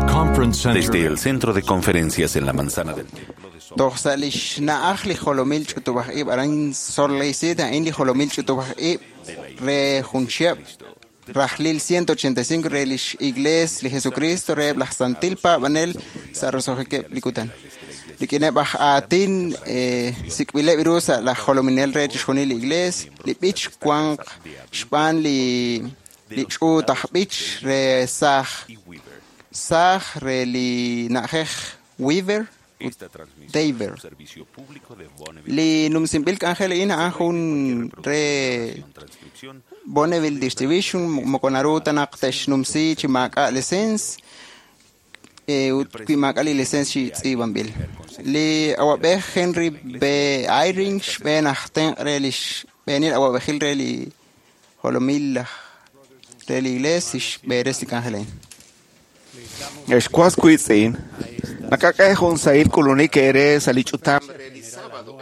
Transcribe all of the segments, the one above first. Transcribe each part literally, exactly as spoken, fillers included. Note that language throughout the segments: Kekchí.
the conference center Desde el centro de conferencias en la manzana del Templo de Salt Toj sa' li xna'aj li jolomil ch'utub'aj ib' aran Salt Lake City, a'in li jolomil ch'utub'aj ib' re jun chihab' rajlil ciento ochenta y cinco re lix Iglesia li Jesucristo re laj Santil Paab'anel sa' roso'jikeb' li kutan. Rik'ineb' aj aatin, eh, sik'b'ileb' ru sa' laj jolominel re chixjunil li Iglesia, li b'ich wanq xb'aan li, li ch'uut aj b'ich re saaj, saaj re li na'ajej Weaver ut Esta transmisión Daver. es un servicio público de Bonneville Li numsinb'il k'anjel a'in a'an jun re transcripción Bonneville Distribution moko naru ta naq te'xnumsi chi maak'a' licencia, eh, ut wi maak'a' li licencia chi tz'iib'anb'il. Li awab'ej Henry B. Eyring xb'een aj tenq' re li xb'eenil awab'ejil re li jolomil aj re li Iglesia xb'eeres li k'anjel a'in. Ex was wiitz'in, nakak'e jun sahil k'ulunik eere sa' li ch'utam re li sábado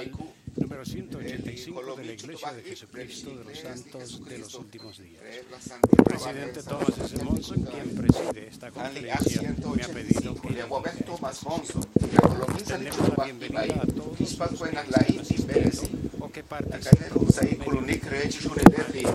Número ciento ochenta y cinco de la Iglesia de Jesucristo de los Santos de los Últimos Días. El presidente Thomas S. Monson, quien preside esta conferencia, me ha pedido que Li awab'ej Thomas Monson, jolomil sa' li extendemos la ch'utub'aj ib' bienvenida a'in, a todos kixpatz' los we que naq están laa'in asistiendo tinb'eresi. o que Nakak'e participan jun sahil k'ulunik re chixjunileb' li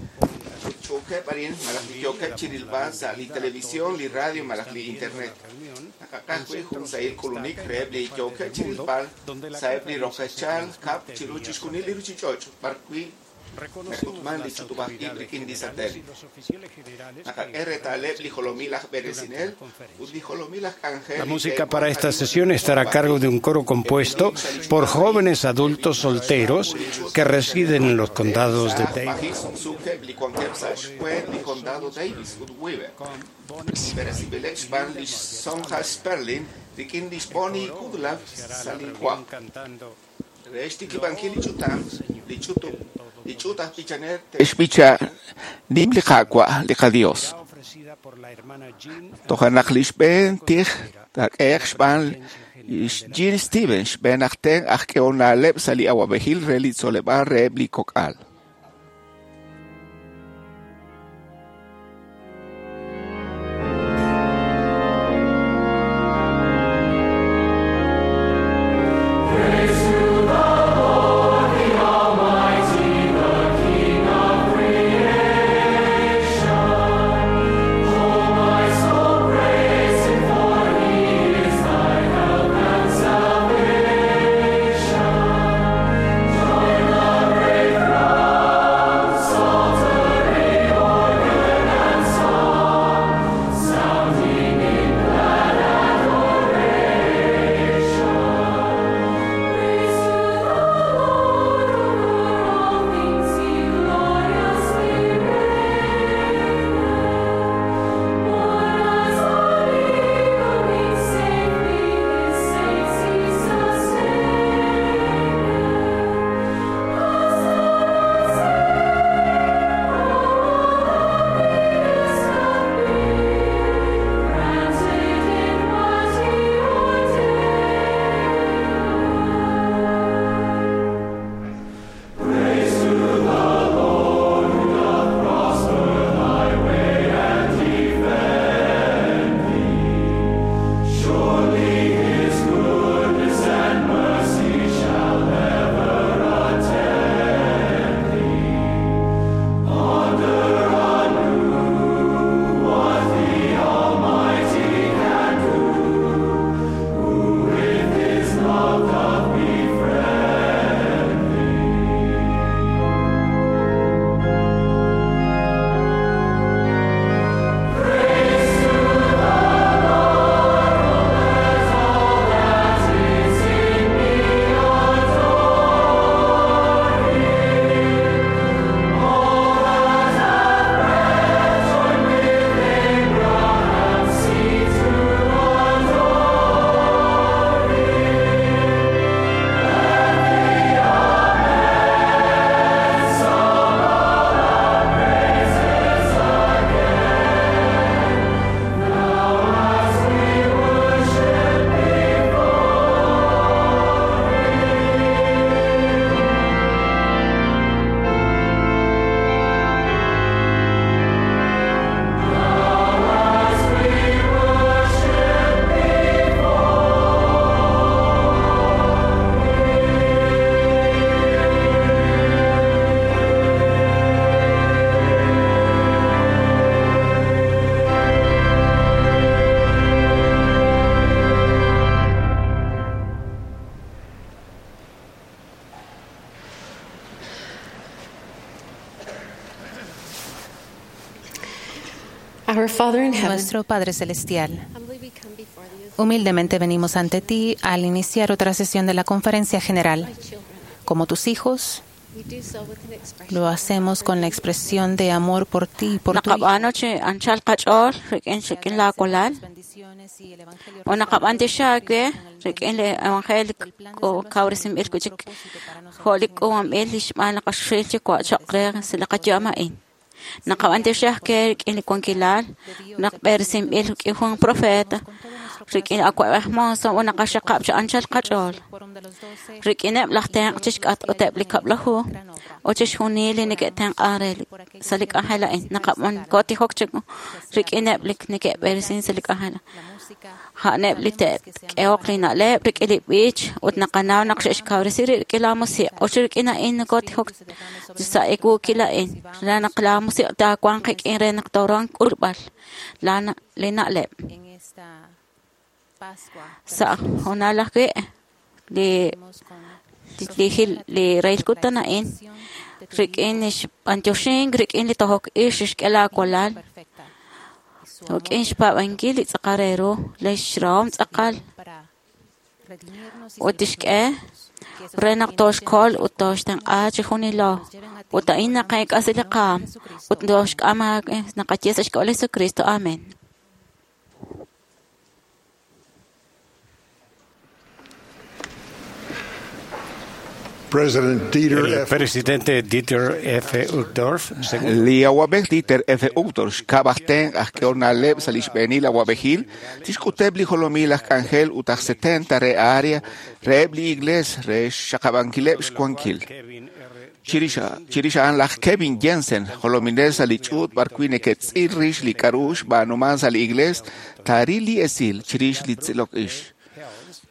ch'utch'uukeb' arin malaj li También le yookeb' damos chi la rilb'al sa' li bienvenida a televisión, todos li los que radio malaj están li viendo la internet. reunión en Nakak'aj wi' jun centros sahil de k'ulunik estaca en reheb' li varias partes yookeb' del chi mundo rilb'al donde la sa'eb' li conferencia se roqechal kab' transmite chiru vía chixjunil li satélite. ruchich'och' b'ar wi' Reconocemos nak'utman li las ch'utub'aj ib' autoridades rik'in li generales y satélite. los oficiales generales que Nakak'e estarán retaleb' li presentes jolomil aj durante b'eresinel la conferencia. ut li jolomil aj k'anjel La li música te'wanq para esta arin sesión estará a ch'utub'aj cargo ib'. de un coro compuesto por jóvenes adultos solteros que residen en los condados de Saaj Davis. b'ajil sumsukeb' li wankeb' sa' xkweent li condado Davis ut Weaver. B'eresinb'ileb' xb'aan li Sonja Sperling rik'in li Bonnie El coro Goodlove iniciará sa' la li reunión Juan. cantando Re xtikib'ankil li ch'utam, li ch'utub', li ch'uut aj b'ichanel Xb'icha nim li Qaawa' li qaDios. ya ofrecida por la hermana Jean Toja' naq li xb'een tij taak'ehaq la xb'aan presidencia general de la Jean Stevens xb'een aj tenq' aj k'ehol na'leb' sa' li awab'ejil re li tzoleb'aal reheb' li kok'al. Join the great throng. Our Father in heaven, Nuestro Padre Celestial, humbly we come before thee as humildemente venimos ante ti al iniciar otra sesión de la Conferencia General. thy children. Como tus hijos, We do so with an expression lo hacemos con la expresión de amor por ti y por tu Hijo. Naqab'aanu chi anchal qach'ool rik'in rik'in laakulal ut naqab'antioxi aawe rik'in li evangelio kawresinb'il wi'chik jo' li k'uub'anb'il li xb'aan li qaxil Yuwa' choq' re sa' li qayu'am a'in. Naqab'antioxi ajwi' rik'in li wankilal naq b'eresinb'il rik'in jun profeta rik'in awa'b'ej Monson ut naqaxaqab' chi anchal qach'ool rik'ineb' laj tenq' chixk'atq ut eb' li kab'laju ut chixjunil li neke'tenq'an re li- sa' li k'anjel a'in. Naqab'an kootijok chi rik'ineb' li neke'b'eresin sa' li k'anjel. A'aneb' li te'k'ehoq li na'leb' rik'in li b'ich ut naqanaw naq xe'xkawresi rib' rik'in laa musiq' ut rik'in a'in nokotijok sa' ewuukil a'in re naq laa musiq' taawanq qik'in re naq tooruhanq k'ulb'al laa na- li na'leb'. En esta Pascua, Sa' hoonal ajwi' li li jil li reyil kutan a'in rik'in li xb'antioxink rik'in li tojok ix xixk'e laawalal perfecta y su amor rik'in xpaab'ankil li tz'aqal re ru li xrahom tz'aqal para redimirnos y ut tixk'e salvarnos. Que esos re naq también tooxkol nos ut tooxtenq'a chi junilo lleven a ti ut a'in en el nombre naqeek'asi del li qaam Jesucristo. ut tooxk'am aawe naqaye sa' xk'ab'a' li Jesucristo. Amén. President Dieter El F. presidente Dieter F. Uchtdorf, segundo Li awab'ej Dieter F. Uchtdorf xkab' aj tenq' aj k'ehol na'leb' sa' li xb'eenil awab'ejil tixk'uteb' li jolomil aj k'anjel ut aj setenta re área reheb' li iglees re xxaqab'ankileb' xwankil. Kevin R. Chirix chirix a'an laj Kevin Jensen, jolominel sa' li ch'uut b'ar wi' neke'tz'il rix li k'a'ru xb'aanuman sa' li iglees, taaril li esil chirix li tz'ilok ix.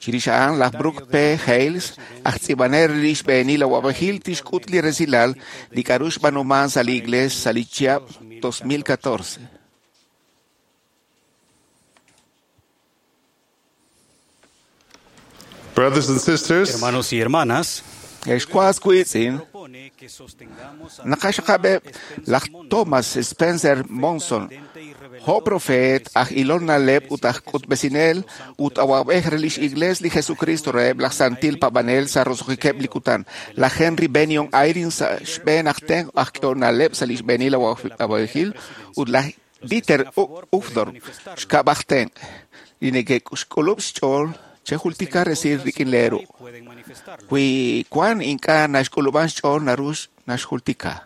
Chirix a'an laj Brooke P. Hales, aj tz'iib'anel re li xb'eenil awab'ejil tixk'ut li resilal li k'a'ru xb'aanuman sa' li iglees sa' li chihab' dos mil catorce. Brothers and sisters, Hermanos y hermanas, Ex was wiitz'in, propone que sostengamos a naqaxaqab'eb' laj Thomas Spencer Monson, jo' profeet aj ilol na'leb' ut aj k'utb'esinel ut awab'ej re lix iglees li Jesucristo reheb' laj santil paab'anel sa' roso'jikeb' li kutan, laj Henry Bennion Eyring sa' xb'een aj tenq' aj k'ehol na'leb' sa' li xb'eenil awab'ejil ut laj Dieter U- Uchtdorf xkab' aj tenq' li neke'xk'ulub' xch'ool chejultika resil rik'in leeru. pueden manifestarlo. Wi wan ink'a' naxk'ulub'an xch'ool naru naxjultika.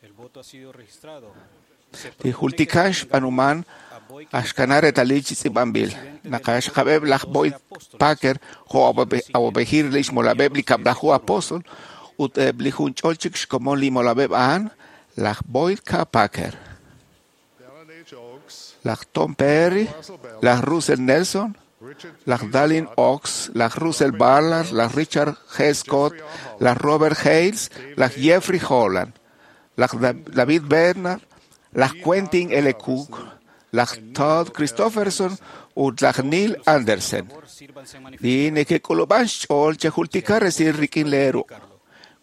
El voto ha sido registrado. Se Li propone que jultikan xb'aanuman a Boyd axkana retalil chi tz'iib'anb'il. Naqaxaqab'eb' laj Boyd Packer jo' awab'e- awab'ejil li xmolab'eb' li kab'laju apóstol ut eb' li junch'ol chik xkomon li molab'eb' a'an laj Boyd K. Packer, Dallin H. Oaks, laj Tom Perry, laj Russell Nelson, Richard laj Dallin Oaks, laj Russell Ballard, laj Richard G. Scott, laj Robert Hales, laj Jeffrey Holland, laj Da- David Bernard, laj Quentin L. Cook, laj Todd Christopherson ut laj Neil Andersen. favor, sírvanse a manifestar. Li neke'k'ulub'an xch'ool chejultika resil rik'in leeru.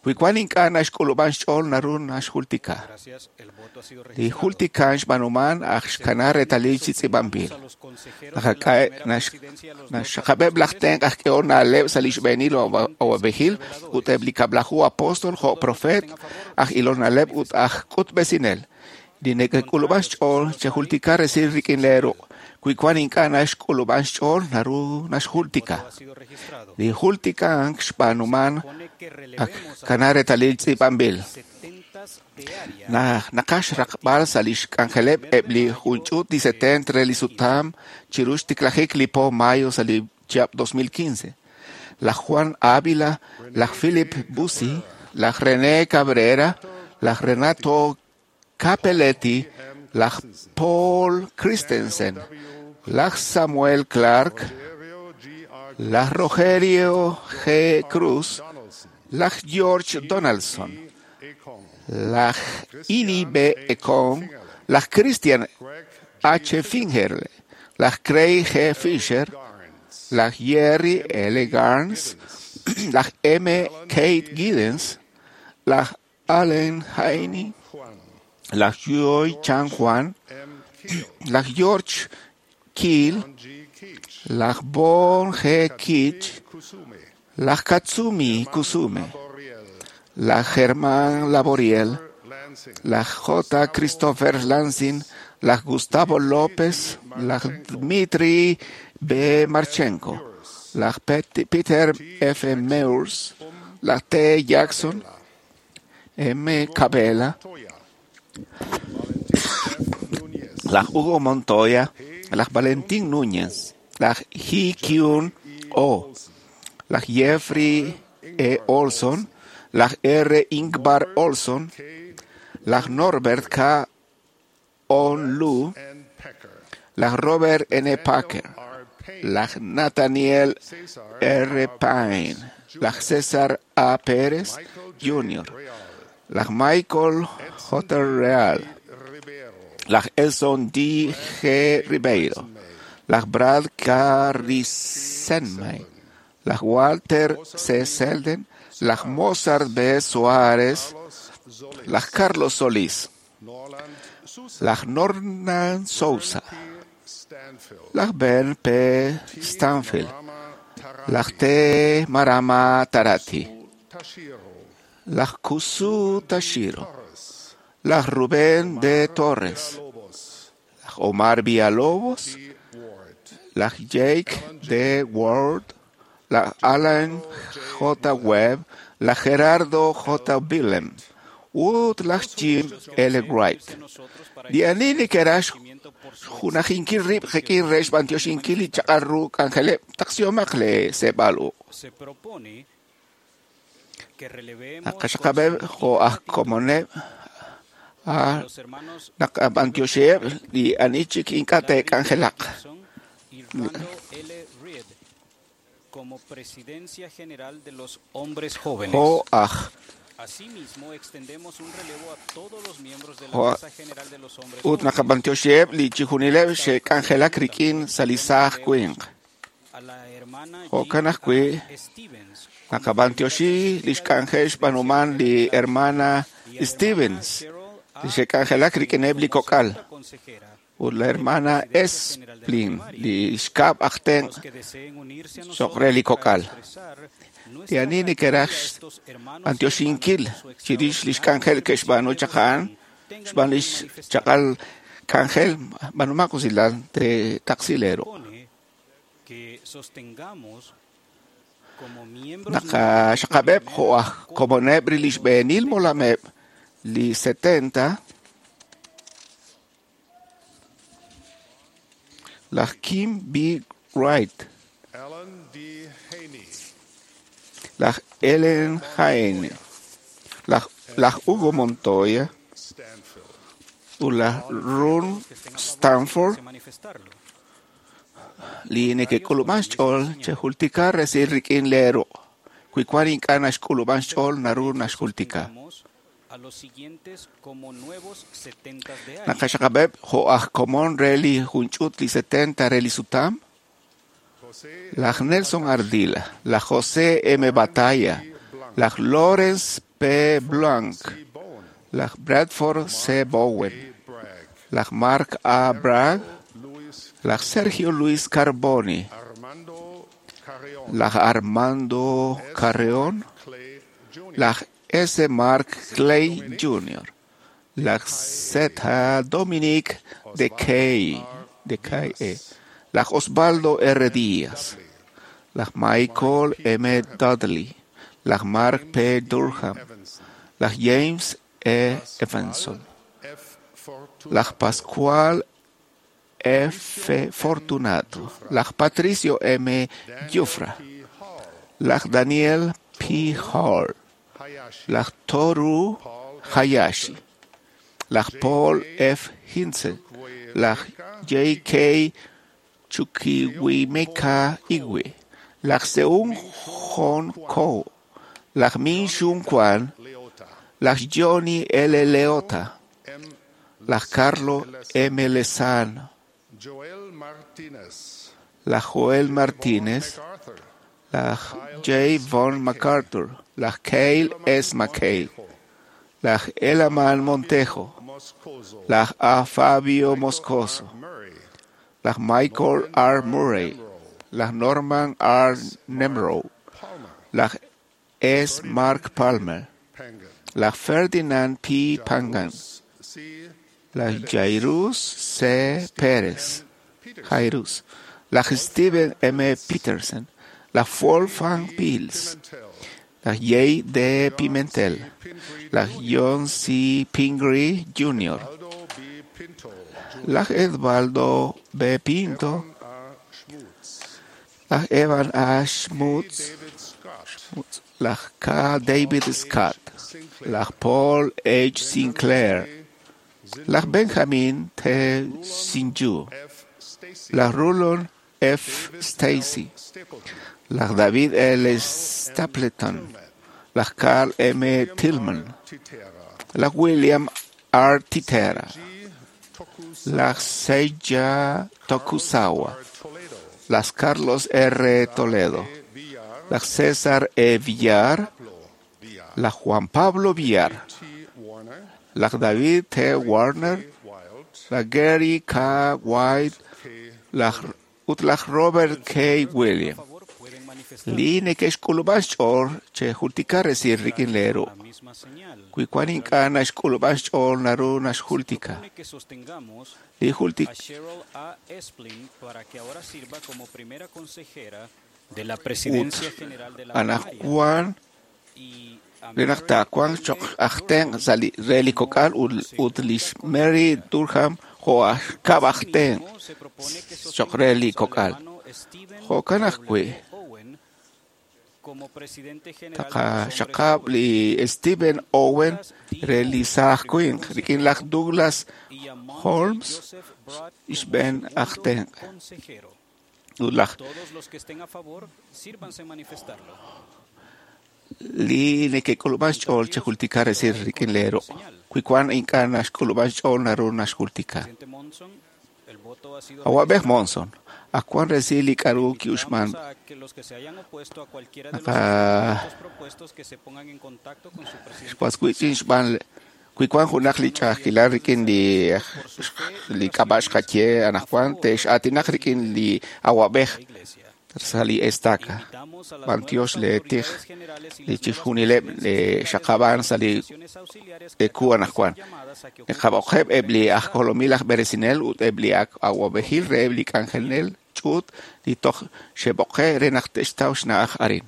Wi wan ink'a' naxk'ulub'an xch'ool naru naxjultika. Gracias, el voto ha sido Li registrado. jultikan xb'aanuman aj xkana retalil chi tz'iib'anb'il. A los consejeros de la Naqak'e- primera nax- presidencia, los dos naxxaqab'eb' laj tenq' aj k'ehol na'leb' sa' li xb'eenil awa- awab'ejil ut eb' li kab'laju apóstol jo' profeet aj ilol na'leb' ut aj k'utb'esinel. Li neke'k'ulub'an xch'ool chejultika resil rik'in leeru. Wi wan ink'a' naxk'ulub'an xch'ool naru naxjultika. ha sido registrado. Li jultikan xb'aanuman Pone que ak relevemos a kana retalil tz'iib'anb'il. setentas de área Naj naqax raqb'al sa' li xk'anjeleb' eb' li junch'ut li setenta re li sutam chiru xtiklajik li po mayo sa' li chihab' dos mil quince. Laj Juan Ávila, laj Philip Bussi, laj René Cabrera, laj Renato Capelletti, laj Paul Christensen, laj Samuel Clark, Rogerio G. R. laj Rogerio G. Cruz, Donaldson, laj George Donaldson, Akon, laj Ini B. Ekong, laj Christian Greg H. Fingerle, laj Craig G. Fisher, Garnes, laj Jerry L. Garnes, laj M. Kate Giddens, laj Allen Heine, Juan, laj Joy Chan Juan, M. Laj George Keel, laj Bon G. Kitch, laj Katsumi Kusume, laj Germán Laboriel, laj J. Christopher Lansing, laj Gustavo López, laj Dmitry B. Marchenko, laj Peter F. Meurs, laj T. Jackson, M. Cabela, laj Hugo Montoya, laj Valentín Núñez, laj Hee Kyun O, laj Jeffrey E. Olson, laj R. Ingvar Olson, laj Norbert K. Onlu, laj Robert N. Packer, laj Nathaniel R. Payne, laj César A. Pérez Junior, laj Michael J. Real, laj Elson D. G. Ribeiro, laj Brad K. Risenmay, laj Walter C. Selden, laj Mozart B. Suárez, laj Carlos Solís, laj Norman Sousa, laj Ben P. Stanfield, laj T. Marama Tarati, laj Kusu Tashiro, laj Rubén D. Torres, laj Omar Villalobos, laj Jake D. Ward, laj Alan J. Webb, laj Gerardo J. Willem, ut laj Jim L. Wright. Li ani neke'raj xjunajinkil rib' rik'in re xb'antioxinkil li chaq'al ru k'anjeleb' taqsihomaq le seeb'al uq'. Naqaxaqab'eb' jo' aj komoneb' naqab'antioxiheb' li ani chik ink'a' te'k'anjelaq. Como Presidencia General de los Hombres Jóvenes. Jo' aj Asimismo, extendemos un relevo a todos los miembros de la Jo' Mesa General de los Hombres ut Jóvenes, naqab'antioxiheb' li chijunileb' xe'k'anjelak rik'in sa' li saaj winq. a la hermana Jo'kan Jean ajwi' A. Stevens, naqab'antioxi li xk'anjel xb'aanuman li hermana y a la Stevens hermana Cheryl li A. xe'k'anjelak rik'ineb' li como kok'al segunda consejera ut la hermana Esplin li xkab' aj tenq' los que deseen unirse a cho'q nosotros re li para kok'al. expresar Li nuestra ani gratitud neke'raj a estos hermanos y b'antioxinkil hermanas por su chirix li extraordinario xk'anjel ke'xb'aanu servicio chaq a'an de devoción, tengan xb'aan a li bien manifestar. xchaq'al k'anjel b'aanumaq usilal te taqsilero. Propone que sostengamos como miembros Naqaxaqab'eb' jo' aj komoneb' li xb'eenil molameb' li setenta laj Kim B. Wright, Alan D. Haney, laj Ellen Jaén, laj, laj Hugo Montoya Stanfield, ut laj Ron que estén a favor Stanford de manifestarlo. li neke'k'ulub'an xch'ool chejultika resil rik'in leero'. Wi wan ink'a' naxk'ulub'an xch'ool naru naxjultika. Sostengamos a los siguientes como nuevos setentas de año. Naqaxaqab'eb' jo' aj komon re li junch'ut li setenta re li sutam, Jose laj Nelson Ardila, laj José M. Batalla, laj Lawrence P. Blanc, C. Bowen, laj Bradford C. Bowen, A. Bragg, laj Mark A. Bragg, Luis laj Sergio Luis Carboni, Armando Carreon, laj Armando Carreón, Clay Junior, laj S. Mark Clay Junior, laj Z. Dominic de Kay, de K E, laj Osvaldo R. Díaz, laj Michael M. Dudley, laj Mark P. Durham, Evanson, laj James E. Evanson, F. Fortuna, laj Pascual F. Fortunato, laj Patricio M. Jufra, P. Hall, laj Daniel P. Hall, Hayashi, laj Toru Paul F. Hayashi, laj Paul F. Hinze, laj J K. Chukiwimeka Igwe, laj Seung Hon Ko, laj Min Shun Kwan, Leota, laj Johnny L. Leota, M. laj Carlo M. Lezano, Joel Martinez, laj Joel Martínez, MacArthur, laj J. Von MacArthur, laj Cale S. McHale, laj Elaman Montejo, Moscoso, Laj A. Fabio Moscoso, laj Michael R. Murray, laj Norman R. Nemrow, laj S. Mark Palmer, laj Ferdinand P. Pangan, laj Jairus C. Pérez, Jairus, laj Steven M. Peterson, laj Wolfgang Pils, laj J. D. Pimentel, laj John C. Pingree Junior, laj Edvaldo B. Pinto, laj Evan A. Schmutz, laj K. David Scott, laj Paul H. Sinclair, laj Benjamin T. Sinju, laj Rulon F. Stacy, laj David L. Stapleton, laj Carl M. Tillman, laj William R. Titera, laj Seija Tokusawa, laj Carlos R. Toledo, laj César E. Villar, laj Juan Pablo Villar, laj David T. Warner, laj Gary K. White, laj ut laj Robert K. William. Li neke'xk'ulub'an xch'ool chejultika resil rik'in leeru. Wi wan ink'a' naxk'ulub'an xch'ool naru naxjultika. Li jultik ut anaqwan re naq taawanq cho'q aj tenq' sa' li re li kok'al ut lix Mary Durham jo' aj kab' aj tenq' cho'q re li kok'al. Jo'kan ajwi' taqaxaqab' li Stephen Owen re li saaj winq rik'in laj Douglas Holmes xb'een aj tenq'. Ut laj li neke'k'ulub'an xch'ool chejultika resil rik'in leeru. Wi wan ink'a' naxk'ulub'an xch'ool naru naxjultika. Awab'ej Monson, ak wan resil li k'aru ki'uxman naqa xwaswich'in xb'aan wi wan junaq li ch'a'ajkilal rik'in li li k'ab'a' xqaye anaqwan te'x'aatinaq rik'in li awab'ej sa' li estaca. B'antiox leetij li chixjunileb' li xaqab'an sa' li eku anaqwan. Naqab'oqeb' eb' li aj jolomil aj b'eresinel ut eb' li ak awab'ejil reheb' li k'anjenel ch'uut li toj xe'b'oqe' re naq te'xtaw xna'aj arin.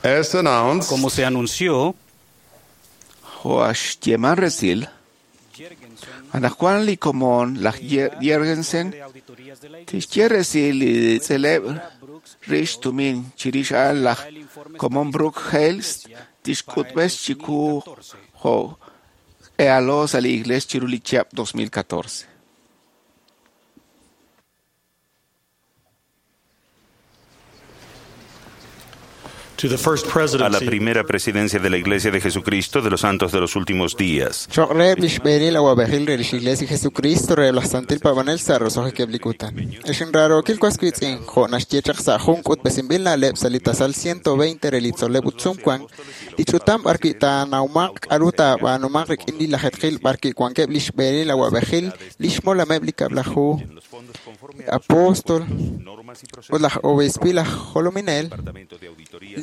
As announced, Como se anunció, Jo' xyeeman resil, anaqwan li komon laj Jergensen tixye resil li tz'eleb' rix tumin chirix a'an laj komon Brooke Hales tixk'utb'es chiqu jo' k'ehalo sa' li iglees chiru li chihab' dos mil catorce. To the first A la presidency primera presidencia de la Iglesia de Jesucristo de los Santos de los Últimos Días. Cho'q reheb' li xb'eenil awab'ejil re lix Iglesia Jesucristo reheb' laj Santil Paab'anel sa' roso'jikeb' li kutan. Ex inraarookil was wiitz'in, jo' naxye chaq sa' jun k'utb'esinb'il na'leb' sa' li tasal ciento veinte re li tzol'leb' ut sumwank, li ch'utam b'arwi' taanawmaq k'aru taab'aanumaq rik'in li lajetqil b'arwi' wankeb' li xb'eenil awab'ejil, li xmolameb' li kab'laju apóstol ut laj obispil aj jolominel,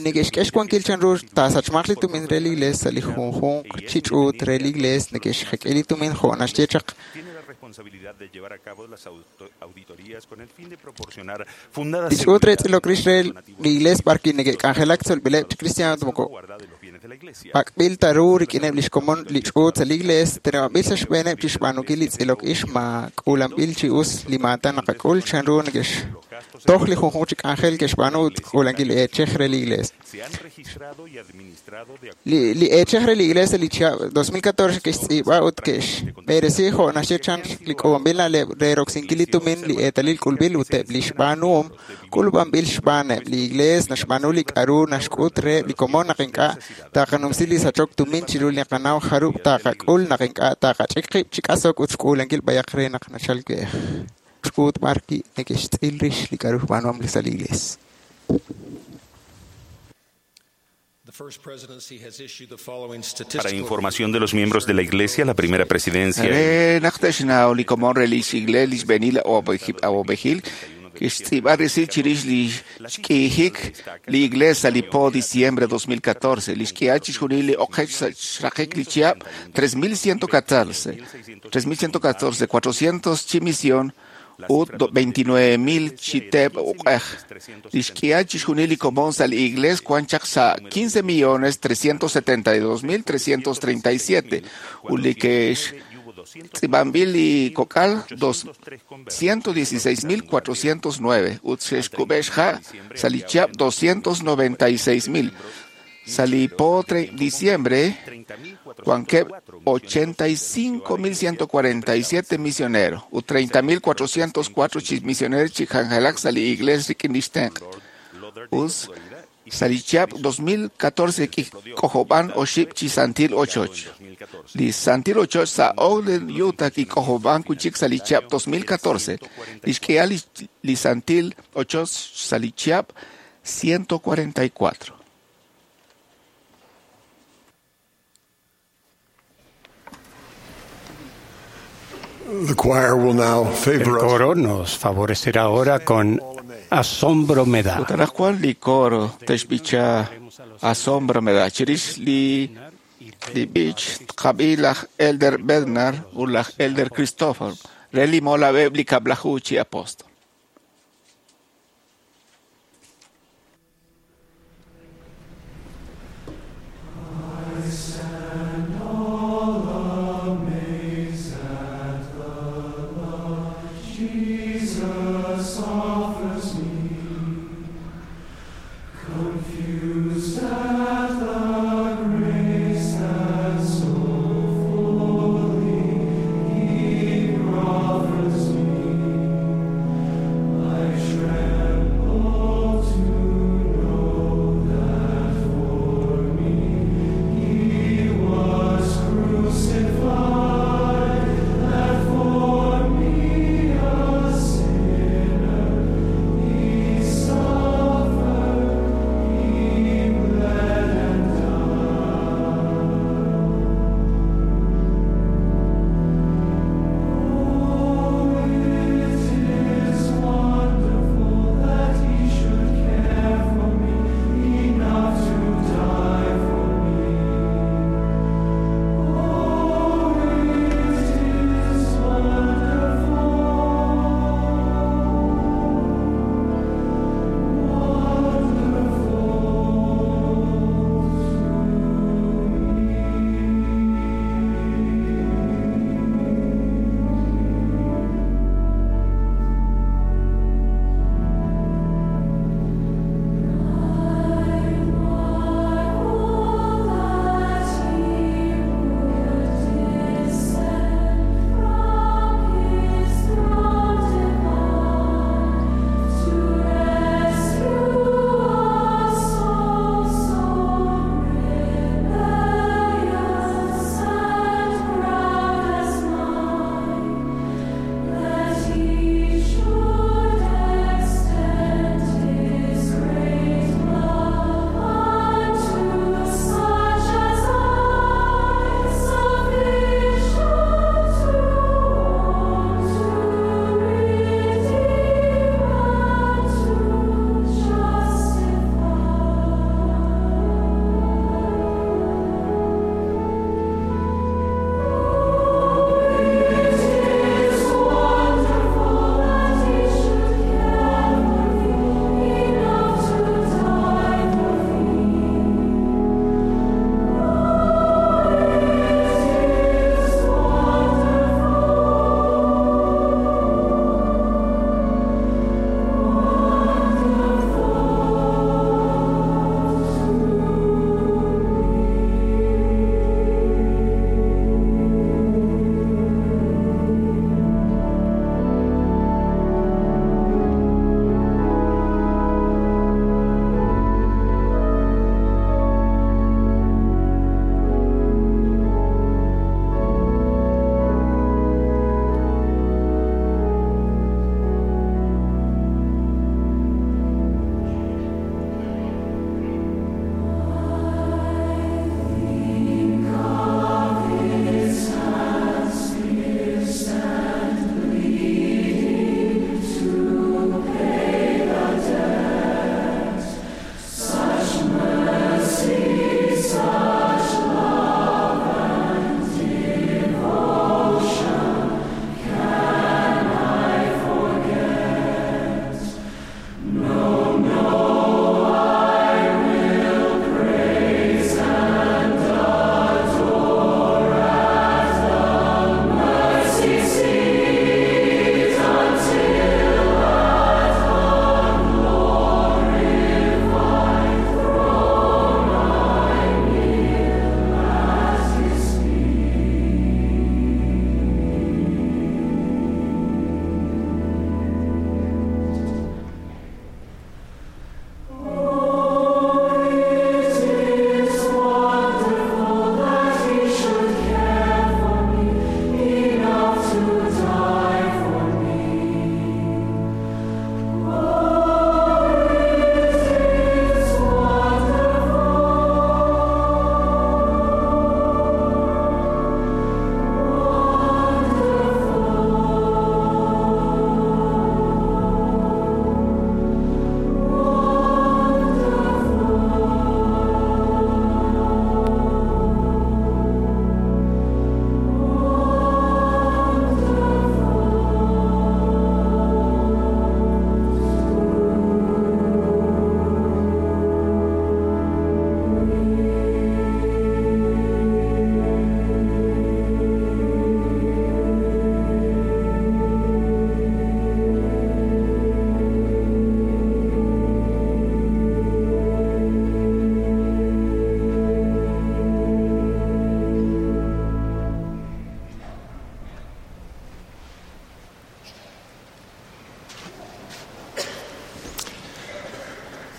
neke'xk'e xwankil chanru taasachmaq li tumin re li iglees sa' li junjunq chi ch'uut re li iglees neke'xjek'i li tumin jo' naxye chaq Tiene la responsabilidad de llevar a cabo las auto- auditorías con el fin de proporcionar fundadas li ch'uut re tz'ilok rix re li iglees b'arwi' neke'k'anjelak tzolb'ileb' chi cristiano moko guarda de los bienes de la Iglesia. pak'b'il ta ru rik'ineb' li xkomon li ch'uut sa' li iglees teneb'anb'il sa' xb'eeneb' chi xb'aanunkil li tz'ilok ix ma k'uulanb'il chi us li maatan naqak'ul chanru neke'xtoj li junjunq chi k'anjel ke'xb'aanu ut k'uulankil li eechej re li iglees. Se han registrado y administrado de Li, li eechej re li iglees li chihab' dos mil catorce ke'xtz'iib'a ut ke'xb'eresi jo' naxye chan li k'uub'anb'il na'leb' re roksinkil li tumin li eetalil k'ulb'il ut eb' li xb'aanuhom k'ulub'anb'il xb'aaneb' li iglees naxb'aanu li k'aru naxk'ut reheb' li komon naq ink'a' taqanumsi li sachok tumin chiru li qanaw jarub' taqak'ul naq ink'a' taqach'ik qib' chi k'asok ut xk'uulankil b'ayaq re naq nachal we'ej. ch'uut b'ar wi' neke'xtz'il rix li k'a'ru xb'aanuhom sa' li Iglees. Para información de los miembros de la Iglesia, la primera presidencia Re naq te'xnaw li komon re lix Iglees li xb'eenil awab'ejil kixtz'iib'a resil chirix li xk'iijik li Iglees sa' li po diciembre dos mil catorce. Li xk'ihal chixjunil li oqech sa' xraqik li chihab' tres mil ciento catorce, tres mil ciento catorce, cuatrocientos chi misión ut veintinueve mil chi teep uq'ej. Li xk'ihal chixjunil li komon sa' li Iglees wan chaq sa' quince millones trescientos setenta y dos mil trescientos treinta y siete ut li ke'x tz'iib'anb'il li kok'al dos ciento dieciséis mil cuatrocientos nueve ut xe'xkub'e xja' sa' li chihab' doscientos noventa y seis mil. Sa' li po diciembre wankeb' ochenta y cinco mil ciento cuarenta y siete misioneros ut treinta mil cuatrocientos cuatro chi misioneros chi k'anjelak sa' li Iglees rik'in lix tenq'. Us sa' li chihab' dos mil catorce kik'ojob'an oxib' chi santil ochoch. Li santil ochoch sa' Ogden, Utah kik'ojob'an wi'chik sa' li chihab' dos mil catorce. Li xk'ihal li santil ochoch sa' li chihab' ciento cuarenta y cuatro. The choir will now favor El us. coro nos favorecerá ahora con Asombro me da. Ut anaqwan li coro te'xb'icha Asombro me da. Chirix li li b'ich tqab'i laj Elder Bednar ut laj Elder Christopher re li molab'eb' li kab'laju chi apóstol. Jesus offers me, confused at the grace that so fully He proffers me. I tremble to know that for me He was crucified, that for me a sinner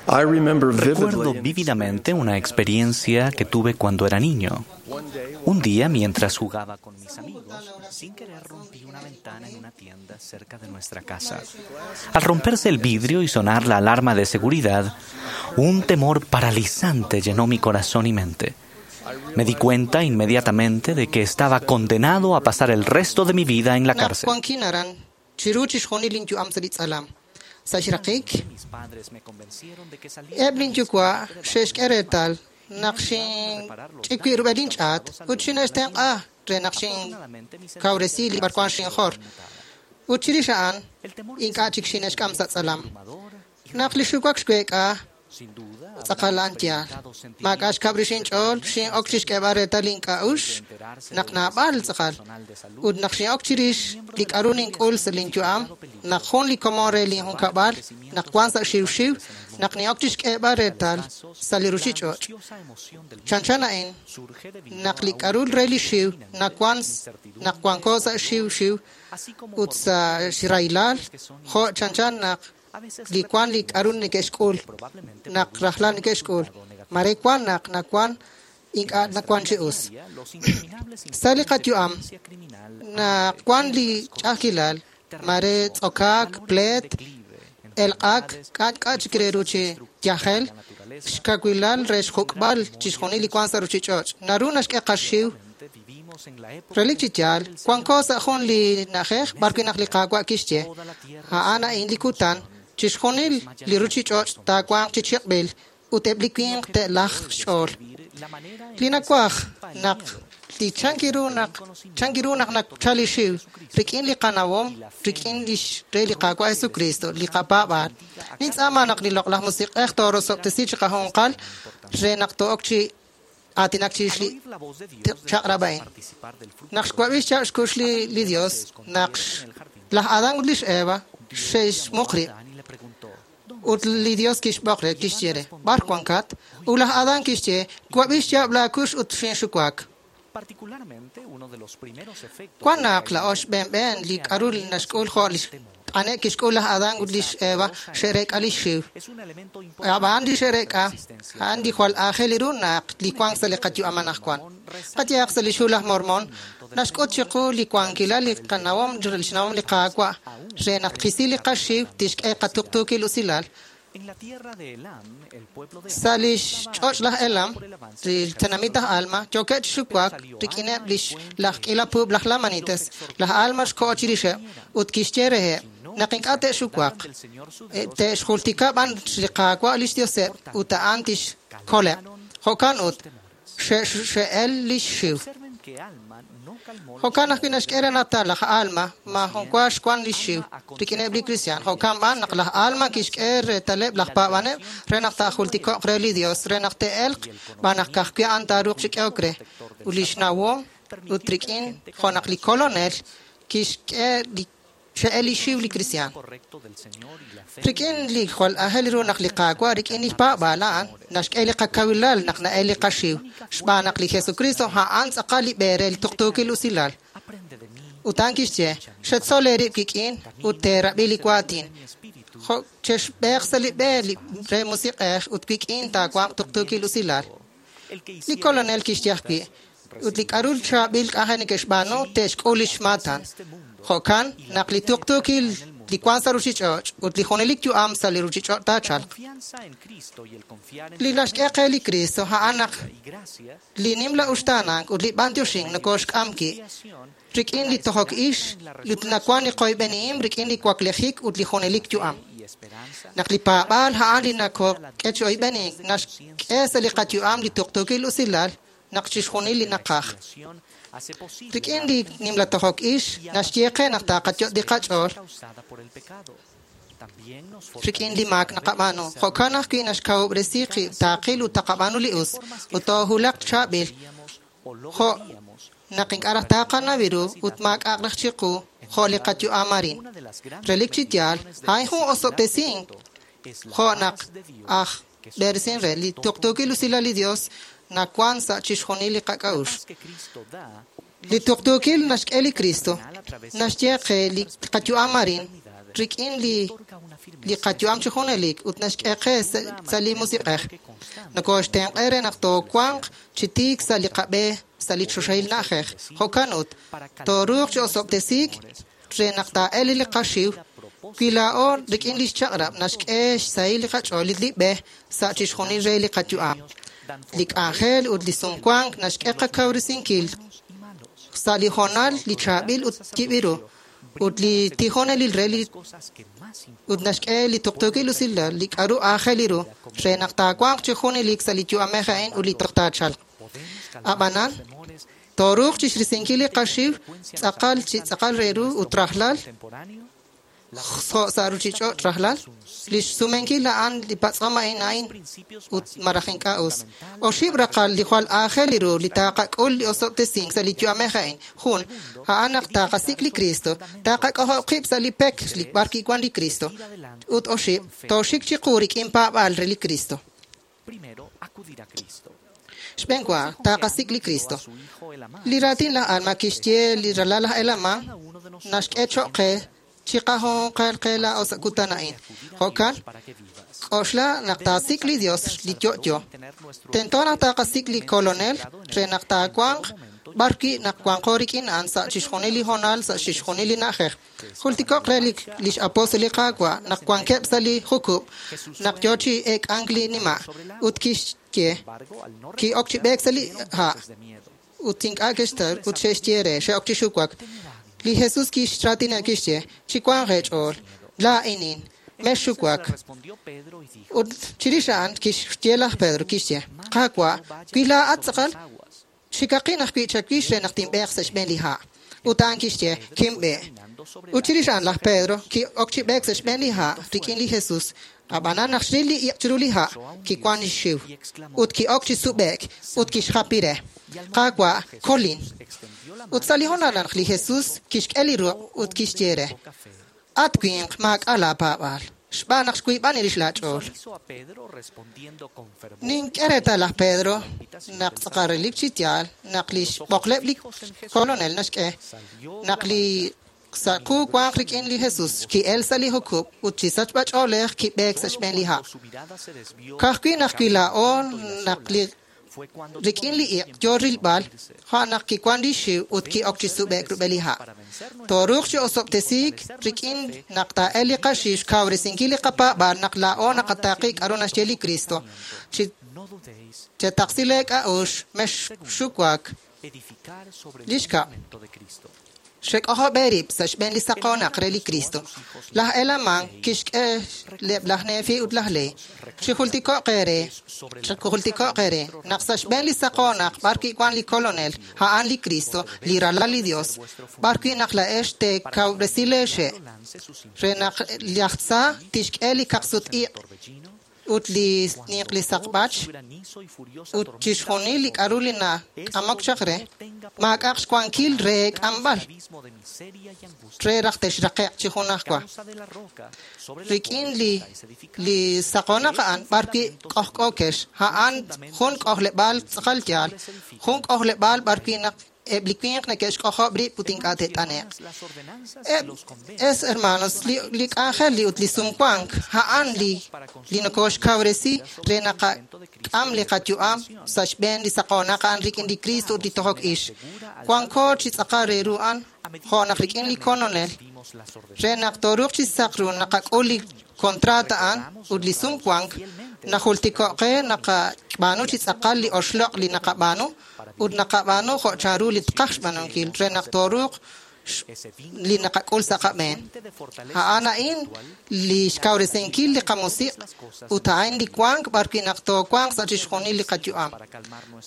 Recuerdo vívidamente una experiencia que tuve cuando era niño. Un día, mientras jugaba con mis amigos, sin querer rompí una ventana en una tienda cerca de nuestra casa. Al romperse el vidrio y sonar la alarma de seguridad, un temor paralizante llenó mi corazón y mente. Me di cuenta inmediatamente de que estaba condenado a pasar el resto de mi vida en la cárcel. Sa' xraqik eb' linyuwa' xe'xk'e reetal naq xinch'ik wib' rub'el inch'aat ut xine'xtenq'a re naq xinkawresi li b'arwan xinjor. Ut chirix a'an ink'a' chik xine'xk'am sa' tz'alam. Naq li xuwak xweek'a tz'aqal a'an yaal. Maak'a' xkab' rix inch'ool, xin'ok chixk'eeb'al reetal ink'a'uxl naq naab'al tz'aqal. Ut naq xin'ok chirix li k'a'ru nink'ul sa' linyu'am, naq jun li komon re linjunkab'al, naq wan sa' xiwxiw, naq nin'ok chixk'eeb'al reetal sa' li ruchich'och'. Chanchan a'in, naq li k'a'ru re li xiw nawan naq wanko sa' xiwxiw ut sa' xrahilal, jo' chanchan naq li wan li k'a'ru neke'xk'ul, naq rajlal neke'xk'ul, mare wan naq nawan ink'a' nawan chi us. Sa' li qayu'am, naq wan li ch'a'ajkilal, mare tz'okaak, pleet, elq'ak, k'a' k'a' chik re ru chi yajel, xkawilal re xjuk'b'al chixjunil li wan sa' ruchich'och', naru naxk'e qaxiw. Relik chi yaal, wanko sa' jun li na'ajej b'arwi' naq li Qaawa' kixye, a'an a'in li kutan, chixjunil li ruchich'och' taawanq chi chiq'b'il ut eb' li winq te'lajq xch'ool. Li nawaj naq li chankiru naq chankiru naq nachal li xiw rik'in li qanawom, rik'in lix re li Qaawa' Jesucristo, li qapaab'aal. Nintz'aama naq li loq'laj musiq'ej toorosob'tesi chi qajunqal re naq to'ok chi aatinak chirix li chaq'rab' a'in. Naq xwab'i xchaq' xkux li li Dios, naq laj Adán ut lix Eva xe'xmuq rib'. Ut li Dios kixb'oq re, kixye re, b'ar wankat? Ut laj Adán kixye, wab'i xyaab' laakux ut xinxuwak. Wan naq laa'o xb'eenb'een li k'a'ru naxk'ul jo' li t'ane'k kixk'ul laj Adán ut lix Eva xe'reek'a li xiw. Ab'an li xe'reek'a, a'an li jwal aajel ru naq li wank sa' li qayu'am anaqwan. Qayehaq sa' li xhu laj Mormón, naxk'ut chiqu li wankilal li qanawom li xnawom li Qaawa' re naq tqisi li qaxiw tixk'e qatuqtuukil usilal. Sa' li xch'och' laj Elam, li tenamit aj Alma, yookeb' chi xuwak rik'ineb' lix laj k'iila puub' laj Lamanites. Laj Alma xko'o chirixeb' ut kixye reheb' naq ink'a' te'xuwaq, te'xjultika b'an li Qaawa' lix Dioseb' ut a'an tixkoleb'. Jo'kan ut xe'el lix xiw. Jo'kan ajwi' naxk'e renatal laj Alma maajun wa xwan li xiw rik'ineb' li kristiaan. Jo'kan b'an naq laj Alma kixk'e reetaleb' laj paab'aneb' re naq taajultiko'q re li Dios, re naq te'elq b'an naq ka'ajwi' a'an taaruuq chi k'ehok re. Ut li xnawom ut rik'in jo' naq li kolonel kixk'e li xe'el li xiw li kristiaan. Rik'in li jwal aajel ru naq li Qaawa' rik'in li paab'aal a'an naxk'e li qakawilal naq na'el li qaxiw, xb'aan naq li Jesucristo a'an tz'aqal li b'e re li tuqtuukil usilal. Ut a'an kixye, xetzol eerib' kik'in ut teerab'i li waatin. Jo' chexb'eeq sa' li b'e re musiq'ej ut wik'in taawanq tuqtuukil usilal. Li kolonel kixye ajwi', ut li k'a'ru chaab'il k'anjel neke'xb'aanu te'xk'ul lix maatan. Jo'kan naq li tuqtuukil li wan sa' ruchich'och' ut li junelik yu'am sa' li ruchich'och' taachalq. Li naxk'e qe li Cristo a'an naq li nimla uxtaanank ut li b'antioxink nokoxk'am ki' rik'in li tojok ix, ut nawan li qoyb'enihim rik'in li waklejik ut li junelik yu'am. Naq li paab'aal a'an li nakok'e chi oyb'enink naxk'e sa' li qayu'am li tuqtuukil usilal naq chixjunil li naqaj. Rik'in li nimla tojok ix, naxye qe naq taqayot' li qach'ool rik'in li maak naqab'aanu. Jo'kan ajwi' naxkawub'resi qib' taaqil ut taqab'aanu li us, ut toohulaq chaab'il. Jo' naq ink'a' raj taqanaw ru ut maak'a'aq raj chiqu jo' li qayu'am arin. Relik chi yaal, a'in jun osob'tesink jo' naq aj b'eresin re li tuqtuukil usilal li Dios nawan sa' chixjunil li qak'a'uxl. Li tuqtuukil naxk'e li Cristo, naxye qe li qayu'am arin rik'in li li qayu'am chi junelik ut naxk'e qe sa' li musiq'ej. Nokoxtenq'e re naq toowanq chi tiik sa' li qab'e sa' li choxahil na'ajej. Jo'kan ut, tooruuq chi osob'tesiik re naq taa'el li qaxiw wi laa'o rik'in li xchaq'rab' naxk'e xsahil li qach'ool li b'e sa' chixjunil re li qayu'am. Li k'anjel ut li sumwank naxk'e qakawresinkil sa' li hoonal li chaab'il ut yib'iru ut li tijonelil re li ut naxk'e li tuqtuukil usilal li k'aru aajel ru re naq taawanq chi junelik sa' li yu'amej a'in ut li toj taachalq. Ab'anan, tooruuq chixrisinkil li qaxiw tz'aqal chi tz'aqal re ru ut rajlal jo' sa' ruchich'och' rajlal, li xsumenkil a'an li patz'om a'in a'in ut maraj ink'a' us. Oxib' raqal li jwal aajel ru li taqak'ul li osob'tesink sa' li yu'amej a'in. Jun, a'an naq taqasik' li Cristo, taqak'ojob' qib' sa' li pek li b'ar kiwan li Cristo. Ut oxib', tooxik chiqu rik'in paab'aal re li Cristo. Xb'een wa, taqasik' li Cristo. Li raatin laj Alma kixye li ralal laj Helaman naxk'e choq' qe chiqajunqal qe laa'o sa' kutan a'in. Jo'kan, k'oxla naq taasik' li Dios li yo'yo. Tento naq taqasik' li Kolonel re naq taawanq b'ar wi' naq wanqo rik'in a'an sa' chixjunil li hoonal sa' chixjunil li na'ajej. Jultiko'q re lix apóstol li Qaawa' naq wankeb' sa' li jukub' naq yo chi eek'ank li nima' ut kixye ki'ok chi b'eek sa' li ha' ut ink'a' kextar ut xe'xye re xe'ok chi xuwak. Li Jesús kixraatina kixye chiwanq eech'ool laa'inin mexxuwak. Ut chirix a'an kixye laj Pedro kixye Qaawa' wi laa'at tz'aqal xikaqin ajwi' chawix re naq tinb'eeq sa' xb'een li ha'. Ut a'an kixye kinb'e. Ut chirix a'an laj Pedro ki'ok chi b'eek sa' xb'een li ha' rik'in li Jesús. Ab'anan naq xril li iq' chiru li ha' kiwan xxiw ut ki'ok chi sub'e'k ut kixjapi re Qaawa' kolin. Ut sa' li hoonal naq li Jesús kixk'e li ruq' ut kixye re at winq maak'a' laapaab'aal xb'aan naq xwiib'an rix laach'ool. Nink'e reetal laj Pedro naq tz'aqal relik chi yaal naq li xb'oqleb' li Kolonel naxk'e naq li sa' qu wanq rik'in li Jesús ki'el sa' li jukub' ut chi sachb'ach'oolej kib'eek sa' xb'een li ha'. Ka'ajwi' naq wi laa'o naq li rik'in li iq' yo rilb'al jo' naq kiwan li xiw ut ki'ok chi sub'e'k rub'el li ha'. Tooruuq chi osob'tesiik rik'in naq taa'el li qaxiw xkawresinkil li qapaab'aal naq laa'o naqataaqi k'aru naxye li Cristo. Chi chetaqsi leek'a'uxl mexxuwak. Li xkab', xek'ojob' eerib' sa' xb'een li saqoonaq re li Cristo. Laj Helaman kixk'e leb' laj Nefi ut laj Lehi. Chijultiko'q eere, chijultiko'q eere naq sa' xb'een li saqoonaq b'ar wi' wan li Kolonel, a'an li Cristo, li ralal li Dios, b'ar wi' naq laa'ex teekawresi leexe' re naq laj tza tixk'e li kaqsut-iq' ut li ninq li saqb'ach ut chixjunil li k'aru li nak'amok chaq re maak'a'aq xwankil re k'amb'al re raj texraqe'q chi junajwa. Rik'in li li saqoonaq a'an b'ar wi' k'ojk'ookex a'an jun k'ojleb'aal tz'aqal yaal, jun k'ojleb'aal b'ar wi' naq eb' li winq neke'xk'ojob' rib' ut ink'a' te't'ane'q. Eb' es hermanos, li li k'anjel li ut li sumwank a'an li li nokoxkawresi re naqak'am li qayu'am sa' xb'een li saqoonaq a'an rik'in li Cristo ut li tojok ix. Wanko chi tz'aqal re ru a'an jo' naq rik'in li Kolonel re naq tooruuq chi saq ru naqak'ul li kontraat a'an ut li sumwank najultiko'q qe naqab'aanu chi tz'aqal li oxloq' li naqab'aanu ut naqab'aanu jo' chanru li tqaj xb'aanunkil re naq tooruuq li naqak'ul sa' qab'een. A'an a'in li xkawresinkil li qamusiq' ut a'in li wank b'ar wi' naq toowanq sa' chixjunil li qayu'am.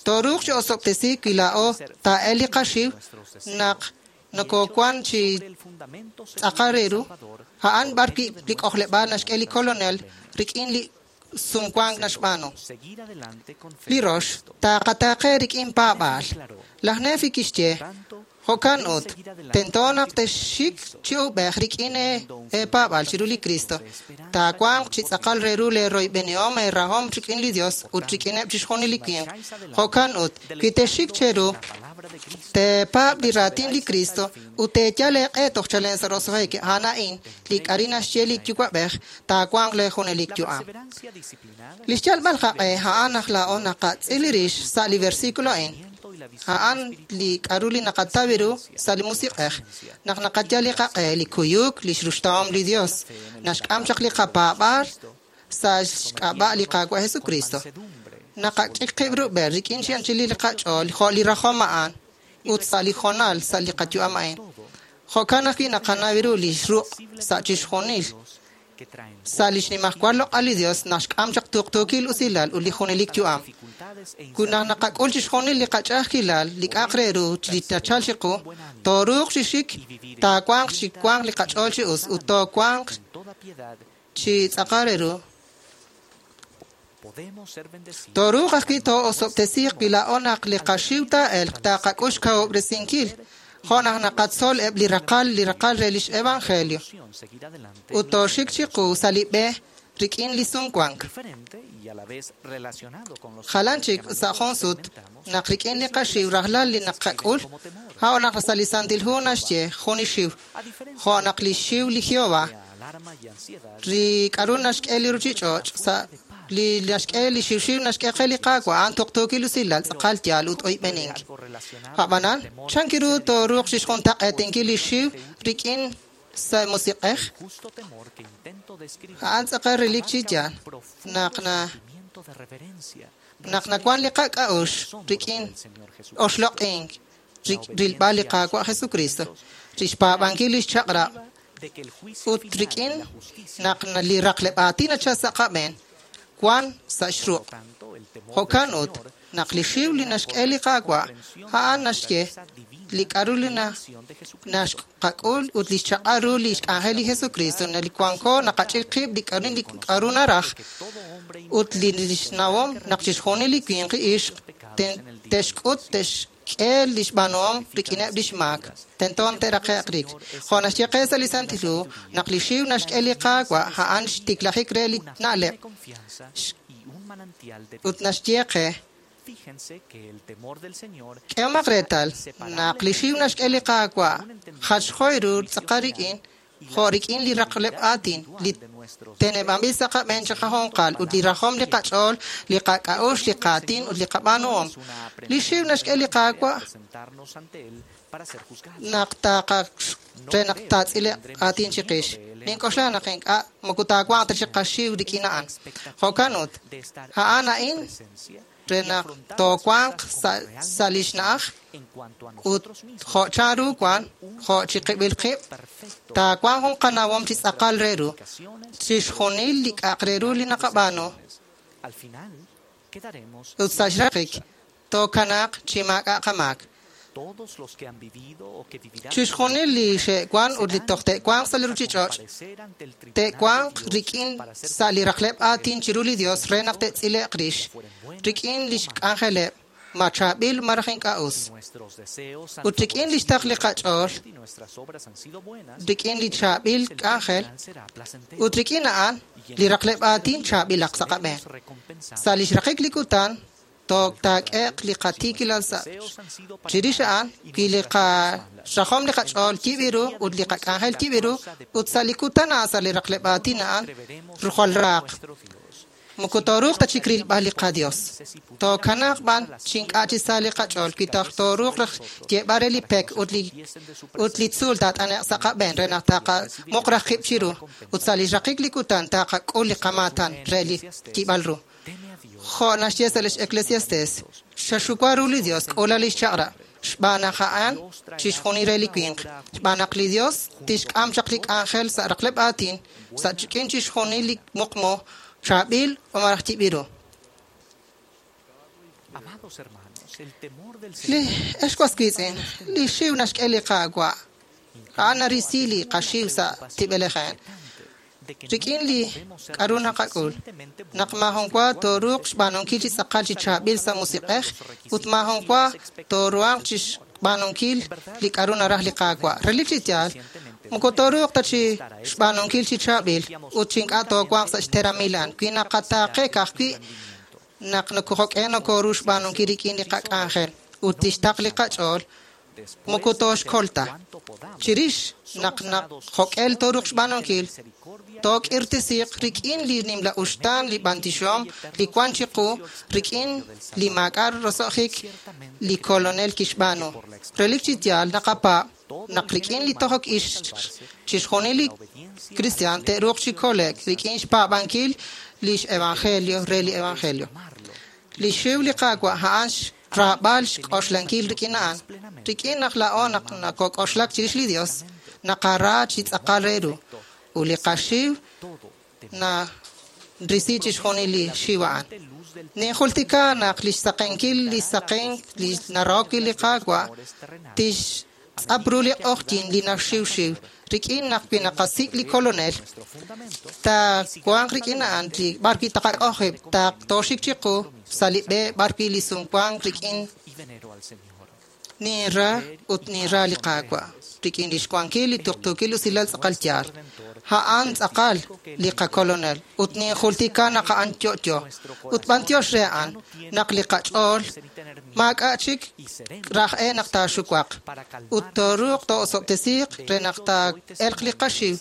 Tooruuq chi osob'tesiik wi laa'o taa'el li qaxiw naq nokowan chi tz'aqal re ru a'an b'ar wi' li k'ojleb'aal naxk'e li Kolonel rik'in li sumwank naxb'aanu. Li rox, taqataaqe rik'in paab'aal. Laj Nefi kixye jo'kan ut, tento naq texxik chi ub'ej rik'in eepaab'aal chiru li Cristo. Taawanq chi tz'aqal re ru leeroyb'enihom eerahom rik'in li Dios ut rik'ineb' chixjunil li winq. Jo'kan ut, wi texxik cheru Teepaab' li raatin li Kristo ut teeyal eeq'e toj chalen sa' roso'jik. A'an a'in li k'ari naxye li Yuwa'b'ej taawanq le junelik yu'am. Li xyalb'al qaq'e a'an naq laa'o naqatz'il rix sa' li versículo a'in. A'an li k'aru li naqataw ru sa' li musiq'ej. Naq naqayal li qaq'e, li kuyuk, li xruxtahom li Dios, naxk'am chaq li qapaab'aal sa' xk'ab'a' li Qaawa' Jesucristo. Naqach'ik qib' rub'el rik'in chi anchal li qach'ool jo' li rajom a'an ut sa' li hoonal sa' li qayu'am a'in. Jo'kan ajwi' naqanaw ru li xruq' sa' chixjunil. Sa' li xnimajwal loq'al li Dios naxk'am chaq tuqtuukil usilal ut li junelik yu'am. Wi naq naqak'ul chixjunil li qach'a'ajkilal, li k'a'aq re ru li nachal chiqu, tooruuq chi xik, taawanq chi wanq li qach'ool chi us ut toowanq chi tz'aqal re ru. Tooruuq ajwi' too'osob'tesiiq wi laa'o naq li qaxiw taa'elq taqak'ul xkawub'resinkil jo' naq naqatzol eb' li raqal li raqal re lix evangelio ut tooxik chiqu sa' li b'e rik'in li sumwank. Jalan chik sa' jun sut naq rik'in li qaxiw rajlal li naqak'ul, a'o naq sa' li Santil Hu naxye jun li xiw, jo' naq li xiw li Jehová, li k'aru naxk'e li ruchich'och' sa' li naxk'e li xiwxiw naxk'e qe li Qaawa' a'an tuqtuukil usilal tz'aqal yaal ut oyb'enink. A'b'anan, chan ru tooruuq chixjuntaq'eetinkil li xiw rik'in sa' musiq'ej? A'an tz'aqal relik chi yaal naq na naq nawan li qak'a'uxl rik'in oxloq'ink rilb'al li Qaawa' Jesucristo, chixpaab'ankil lix chaq'rab' ut rik'in naq li raqleb' aatin nachal sa' qab'een wan sa' xruq'. Jo'kan ut naq li xiw li naxk'e li Qaawa' a'an naxye li k'aru li naxqak'ul ut li xchaq'al ru li xk'anjel li Jesucristo li wanko naqach'ik qib' li k'aru li k'aru naraj ut li xnawom naq chixjunil li winq ixq te'xk'ut te'xk'e li xb'aanuhom rik'ineb' li xmaak tento te'raqe'q rik. Jo' naxye qe sa' li Santil Hu naq li xiw naxk'e li Qaawa' a'an xtiklajik re li na'leb' ut naxye qe k'ehomaq reetal naq li xiw naxk'e li Qaawa' jachjoy ru tz'aqal rik'in jo' rik'in li raqleb' aatin li teneb'anb'il sa' qab'een chiqajunqal ut li rajom li qach'ool, li qak'a'uxl, li qaatin ut li qab'aanuhom. Li xiw naxk'e li Qaawa' naq taqa re naq taatz'ile'q aatin chiqix. Nink'oxla naq ink'a' moko taawanq ta chiqaxiw rik'in a'an. Jo'kan ut, a'an a'in re naq toowanq sa' li xna'aj ut jo' chanru wan, jo' chiqib'il qib', taawanq jun qanawom chi tz'aqal re ru, chixjunil li k'a'aq re ru li naqab'aanu. Ut sa' xraqik, tookanaaq chi maak'a' qamaak. Chixjunil li xe'wan ut li toj te'wanq sa' li ruchich'och' te'wanq rik'in sa' li raqleb' aatin chiru li Dios re naq te'tz'ile'q rix rik'in lix k'anjeleb' ma chaab'il malaj ink'a' us. Ut rik'in lix taql li qach'ool, rik'in li chaab'il k'anjel, ut rik'in a'an li raqleb' aatin chaab'ilaq sa' qab'een. Sa' lix raqik li kutan, taak'e'q li qatiikilal sa' chirix a'an wi li qarajom li qach'ool yib' ru ut li qak'anjel yib' ru ut sa' li kutan a'an sa' li raqleb' aatin a'an jwal raaq. Moko tooruuq ta chik rilb'al li qaDios. Tookanaaq b'an chi ink'a' chi sa' li qach'ool wi toj tooruuq raj yeeb'al re li pek ut li ut li tzuul taat'ane'q sa' qab'een re naq taqamuq raj qib' chiru ut sa' li xraqik li kutan taqak'ul li qamaatan re li yib'al ru. Jo' naxye sa' lix Eclesiastes, xaxuwa ru li Dios k'ula lix chaq'rab' xb'aan naq a'an chixjunil re li winq, xb'aan naq li Dios tixk'am chaq li k'anjel sa' raqleb' aatin sa' rik'in chixjunil li muqmu chaab'il malaj yib'il ru. Li ex was wiitz'in, li xiw naxk'e li Qaawa' a'an narisi li qaxiw sa' tib'elejeen. Rik'in li k'aru naqak'ul, naq maajun wa tooruuq xb'aanunkil chi tz'aqal chi chaab'il sa' musiq'ej ut maajun wa tooruhanq chi xb'aanunkil li k'aru naraj li Qaawa'. Relik chi yaal, moko tooruuq ta chi xb'aanunkil chi chaab'il ut chi ink'a' toowanq sa' xteramilan wi naqataaqe ka'ajwi' naq nokojok'e nokoru xb'aanunkil rik'in li qak'anjel. ut lix taql li qach'ool moko tooxkol ta. Chirix naq jo'k'el tooruuq xb'aanunkil, took'irtesiiq rik'in li nimla uxtaan li b'antioxihom li wan chiqu rik'in li maak'a' roso'jik li Kolonel kixb'aanu. Relik chi yaal naqapaab' naq rik'in li tojok ix chixjunil li kristiaan te'ruuq chi kole'k rik'in xpaab'ankil lix evangelio re li evangelio. Li xiw li Qaawa' a'an xraab'al xk'oxlankil rik'in a'an. Rik'in naq laa'o naq nakok'oxlak chirix li Dios, naqara chi tz'aqal re ru. Ut li qaxiw narisi chixjunil li xiw a'an. Ninjultika naq lix saqenkil li saqenk li narahok wi' li Qaawa' tixtz'ap ru li q'oqyink li naxiwxiw. Rik'in naq wi naqasik' li Kolonel, taawanq rik'in a'an li b'ar wi' taqak'ojib', tooxik chiqu sa' li b'e b'ar wi' li sumwank rik'in ninra ut ninra li Qaawa', rik'in lix wankil li tuqtuukil usilal tz'aqal yaal. A'an tz'aqal li qaKolonel ut ninjultika naq a'an yo'yo. Ut b'antiox re a'an naq li qach'ool maak'a' chik raj'e naq taaxuwaq. Ut tooruuq too'osob'tesiiq re naq taa'elq li qaxiw.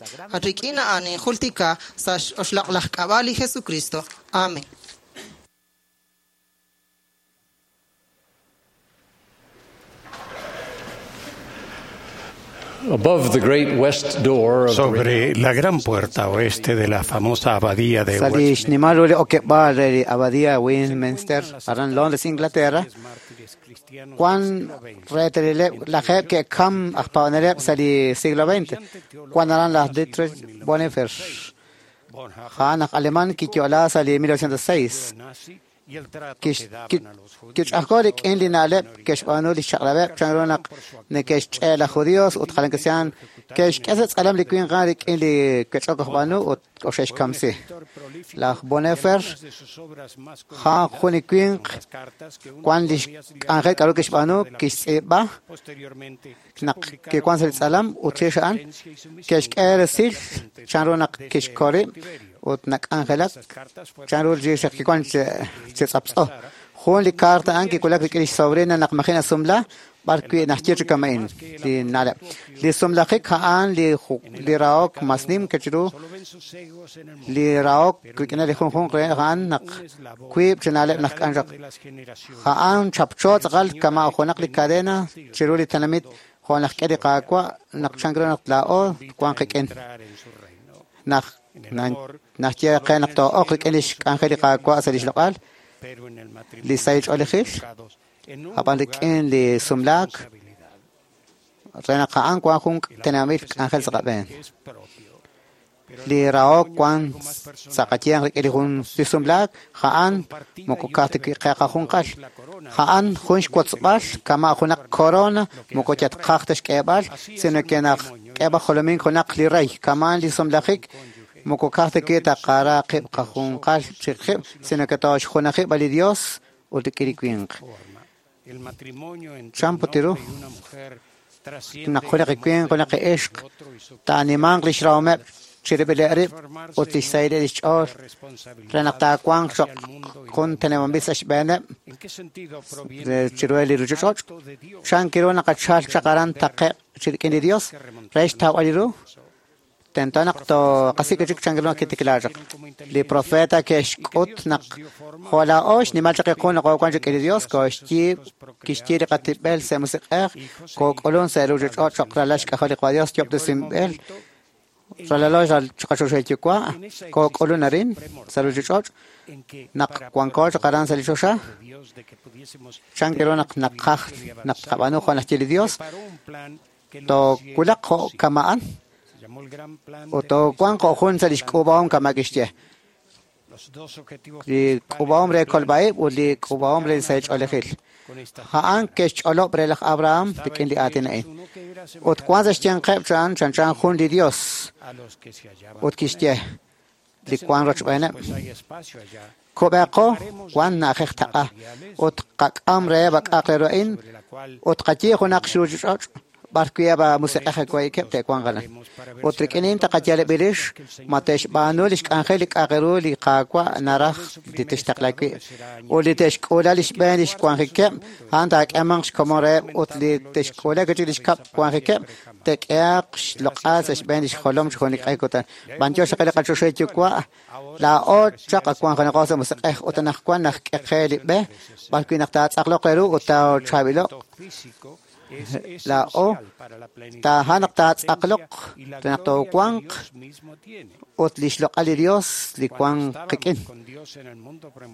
Rik'in a'an ninjultika sa' x'oxloq'laj k'ab'a' li Jesucristo. Amen. Sobre la gran puerta oeste de la famosa abadía de Sa li xnimal ru li okeb'aal re li abadía Westminster aran Londres, Inglaterra, wan reetalileb' lajeb' ke'kam aj paab'aneleb' sa' li siglo veinte. Wan aran laj Dietrich Bonhoeffer, a'an aj alemán kiyo'la sa' li mil novecientos seis. Kich'ajko' rik'in li na'leb' ke'xb'aanu li xchaq'rab'eb' chanru naq neke'xch'e laj judíos ut jalan kristiaan ke'xk'e sa' tz'alam li winq a'an rik'in li ke'ch'ok aj b'aanu ut oxe'xkamsi. Laj Bonhoeffer a'an jun li winq wan li xk'anjel k'aru kixb'aanu kixtz'iib'a naq kiwan sa' li tz'alam ut chirix a'an ke'xk'e resil chanru naq kixkol rib' ut nak'anjelak chanru li kiwan chi tz'aptz'o. Jun li carta a'an kiwulak rik'in lix sobrina naq maji' nasumla b'ar wi' naxye chi kama'in li na'leb'. Li sumlajik a'an li rahok mas nim kechiru li rahok rik'in li junjunq re a'an naq wiib' chi na'leb' naq k'anjak. A'an chapcho tz'aqal kama' junaq li cadena chiru li tenamit jo' naq k'e li Qaawa' naq chanru naq laa'o wan qik'in. Naq naxye qe naq too'oq rik'in lix k'anjel li Qaawa' sa' lix loq'al, li sahil ch'oolejil, ab'an rik'in li sumlaak, re naq a'an wan jun tenamit k'anjel sa' qab'een. Li rahok wan sa' qayanq rik'in li jun li sumlaak, a'an moko ka'aj ta wi' qe qajunqal. A'an jun xwotzb'al kama' junaq corona moko yatqaj ta xk'eeb'al, sino ke naq k'eeb'al jolomink junaq li rey, kama' li sumlajik moko ka'aj ta wi' taqara qib' qajunqal chiqib', sino ke tooxjunajib' li Dios ut rik'in li winq. Chan putiru naq junaq li winq junaq li ixq taanimanq lix rahomeb' chirib'ileb' rib' ut lix sahileb' lix ch'ool re naq taawanq cho'q jun teneb'anb'il sa' xb'eeneb' chiru li ruuchich'och'. Chan kiru naqachal chaq aran taqe'q chirik'in li Dios re xtawb'al li ru tento naq toqasik' chik chan kiru naq kitiklaa chaq. Li profeta ke'xk'ut naq jo' laa'o xnimal chaq iqun naq oowan rik'in li Dios kooxyiib' kixyiib' li qatib'el sa' musiq'ej kook'ulun sa' ruuchich'och' cho'q ralal xk'ajol li Qaawa' Dios yob'tesinb'il ralalo xqachoxahil yuwa' kook'ulun arin sa' ruuchich'och' naq wanko chaq aran sa' li choxa chan kiru naq naqaj naq tqab'aanu jo' naxye li Dios toowulaq jo' kama'an ut toowanq jo' jun sa' lix k'uub'ahom kama' kixye. Li k'uub'ahom re kolb'a'ib' ut li k'uub'ahom re li sahil ch'oolejil. A'an ke'xch'olob' re laj Abraham rik'in li aatin a'in. Ut wan sa' xyanqeb' chan chanchan jun li Dios ut kixye li wan rochb'eeneb'. Kub'eeqo wan na'ajej taq'a ut qak'am reheb' ak'aq re ru a'in ut qayiib' junaq xruuchich'och' B'ar wi' eb' musiq'ej waykeb' te'wanq aran. Ut rik'in a'in taqayaleb' rix ma te'xb'aanu li xk'anjel li k'a'aq ru li Qaawa' naraj li tixtaqla wi'. Ut li te'xk'uula li xb'een li xwanjikeb', a'an taak'eemanq xkomon reheb' ut li te'xk'uula wi' chik li xkab' wanjikeb', te'k'ehaq xloq'al sa' xb'een li xjolom chi junelik q'e kutan. B'antiox xaqe li qachoxahil Yuwa', laa'o chaq awanjenaqo sa' musiq'ej ut anaqwan najk'e qe li b'e b'ar wi' naq taatz'aqloq re ru ut taachaab'ilo'q laa'o taa'an naq taatz'aqloq re naq toowanq ut li xloq'al li Dios li wank qik'in.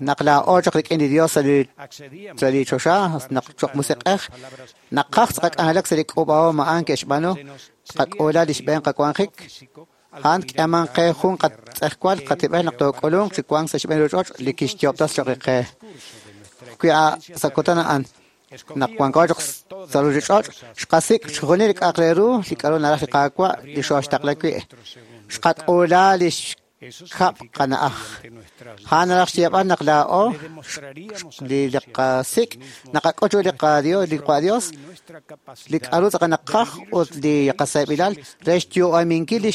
Naq laa'o chaq rik'in li Dios sa' li sa' li choxa naq choq musiq'ej naqaj tz'aqak'anjelak sa' li k'uub'ahom a'an ke'xb'aanu tqak'uula li xb'een qawanjik a'an k'eeman qe jun qatz'ejwal qatib'el naq took'ulunq chi wank sa' xb'een ruuch'och' li kixyoob'tas choq' qe. Wi' sa' kutan a'an naq wanko chaq sa' ruuchich'och' xqasik' chixjunil li k'a'aq re ru li k'a'ru naraj li Qaawa' li xooxtaqla wi'. Xqak'uula li xkab' qana'aj. A'an naraj xyeeb'al naq laa'o li qasik' naqak'ut chiru li qaDios li qaDios li k'a'ru tz'aqal naqaj ut li qaseeb'ilal re xyu'aminkil li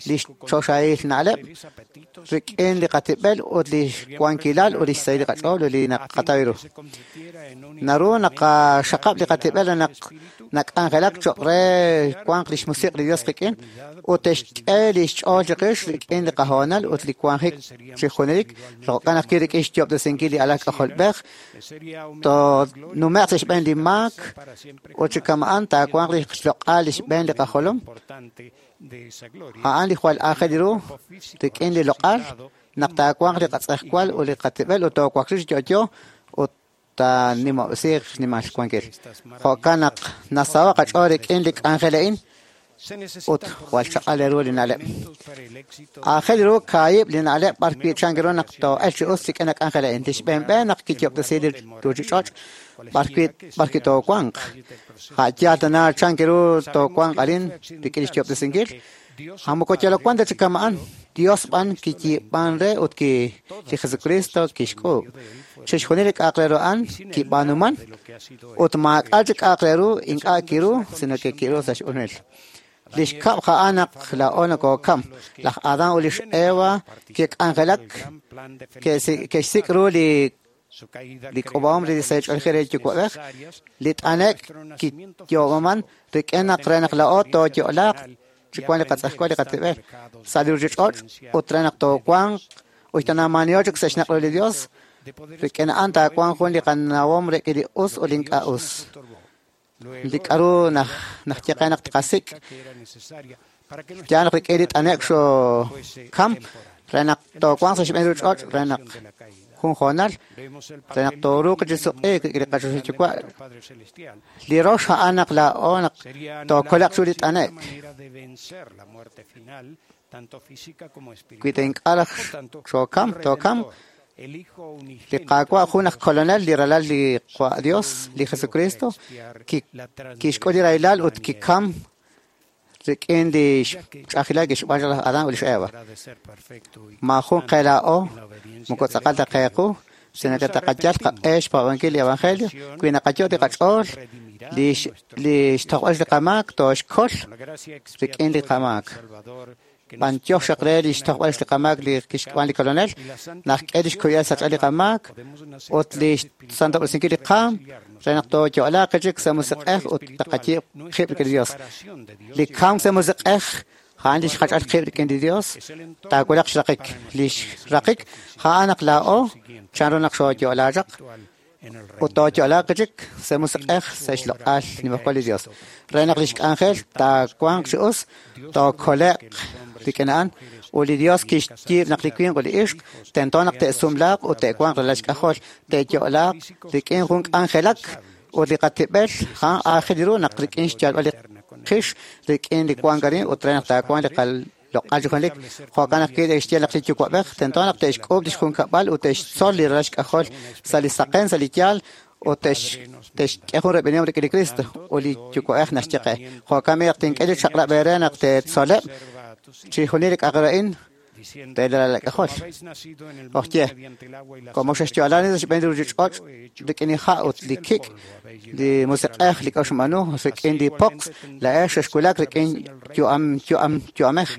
li xchoxahil na'leb' rik'in li qatib'el ut li xwankilal ut li xsahil li qach'ool ut li naqataw ru. Naru naqaxaqab' li qatib'el naq nak'anjelak cho'q re wanq li xmusiq' li Dios qik'in ut te'xk'e li xch'ool chiqix rik'in li qahoonal ut li wanjik chi junelik jo'kan ajwi' rik'in xyoob'tesinkil li alal k'ajolb'ej toonume'q sa' xb'een li maak ut chi kama'an taawanq li xloq'al li xb'een li qajolom a'an li jwal aajel ru rik'in li loq'al naq taawanq li qatz'ejwal ut li qatib'el ut toowaklij chi yo'yo ut taanimob'resiiq xnimal xwankil. Jo'kan naq nasaho'k qach'ool rik'in li k'anjel a'in ut jwal chaq'al ru li na'leb'. Aajel ru kaahib' li na'leb' b'ar wi' chan ru naq too'elq chi us rik'in li k'anjel a'in. Li xb'een b'e naq kiyoob'tesi li ruuchich'och' b'ar wi' b'ar wi' toowanq. A' yaal tana chan ru toowanq arin rik'in li xyoob'tesinkil. A moko yalok wan ta chi kama'an. Dios b'an kiyiib'an re ut ki li Jesucristo kixk'uub'. Chixjunil li k'a'aq re ru a'an kib'aanuman ut maak'a' chi k'a'aq re ru ink'a' kiru sino ke kiru sa' x'unil. Li xkab' a'an naq laa'o nokookam. Laj Adán ut lix Eva ke'k'anjelak ke'xsik' ru li li k'uub'ahom li sach'oolejil re yuwa'b'ej li t'anek' kiyoob'aman rik'in naq re naq laa'o tooyo'laaq chi wank li qatz'ejwal li qatib'el sa' li ruuchich'och' ut re naq toowanq ut tanaamaaniho chik sa' xnaq' ru li Dios rik'in a'an taawanq jun li qanawom rik'in li us ut li ink'a' us. Li k'a'ru naj najye qe naq tqasik' yaal naq rik'in li t'anek' xookam re naq toowanq sa' xb'een ruuchich'och' re naq jun hoonal re naq tooruuq chi suq'iik rik'in li qachoxahil Yuwa'. Li rox a'an naq laa'o naq tookole'q chiru li t'anek'. Wi ta ink'a' raj xookam tookam li Qaawa' jun aj kolonel li ralal li Dios li Jesucristo kixk'ul li rahilal ut kikam rik'in li xch'a'ajkilal kixb'aan laj Adán ut lix Eva. Maajun qe laa'o moko tz'aqal ta qe qu sino ke taqayal qaq'e xpaab'ankil li evangelio wi naqayo' li qach'ool li li xtojb'al li qamaak tooxkol rik'in li qamaak. B'antiox xaq re li xtojb'al li qamaak li kixk'ub'an li kolonel najk'e li xkuyal sach'al li qamaak ut li xsantob'resinkil li qaam re naq tooyo'laaq chik sa' musiq'ej ut taqayiib' qib' rik'in li Dios. Li kamk sa' musiq'ej a'an li xjach'al qib' rik'in li Dios taawulaq xraqik. Li xraqik a'an naq laa'o chanru naq xooyo'laa chaq ut tooyo'laaq chik sa' musiq'ej sa' xloq'al nimajwal li Dios. Re naq li xk'anjel taawanq chi us tookole'q rik'in a'an ut li Dios kixyiib' naq li winq ut li ixq tento naq te'sumlaaq ut te'wanq ralal xk'ajol te'yo'laaq rik'in jun k'anjelak ut li qatib'el a'an aajel ru naq rik'in xyalb'al li qix rik'in li wank arin ut re naq taawanq li loq'al chi junelik. Jo'kan ajwi' te'xye naq li yuwa'b'ej tento naq te'xk'uub' li xjunkab'al ut te'xtzol li ralal xk'ajol sa' li saqen sa' li yaal ut te'xk'e jun reb'enihom rik'in li Cristo ut li yuwa'b'ej naxye qe. Jo'kan b'i' naq tink'e li chaq'rab' eere naq teetzoleb' chixjunil li k'a'aq re a'in re li ralal k'ajol. Ojye, como xexyo'lani sa' xb'een li ruuchich'och' rik'in li ha' ut li kik', li musiq'ej li k'a'uxl b'aanu rik'in li poqs, la'ex xexwulak rik'in yu'am yu'am yu'amej.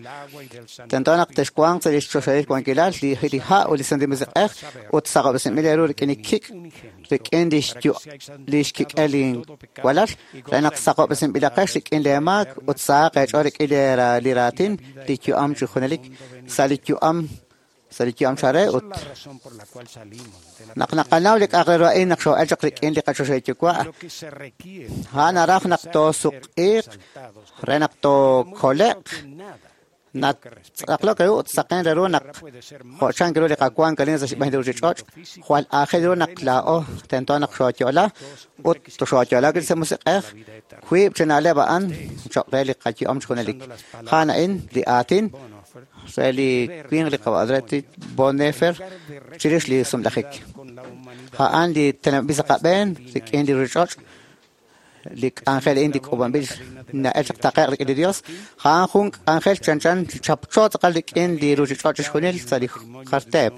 Tento naq texwanq sa' li xchoxahil wankilal li li ha' ut li santil musiq'ej ut saqob'resinb'il eeru rik'in li kik', rik'in li xyu' li xkik'el li walal, re naq saqob'resinb'ilaqex rik'in lee maak ut sahaq eech'ool rik'in li raatin li yu'am chi junelik sa' li yu'am sa' li yu'am chare ut naq naqanaw li k'a'aq re ru a'in naq xoo'el chaq rik'in li qachoxahil yuwa' a'an naraj naq toosuq'iiq re naq tookole'q natz'aqlok ru ut saqen re ru naq jo' chank ru li qawank arin sa' xb'een li ruuchich'och' jwal aajel ru naq laa'o tento naq xooyo'la ut xooyo'la rik'in sa' musiq'ej wiib' chi na'leb' a'an cho'q re li qayu'am chi junelik. A'an a'in li aatin re li winq li qawa' Bonhoeffer chirix li sumlajik. A'an li teneb'anb'il sa' qab'een rik'in li ruuchich'och' li k'anjel a'in li k'uub'anb'il na'el chaq taqe'q rik'in li Dios. A'an jun k'anjel chanchan chapcho tz'aqal rik'in li ruuchich'och' chixjunil sa' li jar teep.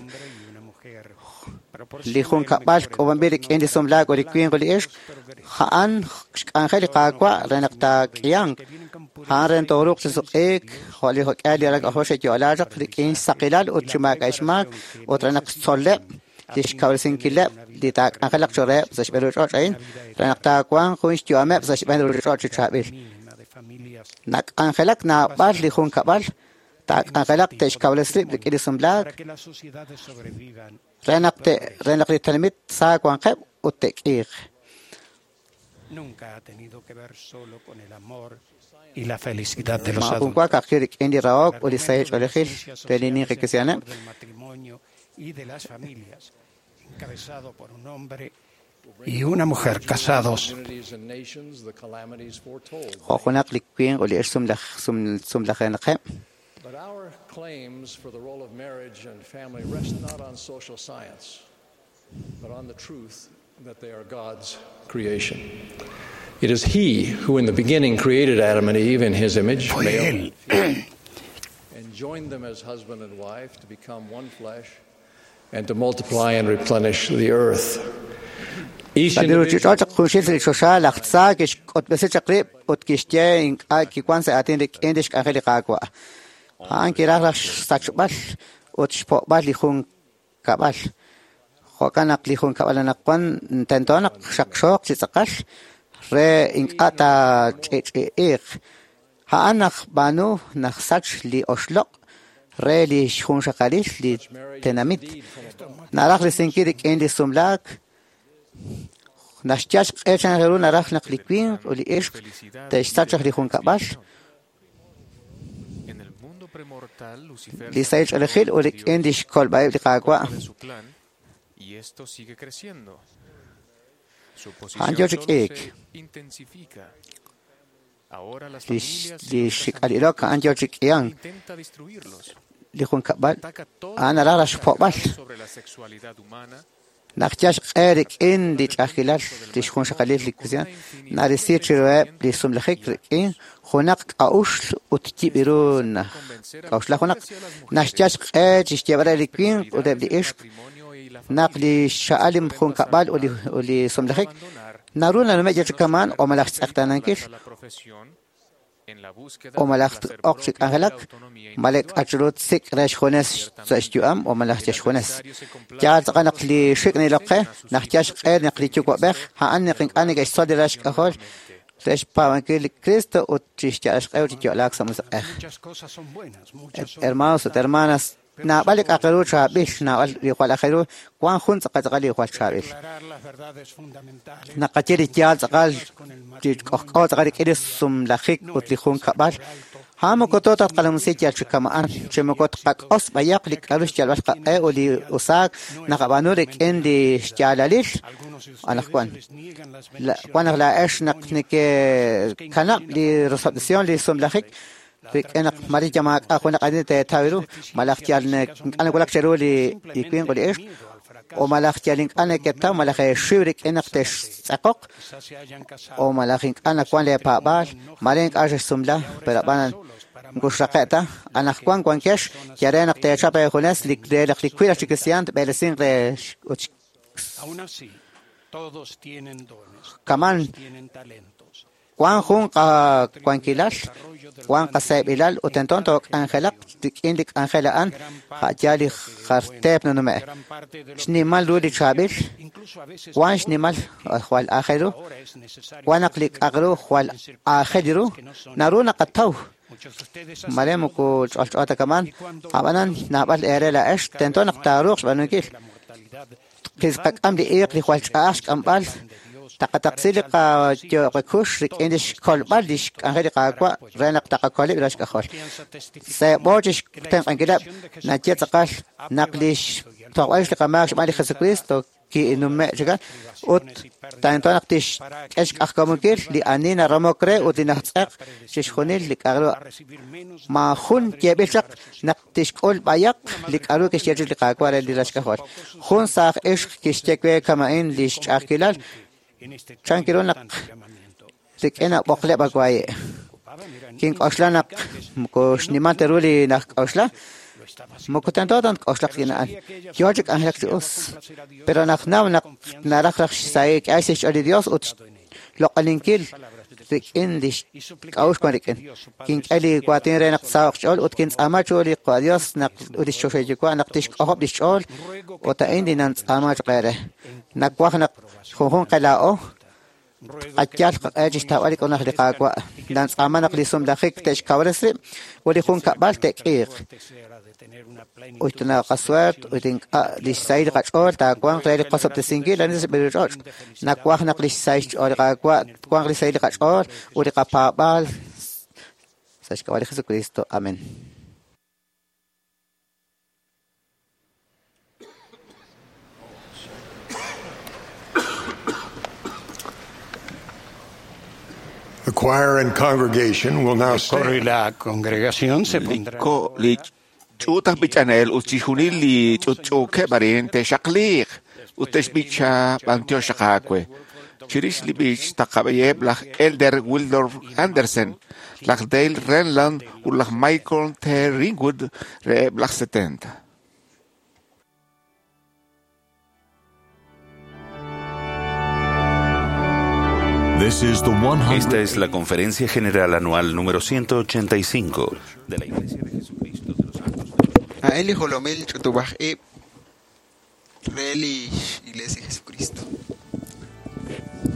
Li junkab'al k'uub'anb'il rik'in li sumlaak ut li winq ut li ixq, a'an xk'anjel li Qaawa' re naq taak'ihanq. A'an re tooruuq chi suq'iik jo' li jok'ihal li ralal k'ajol xe'yo'la chaq rik'in xsaqilal ut chi maak'a' xmaak ut re naq xtzoleb' li xkawresinkileb' li taak'anjelaq cho'q reheb' sa' xb'een ruuchich'och' a'in re naq taawanq jun xyu'ameb' sa' xb'een ruuchich'och' chi chaab'il. Nak'anjelak naab'al li junkab'al taak'anjelaq te'xkawresi rib' rik'in li sumlaak re naq re naq li tenamit sa wanqeb' ut te'k'iiq. Maajun wa ka'ajwi' rik'in li rahok ut li sahil ch'oolejil re li ninqi kristiaaneb'. Y de las familias, encabezado por un hombre y una mujer casados. Jo' junaq li winq ut li ixq sumlajenaqeb'. But our claims for the role of marriage and family rest not on social science, but on the truth that they are God's creation. It is He who in the beginning created Adam and Eve in His image, male and joined them as husband and wife to become one flesh and to multiply and replenish the earth. Sa' li ruuchich'och' chaq junxil sa' li choxa laj tza kixk'utb'esi chaq rib' ut kixye ink'a' kiwan sa' aatin rik'in li xk'anjel li Qaawa'. A'an kiraj raj xsachb'al ut xpo'b'al li junkab'al. Jo'kan naq li junkab'al anaqwan tento naq xaqxooq chi tz'aqal re ink'a' taach'i'ch'i'iiq. A'an naj b'aanu naj sach li oxloq' re li xjunxaqalil li tenamit. Naraj risinkil rik'in li sumlaak. Naxyal xq'e chan ru naraj naq li winq ut li ixq te'xsach li junkab'al. Li sahil ch'oolejil ut rik'in li xkolb'a'eb' li Qaawa'. A'an yo chi k'iik. Li xik'al ilok a'an yo chi k'ihank. Li junkab'al a'an naraj raj xpo'b'al. Naq yal xq'e rik'in li ch'a'ajkilal li xjunxaqalil li kristiaan narisi chiruheb' li sumlajik rik'in junaq k'a'uxl ut yib' ru naj k'a'uxla junaq. Naxyal xq'e chi xyeeb'al re li winq ut eb' li ixq naq li xxa'al li junkab'al ut li sumlajik naru nanume' yal chi kamaan o malaj xtz'eqtaanankil o malaj oq chi k'anjelak malek k'achru tsik' re xjunes sa' xyu'am o malaj yal xjunes. Yaal tz'aqal naq li xik' nilok qe naq yal xq'e naq li yuwa'b'ej a'an naq ink'a' neke'xtzol li ral xk'ajol re xpaab'ankil li Cristo ut chi xya'al xq'e ut chi yo'laak sa' musiq'ej. Hermanos ut hermanas, naab'al li k'a'aq ru chaab'il, naab'al li jwal aajel ru, wan jun tz'aqal tz'aqal li jwal chaab'il. Naqaye li yaal tz'aqal li k'ojk'o tz'aqal rik'in li sumlajik ut li junkab'al. A'an moko too taqalamsi yal chi kama'an, chi moko tqak'os b'ayaq li k'a'ru xyalb'al qaq'e ut li usaak naqab'aanu rik'in li xyaalalil anaqwan. Wan naq laa'ex naq nekekanab' li rosob'tesión li sumlajik rik'in naq mari yamaak'a junaq ani teetaw ru, malaj yal ink'a' nawulak cheru li winq ut li ixq, o malaj yal ink'a' neketaw malaj eexiw rik'in naq textz'aqoq, o malaj ink'a' nawan leepaab'aal, mare ink'a' xexsumla, pero ab'an Moko xraqe' ta anaqwan wankex yal re naq teechap eejunes li re naq li wiib' chi kristiaan tb'eelesinq re ut kaman wan jun qawankilal wan qaseeb'ilal ut tento took'anjelaq rik'in li k'anjel a'an ja'yaal li jar teep nanume' xnimal ru li chaab'il wan xnimal jwal aajel ru wan naq li k'aq ru jwal aajel ru naru naqataw mare moko ch'olch'o ta kaman ab'anan naab'al eere laa'ex tento naq taaruuq xb'aanunkil qak'am li iiq li jwal ch'a'aj xk'amb'al taqataqsi li qayo'qekux rik'in li xkolb'al li xk'anjel li Qaawa' re naq taqakoleb' li xk'ajol. Seeb'o chi xtenq'ankileb' naye tz'aqal naq li xtojb'al li qamaak xb'aan li Jesucristo kinume' chikan ut tento naq tixk'e xk'ajkamunkil li ani naramok re ut li najtz'eq chixjunil li k'a'ru maajun yeeb'il chaq naq tixk'ul b'ayaq li k'a'ru kixye chik li Qaawa' re li raxk'ajol. Jun saaj ixq kixye we kama'in li xch'a'ajkilal chan kiru naq rik'in ab'oqleb' awaayi'. Kink'oxla naq moko xnimal ta ru li najk'oxla moko tento ta nk'oxlaq rik'in a'an. Yoo chi k'anjelak chi us. Pero naq naw naq naraj raj xsahil k'e sa' xch'ool li Dios ut xloq'oninkil rik'in li xk'a'uxl wan rik'in. Kink'e li waatin re naq saho'q xch'ool ut kintz'aama chiru li Dios naq ut li xchoxahil Yuwa' naq tixk'ojob' li xch'ool ut a'in li nantz'aama choq' eere. Nawaj naq junjunq qe laa'o qayal qaq'e chi xtawb'al li k'unaj li Qaawa'. Nantz'aama naq li sumlajik te'xkawres rib' ut li junkab'al te'k'iiq. Ut naqasuert ut ink'a' li xsahil qach'ool taawanq re li qosob'tesinkil ani sa' xb'een ch'och'. Nawaj naq li xsahil xch'ool li Qaawa' twanq li xsahil li qach'ool ut li qapaab'aal sa' xk'ab'a' li Jesucristo. Amén. The choir and congregation will now El coro y stand. la congregación se pondrán Ko li ch'uut aj b'ichanel ut chixjunil li ch'utch'uukeb' arin te'xaqliiq ut te'xb'icha b'antiox xaqaawe. Chirix li b'ich taqab'eyeb' laj Elder Wildorf Andersen, laj Dale Renlund ut laj Michael T. Ringwood reheb' laj setenta. Esta es la Conferencia General Anual número ciento ochenta y cinco de la Iglesia de Jesucristo de los Santos. A'in li jolomil ch'utub'aj ib' re li Iglesia de Jesucristo. Thank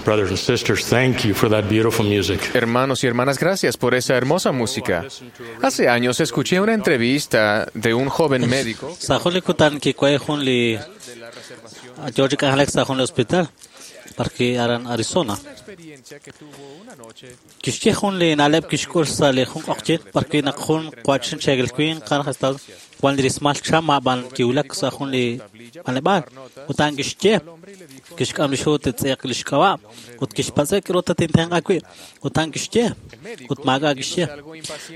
Brothers and sisters, thank you for that beautiful music. Hermanos y hermanas, gracias por esa hermosa música. Hace años escuché una entrevista de un joven médico Sa jun li kutan kikuay jun li yo chik'anjelak sa jun li hospital parki aran Arizona. Kixye jun li na'leb' kixk'ul sa li jun q'oqyink parki naq jun qwachin cheegel winq qanaj Estados wan li rismal cham ab'an kiwulak sa jun li b'anleb'aal ut a'an kixye kixk'am li xhu titz'eq li xk'ab'a' ut kixpatz'e k'aru tatintenq'a wi' ut a'an kixye ut maak'a' kixye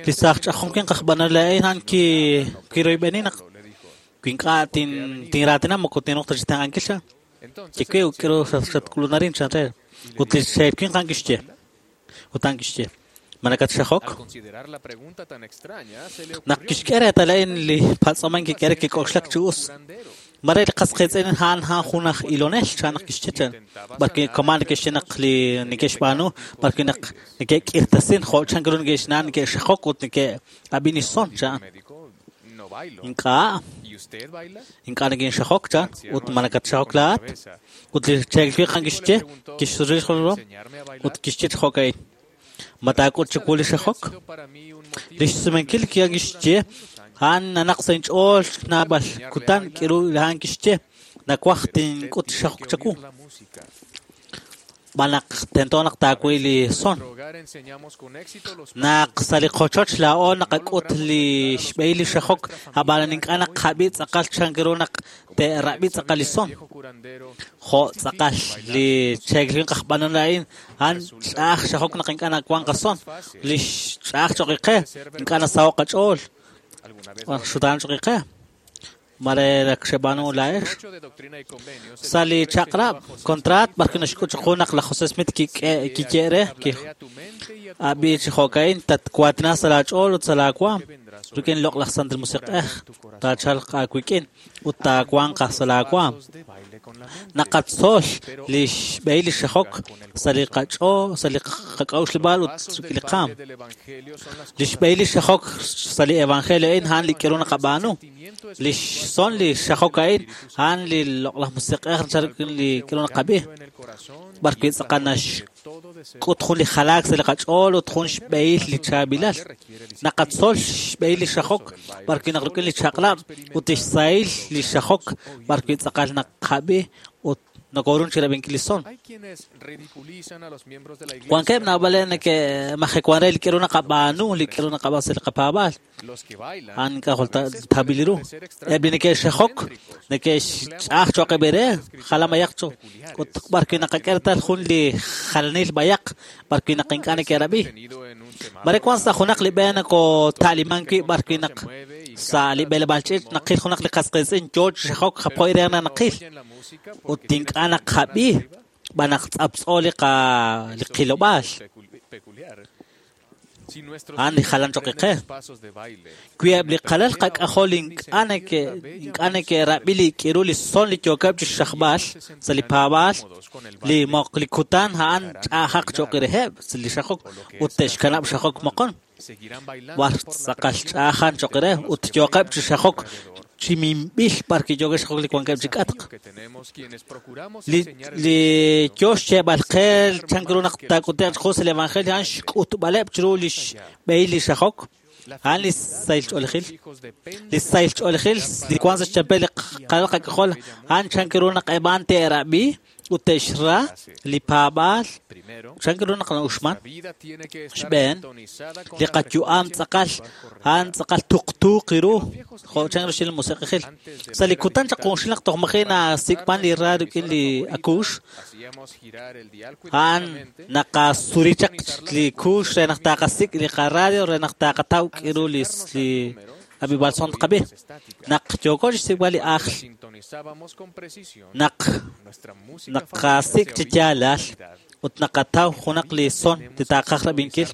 li saaj ch'ajom winq aj b'anol a'in a'an ki kiroyb'eni naq wi ink'a' tin tinraatina moko tinruuq ta chi tenq'ankil cha Kikuy k'aru xatk'ulunarin chan re ut li xeer winq a'an kixye ut a'an kixye ma nakatxajok Al considerar la pregunta tan extraña, se le naq kixk'e reetal a'in li patz'oman kik'e re kik'oxlak chi us mare li qasqiitz'in a'an a'an jun aj ilonel chan naq kixye chan barki kaman neke'xye naq li neke'xb'aanu barki naq neke'k'irtasin jo' chan k'aru neke'xna'an neke'xajok ut neke'ab'in son chan no bailo. ink'a' ¿Y usted baila? ink'a' nekinxajok chan ut ma nakatxajok laa'at ut li cheegel winq a'an kixye kixsuril xjolom ut kixye chi jo'ka'in ma taak'ut chiwu li xajok li xsumenkil ki'an kixye a'an nanaq sa' inch'ool naab'al kutan k'aru a'an kixye nawaj tink'ut xajok chawu b'an naq tento naq taawi li son Hogar enseñamos con éxito los naq sa' li qochoch laa'o naqak'ut li xb'ehil li xajok ab'an ink'a' naqab'i tz'aqal chan ru naq te'rab'i tz'aqal li son jo' tz'aqal li cheegel winq aj b'anol a'in a'an ch'a'aj xajok naq ink'a' nawank qason li ch'a'aj choq' qe ink'a' nasaho' qach'ool xutaan choq' qe mare naq xeb'aanu laa'ex sa' li chaq'rab' contraat barki naxk'ut chiqu naq laj José Smith kik'e kiye re ki ab'i chi jo'ka'in tatwaatina sa' laach'ool ut sa' laawaam rik'in loq'laj Santil Musiq'ej taachalq aawik'in ut taawanq sa' laawaam naqatzol li xb'ehil li xajok sa' li qach'ool sa' li qak'a'uxleb'aal ut rik'in li qaam li xb'ehil li xajok sa' li evangelio a'in a'an li k'aru naqab'aanu li son li xajok a'in a'an li loq'laj musiq'ej nachal rik'in li k'aru naqab'i b'ar wi' tz'aqal naxk'ut jun li jalaak sa' li qach'ool ut jun xb'ehil li chaab'ilal naqatzol xb'ehil li xajok b'ar wi' naq rik'in li chaq'lab' ut li xsahil li xajok b'ar wi' tz'aqal naqab'i ut nokorun chi rab'inkil li son Hay quienes ridiculizan a los miembros de la iglesia. wankeb' naab'al neke'majewan re li k'aru naqab'aanu li k'aru naqab'aan sa' li qapaab'aal Los que bailan a'an ink'a' jwal ta- tjab'il ru eb' li neke'xajok neke'xch'a'aj choq' eb' re jalan bayaq cho ut b'ar wi' naqak'e reetal jun li jalanil bayaq b'ar wi' naq ink'a' neke'rab'i mare wan sa' junaq li b'e nakota'liman wi' b'ar wi' naq sa' li b'eleb'aal ch'iich' naqil junaq li qasqiitz'in yoo chi xajok japoy re naq naqil ut ink'a' naqab'i b'an naq tz'aptz'o li qa li qilob'aal peculiar. Si nuestros a'an li hijos jalan choq' aprenden qe los pasos de baile, wi eb' li qalal qak'ajol ink'a' neke' ink'a' neke'rab'i li k'aru li son li yookeb' chi xajb'al sa' li paab'aal li moq li kutan a'an ch'a'ajaq choq' reheb' sa' li xajok ut te'xkanab' xajok moqon seguirán bailando war por la tz'aqal ch'a'ajan choq' re ut yookeb' chi xajok chi minb'il b'ar kiyookeb' xajok li wankeb' chi k'atq que tenemos quienes procuramos li enseñar el li yoo xyeeb'al qe chan ru naq taak'ute'q chiqu sa' li evangelio a'an xk'utb'aleb' chiru li xb'ehil li xajok a'an li sahil ch'oolejil li sahil ch'oolejil li wank sa' xchampel li qalal qak'ajol a'an chan ru naq eb' a'an te'rab'i ut te'xra li paab'aal chan ru naq na'uxman vida tiene que estar xb'een sintonizada con li la qayu'am tz'aqal a'an tz'aqal tuqtuuq ru jo' chan ru xil musiq'ejil sa' li kutan chaq junxil naq toj maji' nasik'man li ra rik'in li akuux hacíamos girar el dial a'an cuidadosamente naqasuri chaq li kuux re naq taqasik' li qaradio re naq taqataw k'aru li li ab'ib'al son tqab'i naq yooko chixsik'b'al li ajl sintonizábamos con precisión naq nuestra música naqasik' chi yaalal ut naqataw junaq li son li taqaj rab'inkil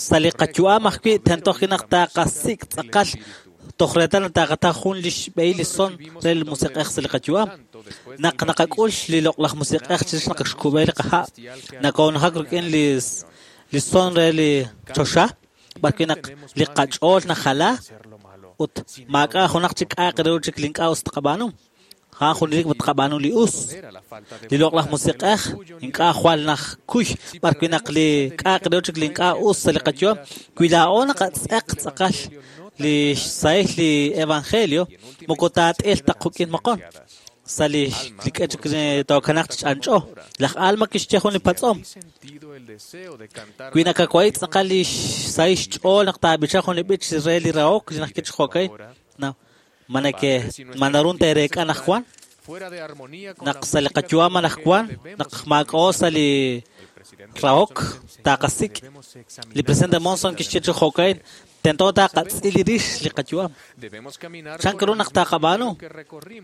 sa' li qayu'am ajwi' tento ajwi' naq taqasik' tz'aqal toj reetal naq taqataw jun li xb'ehil li son re li musiq'ej sa' li qayu'am naq naqak'ul li loq'laj musiq'ej chirix naq xkub'e li qaha' nakoonajak rik'in li li son re li choxa b'ar wi' naq li qach'ool najala ut maak'a' junaq chik k'a'aq re ru chik li ink'a' us tqab'aanu A'an junelik tqab'aanu li us. Li loq'laj musiq'ej ink'a' jwal najkuy b'ar wi' naq li k'a'aq re chik li ink'a' us sa' li qayu'am wi laa'o naqatz'eq tz'aqal li xsahil li evangelio moko taat'il ta quk'in moqon sa' li li k'e chik tookanaq chi ch'anch'o. Laj Alma kixye jun li patz'om wi nakawai tz'aqal li xsahil xch'ool naq taab'icha jun li b'ich re li rahok li najk'e chi jo'kay na manake manarun teereek'a najwan naq sa' li qayu'am anajwan naq maak'o sa' li rahok taqasik' li presidente Monson kixye chi jo'kay tento taqatz'il rix li qayu'am chan ru naq taqab'aanu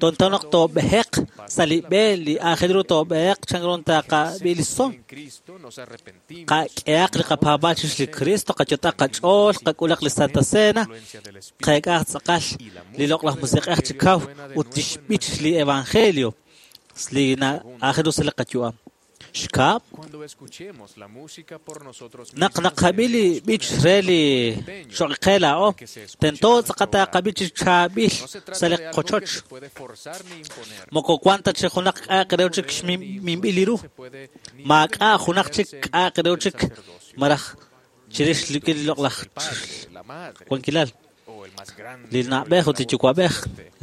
tento naq toob'eheq sa' li b'e li aajel ru toob'eheq chan ru taqab'i li son qak'ehaq li qapaab'aal chirix li Cristo qayot'aq qach'ool qak'ulaq li Santa Cena qeek'aq tz'aqal li loq'laj musiq'ej chi kaw ut li xb'ich li evangelio li aajel ru sa' li qayu'am. Xkab' naq naqab'i li b'ich re li xoq'e laa'o tento tz'aqal taqab'i chi chaab'il sa' li qochoch moko wan ta chi junaq k'a'aq re chik xminb'il ru maak'a' junaq chik k'a'aq re chik maraj chirix li loq'laj wankilal li na'b'ej ut li yuwa'b'ej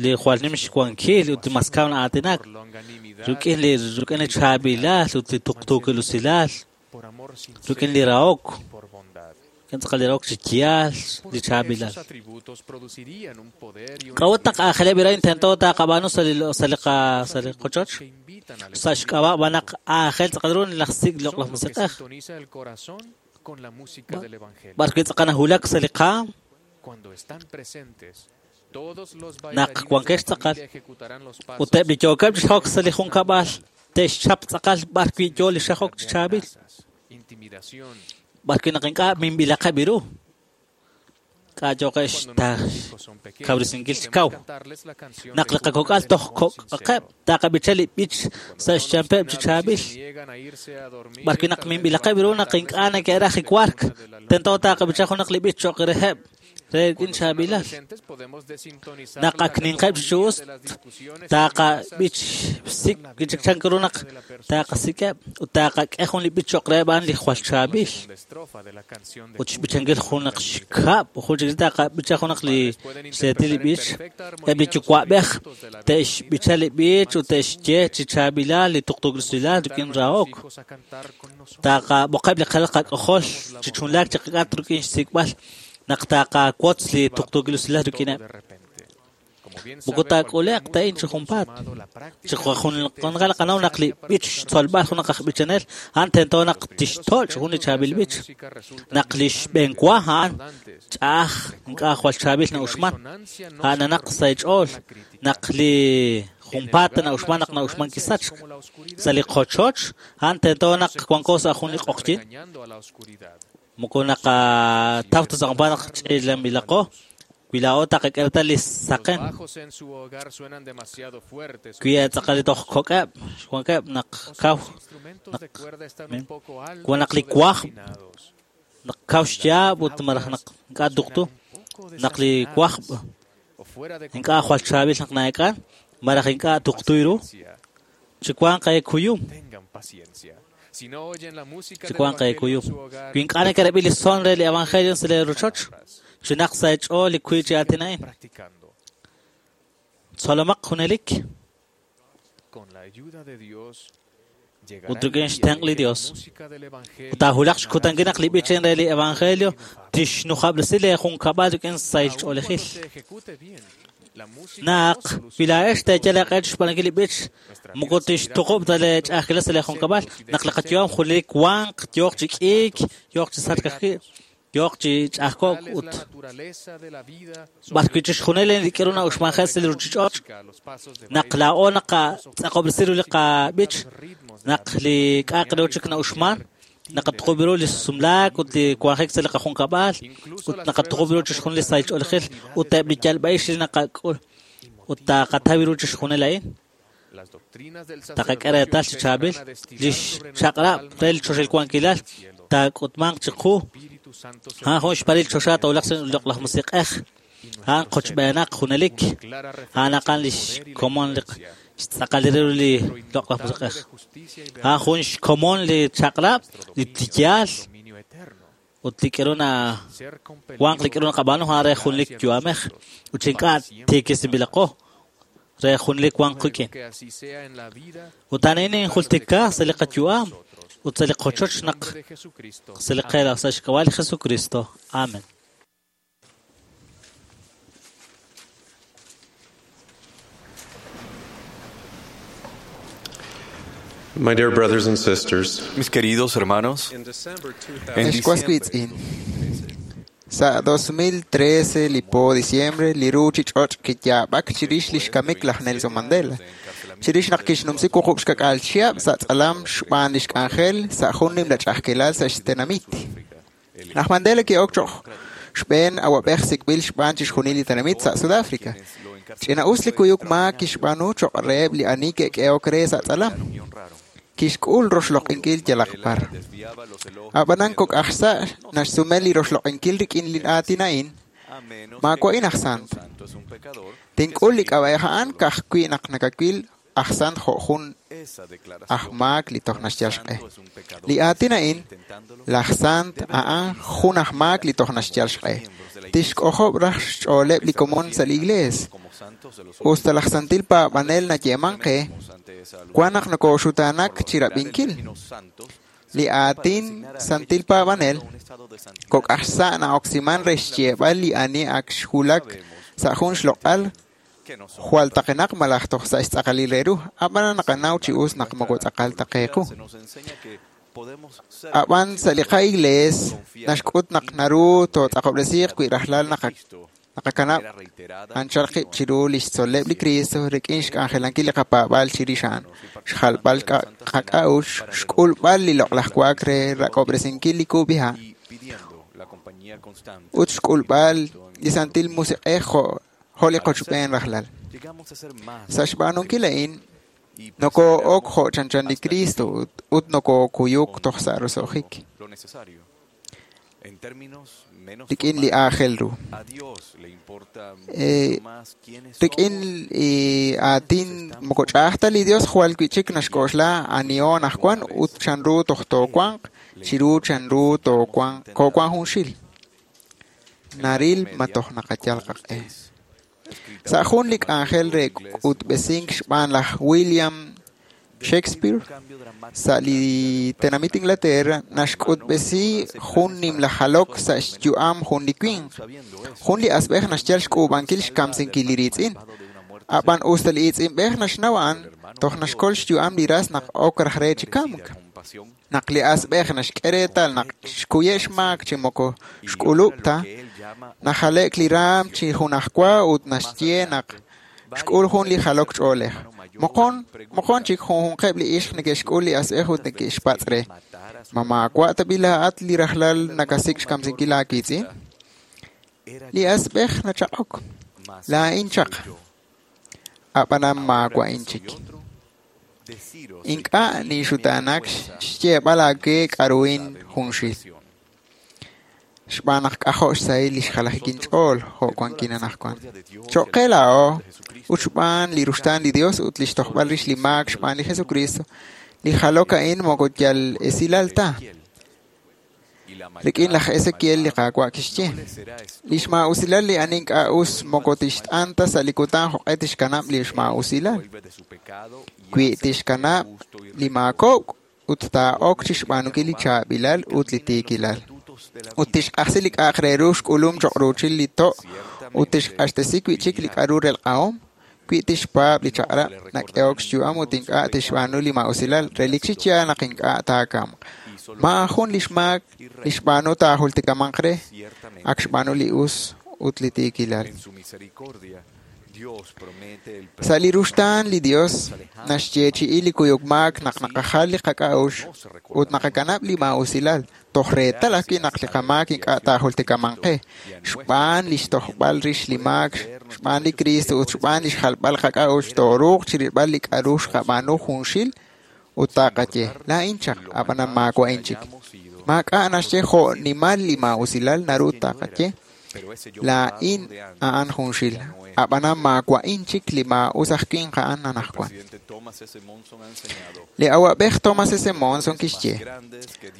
li jwal nim xwankil ut li mas kaw na'aatinak rik'in li rik'in li chaab'ilal ut li tuqtuukil usilal rik'in li rahok rik'in tz'aqal li rahok chi yaal li chaab'ilal. K'a'ut naq aajeleb' irain tento taqab'aanu sa' li sa' li qa sa' li qochoch sa' xk'ab'a' b'an naq aajel tz'aqal ru laj sik' loq'laj musiq'ej b'ar wi' tz'aqal nahulak sa' li qaam naq wankex tz'aqal ut eb' li yookeb' chi xajok sa' li junkab'al te'xchap tz'aqal b'ar wi' yoo li xajok chi chaab'il b'ar wi' naq ink'a' minb'ilaqeb' ru k'a' yooqeb' xkawresinkil chi kaw naq li qakok'al toj kok'aqeb' taqab'icha li b'ich sa' xchampeb' chi chaab'il b'ar wi' naq minb'ilaqeb' ru naq ink'a' neke'raj li wark tento taqab'icha junaq li b'ich cho'q reheb' re rik'in chaab'ilal naq ak ninqeb' chi us taqab'ich sik' chik chan ru naq taqasik'eb' ut taqak'e jun li b'ich cho'q reheb' a'an li jwal chaab'il ut xb'ichankil junaq xkab' jun chik taqab'icha junaq li xseetil li b'ich eb' li yuwa'b'ej te'xb'icha li b'ich ut te'xye chi chaab'ilal li tuqtuukil usilal rik'in rahok taqab'oqeb' li qalal qak'ojol chi chunlaak chi qak'at rik'in xsik'b'al naq taqawotz li tuqtuukil usilal rik'ineb' moko taak'ule'q ta a'in chi junpaat chi junqal qanaw naq li b'ich xtzolb'al junaq aj b'ichanel a'an tento naq tixtoch' jun li chaab'il b'ich naq li xb'enwa a'an ch'a'aj ink'a' jwal chaab'il na'uxman a'ananaq sa' xch'ool naq li junpaat na'uxman naq na'uxman kisachk sa' li qochoch a'an tento naq wanko sa' jun li q'oqyin moko naqataw ta sa' junpaat naq ch'ilanb'ilaqo wi laa'o taqak'e li saqen wi tz'aqal li toj kok'eb' xwankeb' naq kaw naq wan naq li wajb' naq kaw xyaab' ut malaj naq ink'a' tuqtu naq li wajb' ink'a' jwal chaab'il naq na'ek'an malaj ink'a' tuqtu ru chi wanq eekuyum chi wanq eekuyum wi ink'a' neke'rab'i li son re li evangelio sa' li rochoch chinaq sa' xch'ool li kuy chi aatin a'in tzolomaq junelik ut rik'in xtenq' li Dios ut taahulaq xkutankil naq li b'ich re li evangelio tixnujab'resi li junkab'al rik'in sahil ch'oolejil naq wi laa'ex teeyal eeq'e chi xb'aanunkil li b'ich moko tixtuqub' ta li ch'a'ajkilal sa' li junkab'al naq li qayu'am junelik wanq yooq chi k'iik yooq chi sachk ajwi' yooq chi ch'a'ajko'k ut b'ar wi' chixjunil li k'aru na'uxmanjel sa' li ruuchich'och' naq laa'o naqatz'aqob'resi ru li qab'ich naq li k'a'aq re chik na'uxman naqatuqub' ru li sumlaak ut li wanjik sa' li qajunkab'al ut naqatuqub' ru chixjunil li sahil ch'oolejil ut eb' li yalb'a'ix li naqak'ul ut taqataw ru chixjunil a'in taqak'e reetal chi chaab'il li xchaq'rab' re li choxahil wankilal taak'utmanq chiqu a'an jun xparil choxa tawulaq sa' loq'laj musiq'ej A'an qochb'eenaq junelik. A'an aqan lix komon li xtz'aqal ru li loq'laj musiq'ej. A'an jun xkomon li chaq'rab', li yaal, ut li k'eru na wanq li k'eru naqab'aanu a'an re junlik yu'amej. Ut ink'a' tiikisinb'ilaqo re junlik wanq qik'in. Ut a'an injultika sa' li qayu'am ut sa' li qochoch naq sa' li qeela sa' xk'ab'a' li Jesucristo. Amen. My dear brothers and sisters, Mis queridos hermanos, en Ex wiitz'in. Sa' dos mil trece li po diciembre li ruuchich'och' kiyaab'ak chirix li xkamik laj Nelson Mandela. Chirix naq kixnumsi wuqub' xkak'al chihab' sa' tz'alam xb'aan lix k'anjel sa' jun nimla ch'a'ajkilal sa' xtenamit. Laj Mandela ki'ok cho'q xb'een awab'ej sik'b'il xb'aan chixjunil li tenamit sa' Sudáfrica. Ch'ina'us li kuyuk maak kixb'aanu cho'q reheb' li ani ke'k'ehok re sa' tz'alam. Kixk'ul roxloq'inkil yalaq par. Ab'anan kok' aj sa' naxsume li roxloq'inkil rik'in li aatin a'in, maawa'in aj sant. Tink'ul li k'ab'a'ej a'an ka'ajwi' naq nakawil aj sant jo' jun aj maak li toj naxyal xq'e. Li aatin a'in, laj sant a'an jun aj maak li toj naxyal xq'e. Tixk'ojob' raj xch'ooleb' li komon sa' li iglees. Usta laj santil paab'anel nayeeman qe, wan naq nokoxutaanak chirab'inkil. Li aatin santil paab'anel kok' aj sa' na'oksiman re xyeeb'al li ani ak xwulak sa' jun xloq'al jwal taqenaq malaj toj sa' xtz'aqalil re ru, ab'an naqanaw chi us naq moko tz'aqal ta qe qu. Ab'an sa' li qa'iglees naxk'ut naq naru tootz'aqob'resiiq wi rajlal naqakanab' anchal qib' chiru lix tzol'leb' li Cristo rik'in xk'anjelankil li qapaab'aal chirix a'an, xjalb'al qak'a'uxl, xk'ulb'al li loq'laj wa'ak re rak'ob'resinkil li kub'iha', ut xk'ulb'al li Santil Musiq'ej jo' jo' li qochb'een rajlal. Sa' xb'aanunkil a'in, nokoo'ok jo' chanchan li Cristo ut nokookuyuk toj sa' roso'jik. Rik'in li aajel ru. Rik'in li aatin moko ch'a'aj ta li Dios jwal wi'chik naxk'oxla aniho anaqwan ut chanru toj toowanq chiru chanru toowanq koowanq junxil. Naril ma toj naqayal qaq'e. Sa' jun li k'anjel re k'utb'esink xb'aan laj William Shakespeare sa' li tenamit Inglaterra naxk'utb'esi jun nimla jalok sa' xyu'am jun li winq. Jun li asb'ej naxyal xk'uub'ankil xkamsinkil li riitz'in. Ab'an usta li iitz'inb'ej naxnaw a'an, toj naxkol xyu'am li ras naq ok raj re chi kamk. Naq li asb'ej naxk'e reetal naq xkuye' xmaak chi moko xk'ulub' ta, najale'k li raam chi junajwa ut naxye naq xk'ul jun li jalok ch'oolej. Moqon, moqon chik junjunqeb' li ixq neke'xk'ul li asb'ej ut neke'xpatz' re. Ma maawa' tab'i laa'at li rajlal nakasik' xkamsinkil aawiitz'in? Li asb'ej nachaq'ok. Laa'in chaq. Ab'anan maawa'in chik. Ink'a' ninxutaanak xyeeb'al aawe k'a'ruhin junxil. Xb'aan naq k'ajo' xsahil li xjalajik inch'ool jo' wankin anaqwan. Cho'q qe laa'o ut xb'aan li ruxtaan li Dios ut li xtojb'al rix li maak xb'aan li Jesucristo, li jalok a'in moko yal esilal ta. Rik'in laj Ezequiel li Qaawa' kixye, li xmaa'usilal li ani ink'a' us moko tixt'an ta sa' li kutan jo'q'e tixkanab' li xmaa'usilal. Wi tixkanab' li maakok' ut taa'ok chixb'aanunkil li chaab'ilal ut li tiikilal. Ut tixq'ajsi li k'a'aq re ru xk'ulum cho'q ruuchil li to' ut tixq'axtesi wi'chik li k'a'ru relq'ahom. Wi tixpaab' li chaq'rab' nak'ehok xyu'am ut ink'a' tixb'aanu li maa'usilal, relik chi yaal naq ink'a' taakamq. Maajun li xmaak li xb'aanu taajultikamanq re, ak xb'aanu li us ut li tiikilal. Sa' li ruxtaan li Dios naxyeechi'i li kuyuk maak naq naqajal li qak'a'uxl ut naqakanab' li maa'usilal, toj reetal ajwi' naq li qamaak ink'a' taajultikamanq qe, xb'aan li xtojb'al rix li maak, xb'aan li Cristo ut xb'aan li xjalb'al qak'a'uxl tooruuq chirilb'al li k'a'ru xqab'aanu junxil ut taaqaye, laa'in chaq, ab'anan maawa'in chik. Maak'a' naxye jo' nimal li maa'usilal naru taqaye, Laa'in a'an junxil, ab'anan maawa'in chik li maa'us aj winq a'an anaqwan. Li awab'ej Thomas S. Monson kixye,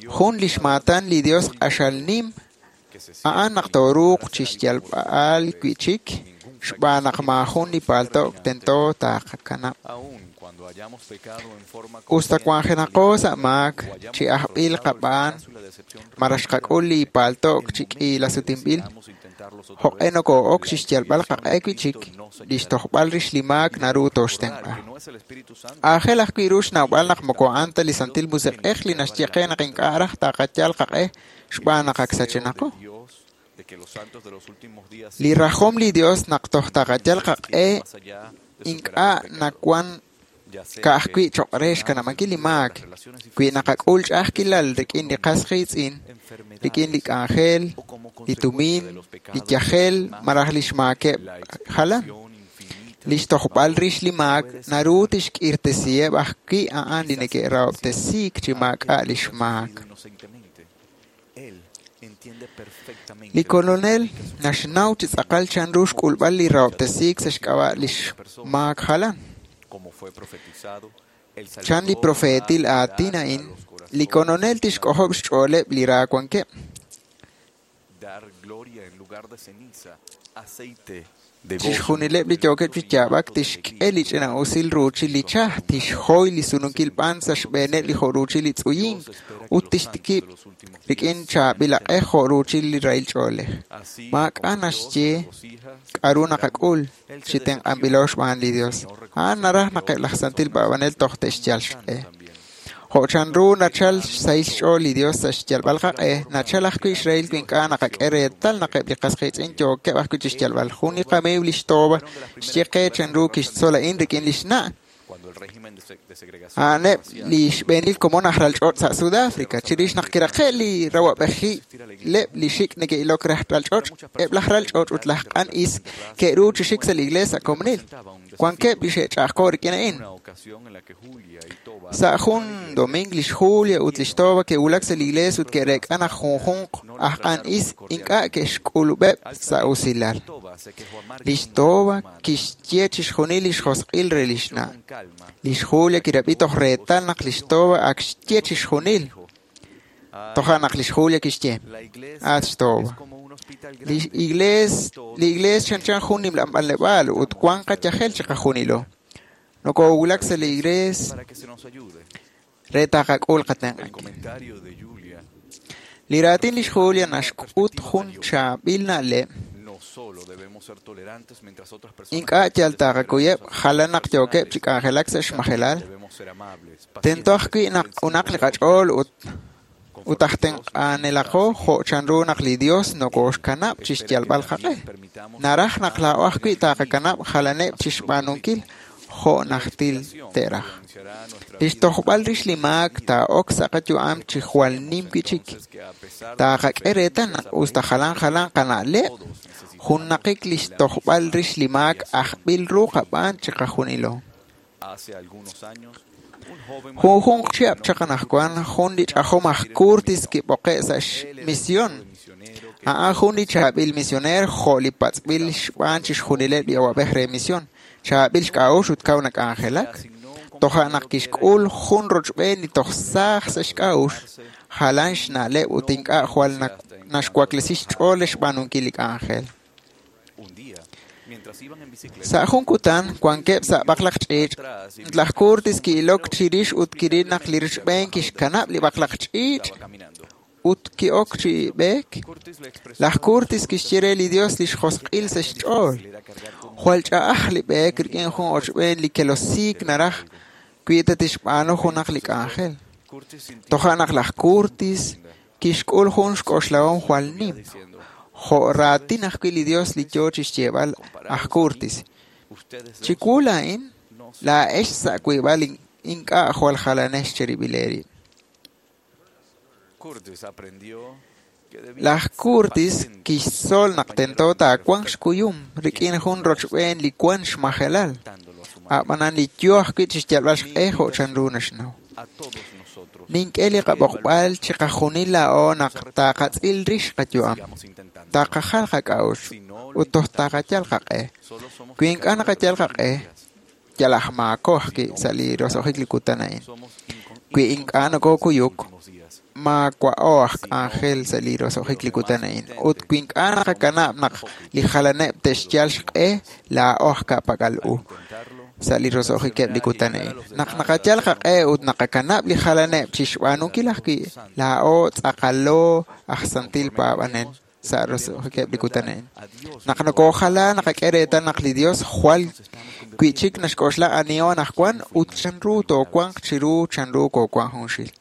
jun lix maatan li Dios q'axal nim a'an naq tooruuq chixyalb'al wi'chik xb'aan naq maajun li palto'k tento taqakanab'. Usta wanjenaqo sa' maak chi ajb'il qab'aan malaj xqak'ul li palto'k chi k'iilasutinb'il, jo'q'e nokoo'ok chixyalb'al qaq'e wi'chik, lix tojb'al rix li maak naru tooxtenq'a. Aajel ajwi' ru xnawb'al naq moko a'an ta li Santil Musiq'ej li naxye qe naq ink'a' raj taqayal qaq'e xb'aan naq ak sachenaqo. Li rajom li Dios naq toj taqayal qaq'e ink'a' nawan ka'ajwi' choq' re xkanab'ankil li maak, wi naqak'ul ch'a'ajkilal rik'in li qas qiitz'in, rik'in li k'anjel, li tumin, li yajel malaj li xmaakeb' jalan. Lix tojb'al rix li maak naru tixk'irtesiheb' ajwi' a'an li neke'rahob'tesiik chi maak'a' lix maak. Li Kolonel naxnaw chi tz'aqal chanru xk'ulb'al li rahob'tesiik sa' xk'ab'a' lix maak jalan. Chan li profeetil aatin a'in, li Kolonel tixk'ojob' xch'ooleb' li ra wankeb'. Chixjunileb' li yookeb' chi yaab'ak tixk'e li ch'ina'usil ruuchil li chaj, tixhoy li sununkil b'an sa' xb'eeneb' li jo' ruuchil li tz'uyink ut tixtikib' rik'in chaab'il aq'ej jo' ruuchil li rahil ch'oolej. Maak'a' naxye k'a'ru naqak'ul chi tenq'anb'ilo xb'aan li Dios. A'an naraj naq eb' laj santil paab'anel toj te'xyal xq'e. Jo' chanru nachal xsahil xch'ool li Dios sa' xyalb'al qaq'e, nachal ajwi' xrahil wi ink'a' naqak'e reetal naq eb' li qas qiitz'in yookeb' ajwi' chixyalb'al. Jun li qamiiw lix Toba xye qe chanru kixtzol a'in rik'in lix na'. A'aneb' li xb'eenil komon aj ralch'och' sa' Sudáfrica. Chirix naq kiraqe' li rawab'ejileb' li xik' neke'ilok raj ralch'och', eb' laj ralch'och' ut laj q'an is ke'ru chi xik sa' li iglees sa' komonil. Wankeb' li xe'ch'a'ajko' rik'in a'in. Sa' jun domingo lix Julia ut lix Toba ke'wulak sa' li iglees ut ke'reek'a naq junjunq aj q'an is ink'a' ke'xk'ulub'eb' sa' usilal. Lix Toba kixye chixjunil lix josq'il re lix na'. Lix Julia kirab'i toj reetal naq lix Toba ak xye chixjunil. Toja' naq lix Julia kixye, at xToba, li iglees li iglees chanchan jun nimla b'anleb'aal ut wan qayajel chiqajunilo. Nokowulak sa' li iglees re taqak'ul qatenq'ankil. Li raatin lix Julia naxk'ut jun chaab'il na'leb'. Ink'a' yal taqakuyeb' jalan naq yookeb' chi k'anjelak sa' xmajelal. Tento ajwi' naq q'unaq li qach'ool ut ut aj tenq'anelaqo jo' chanru naq li Dios nokoxkanab' chixyalb'al qaq'e. Naraj naq laa'o ajwi' taqakanab' jalaneb' chixb'aanunkil jo' najtil te'raj. Lix tojb'al rix li maak taa'ok sa' qayu'am chi jwal nim wi'chik. Taqak'e reetal naq usta jalan jalan qana'leb', junnaqik lix tojb'al rix li maak ajb'il ru qab'aan chiqajunilo. Junjunq chihab' chaq anaqwan jun li ch'ajom aj Curtis kib'oqe' sa' xmision. A'an jun li chaab'il misioneer jo' li patz'b'il xb'aan chixjunileb' li awab'ej re mision. Chaab'il xk'a'uxl ut kaw nak'anjelak. Toja' naq kixk'ul jun rochb'een li toj saaj sa' xk'a'uxl, jalan xna'leb' ut ink'a' jwal naxwaklesi xch'ool re xb'aanunkil li k'anjel. Sa' jun kutan wankeb' sa' b'aqlaq ch'iich', laj Curtis ki'ilok chirix ut kiril naq li rochb'een kixkanab' li b'aqlaq ch'iich' ut ki'ok chi b'eek. Laj Curtis kixye re li Dios lix josq'il sa' xch'ool. Jwal ch'a'aj li b'eek rik'in jun ochb'een li kelosiik naraj wi ta tixb'aanu junaq li k'anjel. Toja' naq laj Curtis kixk'ul jun xk'oxlahom jwal nim. Jo' raatin ajwi' li Dios li yoo chixyeeb'al aj Curtis. Chiwu laa'in, laa'ex sa' wiib'al ink'a' jwal jalanex cherib'il eerib'. Laj Curtis kixtzol naq tento taawanq xkuyum rik'in jun rochb'een li wan xmajelal, a'b'anan li yoo ajwi' chixyalb'al xq'e jo' chanru naxnaw. Nink'e li qab'oqb'al chiqajunil laa'o naq taqatz'il rix qayu'am. Taqajal qak'a'uxl ut toj taqayal qaq'e. Wi ink'a' naqayal qaq'e, yal aj maako ajwi' sa' li roso'jik li kutan a'in. Wi ink'a' nokokuyuk, maawa'o aj k'anjel sa' li roso'jik li kutan a'in. Ut wi ink'a' naqakanab' naq li jalaneb' te'xyal xq'e, laa'o aj ka'pak'al u sa' li roso'jikeb' li kutan a'in. Naq naqayal qaq'e ut naqakanab' li jalaneb' chixb'aanunkil ajwi', laa'o tz'aqalo aj santil paab'anel sa' roso'jikeb' li kutan a'in. Naq nokojala, naqak'e reetal naq li Dios jwal wi'chik naxk'oxla aniho anaqwan ut chanru toowanq chiru chanru koowank junxil.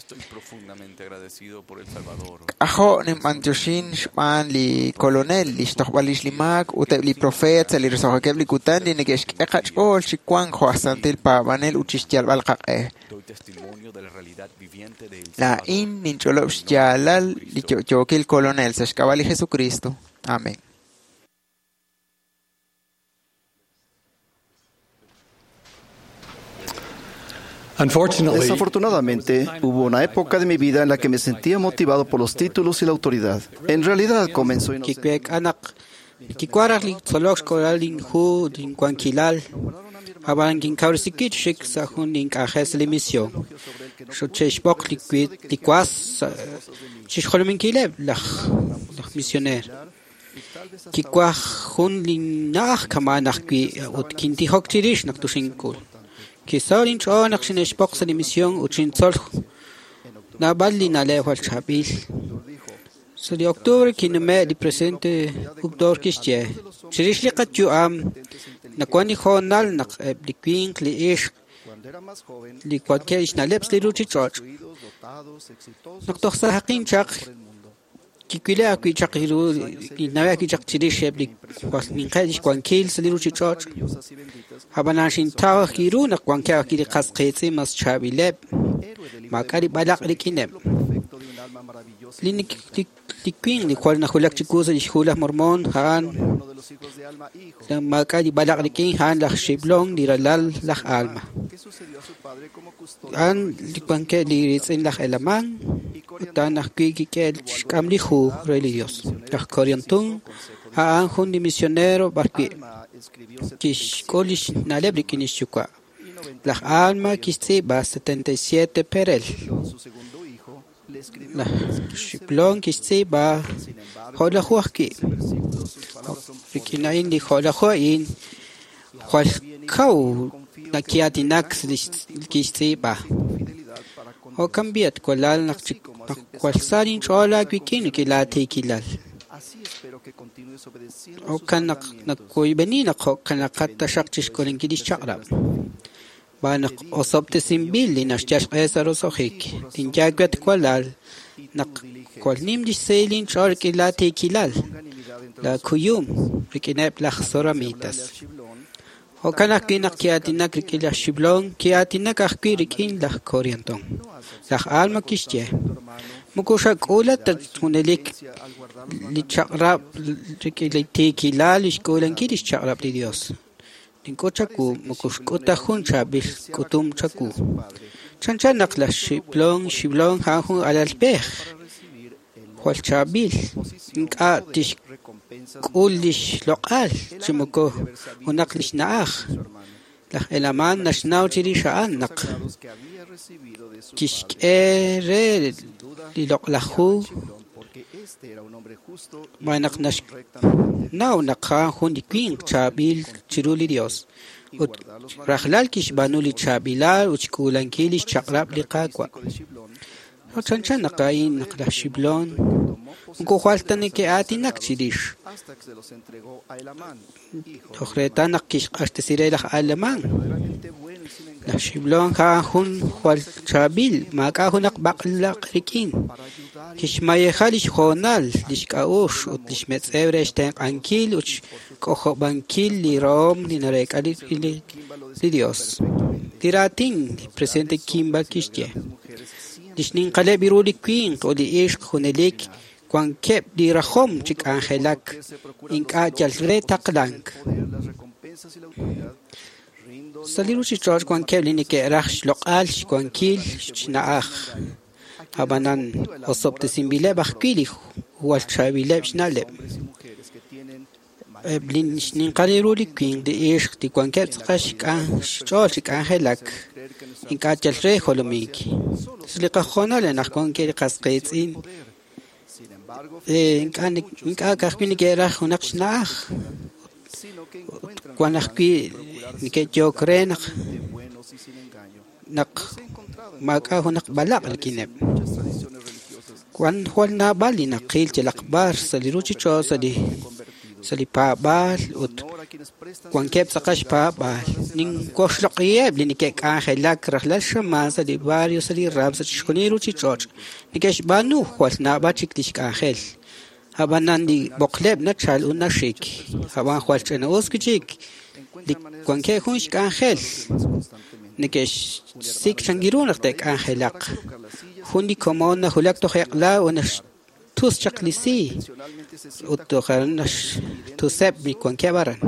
Estoy profundamente agradecido por el Salvador. K'ajo' ninb'antioxin xb'aan li Kolonel, li xtojb'al lix li maak ut eb' li profeet sa' li roso'jikeb' li kutan li neke'xk'e qach'ool chi wank jo' aj santil paab'anel ut chixyalb'al qaq'e. Doy testimonio de la realidad viviente de El Laa'in ninch'olob' xyaalal li yo'yookil Kolonel sa' xk'ab'a' li Jesucristo. Amén. Desafortunadamente, hubo una época de mi vida en la que me sentía motivado por los títulos y la autoridad. En realidad, comenzó Kikwek anak kikwaraj li tzolok xkolal linju linkuankilal ab'an kinkawrisinkil xik sa' jun link'anjel sa' li misión xuche'xb'oq li li kuas chixjolominkileb' laj laj misioner kikwaj jun linna'aj kama'an ajwi' ut kintijok chirix naq tuxink'ul kisaw linch'ool naq xine'xb'oq sa' li misión ut xintzol naab'al li na'leb' jwal chaab'il. Sa' li octubre kinume' li presidente Uchtdorf kixye chirix li qayu'am nawan li hoonal naq eb' li winq li ixq li wankeb' xna'leb' sa' li ruchich'och' naq toj sa'aqin chaq kiwile ajwi' chaq ru kinnawe ajwi' chaq chirix eb' li ninqeb' lix wankil sa' li ruchich'och' ab'anan xintaw ajwi' ru naq wankeb' ajwi' li qas qiitz'in mas chaab'ileb' maak'a' li b'alaq' rik'ineb' li li winq li jwal najulak chiwu sa' lix hu laj Mormón a'an maak'a' li b'alaq' rik'in a'an laj Xiblon li ralal laj Alma a'an li wankeb' li riitz'in laj Helamán ut a'an ajwi' kik'e xk'am li hu re li Dios. Laj Coriantum a'an jun li misionero b'arwi' kixk'ul lix na'leb' rik'in lix yuwa'. Laj Alma kixtz'iib'a setenta y siete perel. Laj Xiblon kixtz'iib'a jo'laju ajwi'. Rik'in a'in li jo'laju a'in jwal kaw naki'aatinak sa' lix kixtz'iib'a. Jo'kan b'i at walal naq jwal sa linch'ool aawik'in rik'in laatiikilal. Jo'kan naq nakoyb'eni naq jo'kanaqat taxaq chixk'ulinkil lix chaq'rab'. B'aan naq osob'tesinb'il li naxyal xq'e sa' roso'jik. Tinyawe at walal naq jwal nim lix sahil linch'ool rik'in laatiikilal, laakuyum rik'ineb' laj Zoramitas. Jo'kan ajwi' naq ki'aatinak rik'in laj Xiblon, ki'aatinak ajwi' rik'in laj Corianton. Laj Alma kixye moko xak'ula ta junelik li chaq'rab' rik'in li tiikilal li xk'uulankil lix chaq'rab' li Dios. Nink'ut chawu moko xk'ut ta jun chaab'il k'utum chawu. Chanchan naq laj Xiblon Xiblon a'an jun alalb'ej jwal chaab'il ink'a' tixk'ul lix loq'al chi moko junaq lix na'aj. Laj Helamán naxnaw chirix a'an naq kixk'e re li loq'laj hu b'aan naq naxnaw naq a'an jun li winq chaab'il chiru li Dios ut rajlal kixb'aanu li chaab'ilal ut xk'uulankil lix chaq'rab' li Qaawa'. Chanchan naq a'in naq laj Xiblon moko jwal ta neke'aatinak chirix. Toj reetal naq kixq'axtesi re laj Alemán. Laj Xiblon a'an jun jwal chaab'il maak'a' junaq b'aqlaq rik'in. Kixmayeja lix hoonal, lix k'a'uxl ut lix metz'ew re xtenq'ankil ut xk'ojob'ankil li rahom li nareek'a li li Dios. Li raatin li presidente Kimball kixye lix ninqaleb' ru li winq ut li ixq junelik wankeb' li rajom chi k'anjelak ink'a' yal re taqlank. Sa' li ruchich'och' wankeb' li neke'raj xloq'al xwankil xna'aj. Ab'anan osob'tesinb'ileb' ajwi' li jwal chaab'ileb' xna'leb'. Eb' li xninqal ru li winq li ixq li wankeb' tz'aqal xch'ool chi k'anjelak ink'a' yal re jolomink. Sa' li qahoonal anaqwan wankeb' li qas qiitz'in ink'a' ka'ajwi' neke'raj junaq xna'aj ut wan ajwi' neke'yook re naq naq maak'a' junaq b'alaq' rik'ineb'. Wan jwal naab'al li naqil yalaq b'ar sa' li ruchich'och' sa' li sa' li paab'aal ut wankeb' tz'aqal xpaab'aal. Ninwoxloq'iheb' li neke'k'anjelak rajlal xamaan sa' li barrio sa' li ram sa' chixjunil ruchich'och'. Neke'xb'aanu jwal naab'al chik lix k'anjel. Ab'anan li b'oqleb' nachal ut naxik. Ab'an jwal ch'ina'us wi' chik li wankeb' jun xk'anjel. Neke'xsik' chan ru naq te'k'anjelaq. Jun li komon najulak toj eq'la ut naxtus chaq li si ut toj naxtuseb' li wankeb' aran.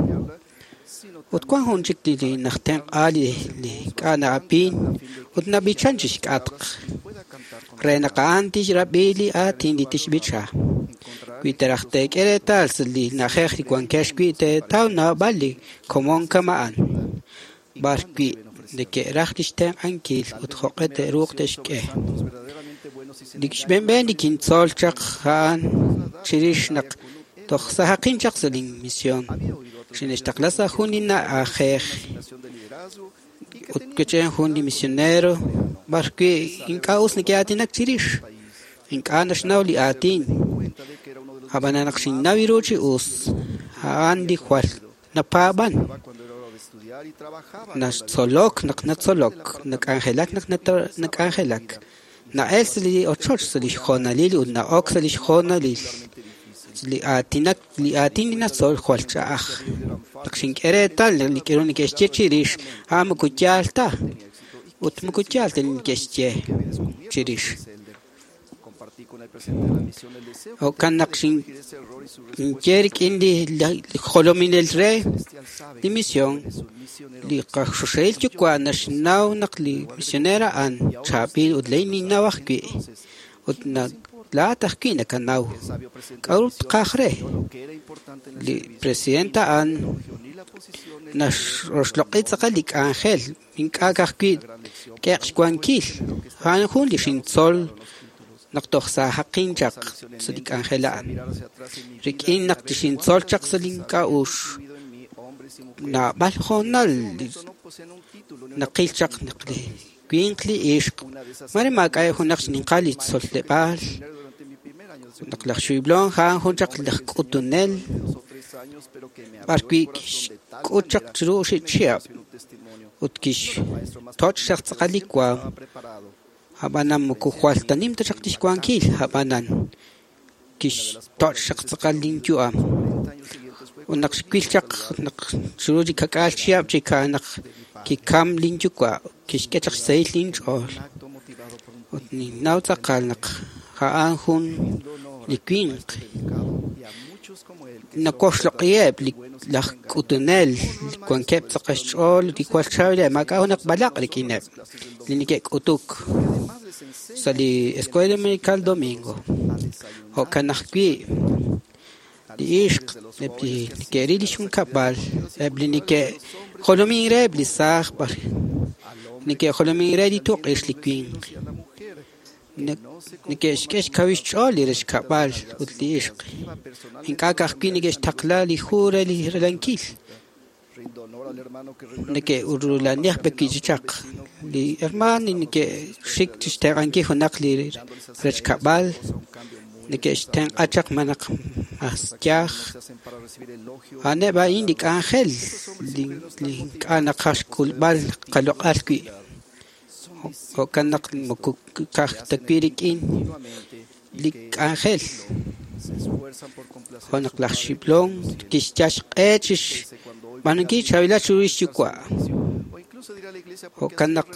Ut wan jun chik li najtenq'a li ink'a' na'ab'in ut nab'ichan chixk'atq re naq a'an tixrab'i li aatin li tixb'icha. Wi teeraj teek'e reetal sa' li na'ajej li wankex wi' teetaw naab'al li komon kama'an. B'ar wi' neke'raj lix tenq'ankil ut jo'q'e te'ruuq te'xk'e. Li xb'een li kintzol chaq a'an chirix naq toj sajaqin chaq sa' lin misión. Xine'xtaqla sa' jun li na'ajej ut kech'en jun li misionero b'ar wi' ink'a' us neke'aatinak chirix. Ink'a' naxnaw li aatin. Ab'anan naq xinnaw ru chi us, a'an li jwal napaab'an. Naxtzolok naq natzolok, nak'anjelak naq nak'anjelak. Na'el sa' li ochoch sa' lix hoonalil ut na'ok sa' lix hoonalil. Li aatinak li aatin li natzol jwal ch'a'aj. Naq xink'e reetal li k'aru neke'xye chirix, a'an moko yaal ta ut moko yaal ta li neke'xye chirix. Jo'kan naq xinye rik'in li jolominel re li misión, li qaxoxahil yuwa' naxnaw naq li misionero a'an chaab'il ut laa'in ninnaw ajwi' ut laa'at ajwi' nakanaw. K'a'ru tqaj re? Li presidente a'an naxroxloq'i tz'aqal li k'anjel ink'a' ka'ajwi' k'eq xwankil. A'an jun li xintzol naq toj sajaqin chaq sa' li k'anjel a'an. Rik'in naq xintzol chaq sa' link'a'uxl naab'al hoonal naqil chaq naq li winq li ixq mare maak'a' junaq xninqal li tzoleb'aal. Naq laj Xiblon a'an jun chaq laj k'utunel b'ar wi' kixk'ut chaq chiru oxib' chihab' ut kixtoch' chaq tz'aqal li waam. Ab'anan moko jwal ta nim ta chaq lix wankil, ab'anan kixtoch' chaq tz'aqal linyu'am. Ut naq xwil chaq naq chiru li kak'aal chihab' chik naq kikam linyuwa' kixk'e chaq xsahil linch'ool. Ut ninnaw tz'aqal naq a'an jun li winq. Nawoxloq'iheb' li laj k'utunel li wankeb' tz'aqal xch'ool li jwal chaab'ileb' maak'a' junaq b'alaq' rik'ineb' li neke'k'utuk sa' li Escuela Dominical Domingo. Jo'kan ajwi' li ixq eb' li neke'ril li junkab'al, eb' li neke'jolomin reheb' li saaj b'ar neke'jolomin re li tuq'ix li winq. Neke'xk'e xkawil xch'ool li rechkab'al ut li ixq. Ink'a' ka'ajwi' neke'xtaqla li hu re li ralankil. Neke'urulanij b'e chaq. Li hermaan neke'xik chixtenq'ankil junaq li rechkab'al. Neke'xtenq'a chaq manaq mas yaj. A'aneb' a'in li k'anjel li ink'a' naqaj xk'ulb'al qaloq'al wi'. Jo'kan naq moko ka'aj ta wi' rik'in li k'anjel. Jo' naq laj Xiblon kixyal xq'e chixb'aanunkil chaab'ilal chiru lix yuwa'. Jo'kan naq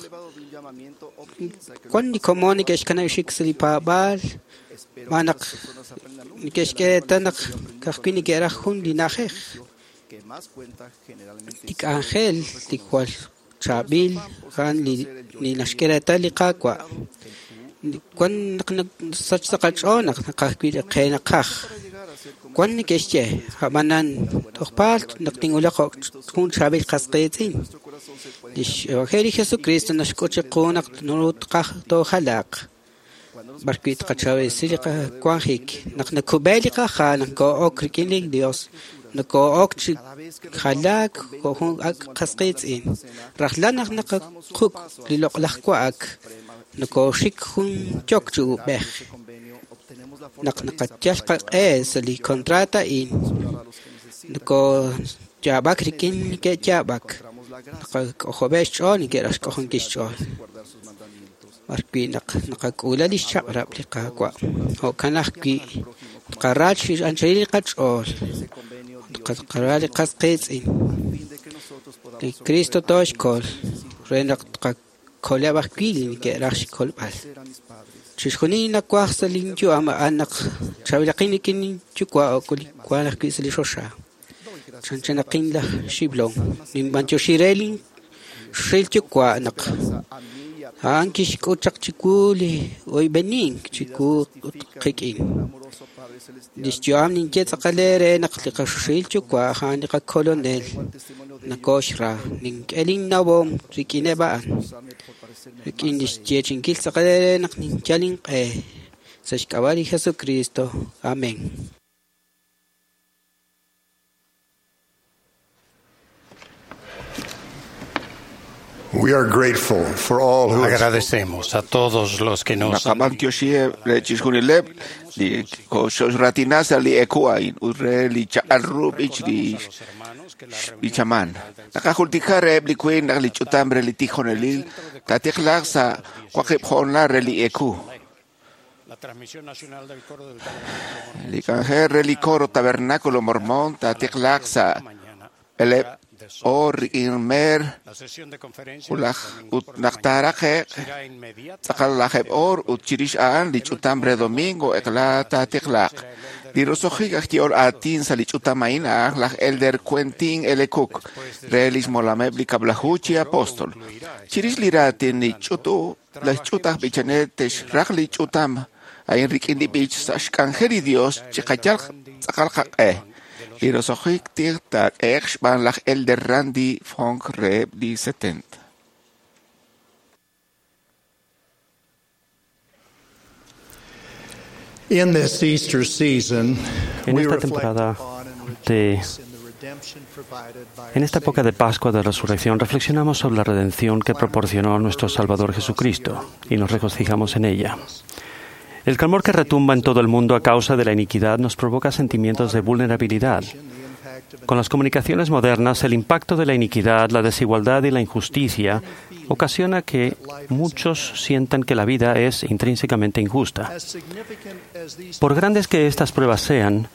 wan li komon neke'xkanab' xik sa' li paab'aal, xb'aan naq neke'xk'e reetal naq ka'ajwi' neke'raj jun li na'ajej. Li k'anjel li jwal chaab'il a'an li naxk'e reetal li Qaawa'. Wan naq sach sa' qach'ool naq naqaj wi' li qe naqaj. Wan neke'xye, a'b'anan tojpaal naq tinwulaq jo' jun chaab'il qas qiitz'in. Lix Evangelio Jesucristo naxk'ut chiqu naq naru tqaj toojalaq. B'ar wi' tqachawisi li qawanjik, naq nakub'e li qaha' naq koo'ok rik'in li Dios, nakoo'ok chi jalaak jo' jun ak' qas qiitz'in. Rajlal naq naqaquk' li loq'laj wa'ak, nakooxik jun yok chi ub'ej. Naq naqayal qaq'e sa' li contrato a'in, nakooyaab'ak rik'in neke'yaab'ak, naqak'ojob'eb' xch'ool neke'raj xk'ojonkil xch'ool. B'ar wi' naq naqak'uula li xchaq'rab' li Qaawa', jo'kan ajwi' tqara chi anchalil li qach'ool, tqara li qas qiitz'in. Li Cristo tooxkol re naq tqakoleb' ajwi' li neke'raj xkolb'al. Chixjunil nawaj sa' linyu'am a'an naq chaab'ilaqin rik'in linyuwa' wan ajwi' sa' li choxa. Chanchanaqin laj Xiblon, ninb'antioxi re linxil yuwa' naq a'an kixk'ut chaq chiwu li oyb'enink chiwu ut qik'in. Lix yu'am ninye tz'aqal eere naq li qaxuxil yuwa' a'an li qakolonel nakooxra. Nink'e linnawom rik'ineb' a'an. Rik'in lix yeechi'inkil tz'aqal eere naq ninyal inq'e. Sa' xk'ab'a' li Jesucristo. Amén. We are grateful for all who have Agradecemos a todos los que nos han Naqab'antioxiheb' re chixjunileb' li koxoxratina sa' li eku a'in ut re li chaq'al ru b'ich li b'ichaman. Naqajultika reheb' li wiin naq li ch'utam re li tijonelil taatiqlaq sa' waqib' jo'onal re li eku. La transmisión nacional del coro del Tabernáculo Li k'anjel re li coro Tabernáculo Mormón taatiqlaq sa' eleb' or rik'in mer La sesión de conferencia ulaj ut naq taaraqe'q tz'aqal lajeb' or ut chirix a'an li ch'utam re domingo eqla taatiqlaq. Li roso'jik aj ye'ol aatin sa' li ch'utam a'in a'an laj Elder Quentin L. Cook re lix molameb' li kab'laju chi apóstol. Chirix li raatin li ch'utu laj ch'ut aj b'ichanel texraq li ch'utam a'in rik'in li b'ich sa' xk'anjel li Dios chiqayal tz'aqal qaq'e. Li roso'jik tij taak'ehe'q xb'aan laj Elder Randy Funk reheb' li setenta. In this Easter season, En we esta reflect temporada upon and de rejoice in the redemption provided by En esta época de Pascua de Resurrección reflexionamos sobre la redención que proporcionó nuestro Salvador Jesucristo y nos regocijamos en ella. El clamor que retumba en todo el mundo a causa de la iniquidad nos provoca sentimientos de vulnerabilidad. Con las comunicaciones modernas, el impacto de la iniquidad, la desigualdad y la injusticia ocasiona que muchos sientan que la vida es intrínsecamente injusta. As significant as these Por grandes que estas pruebas sean,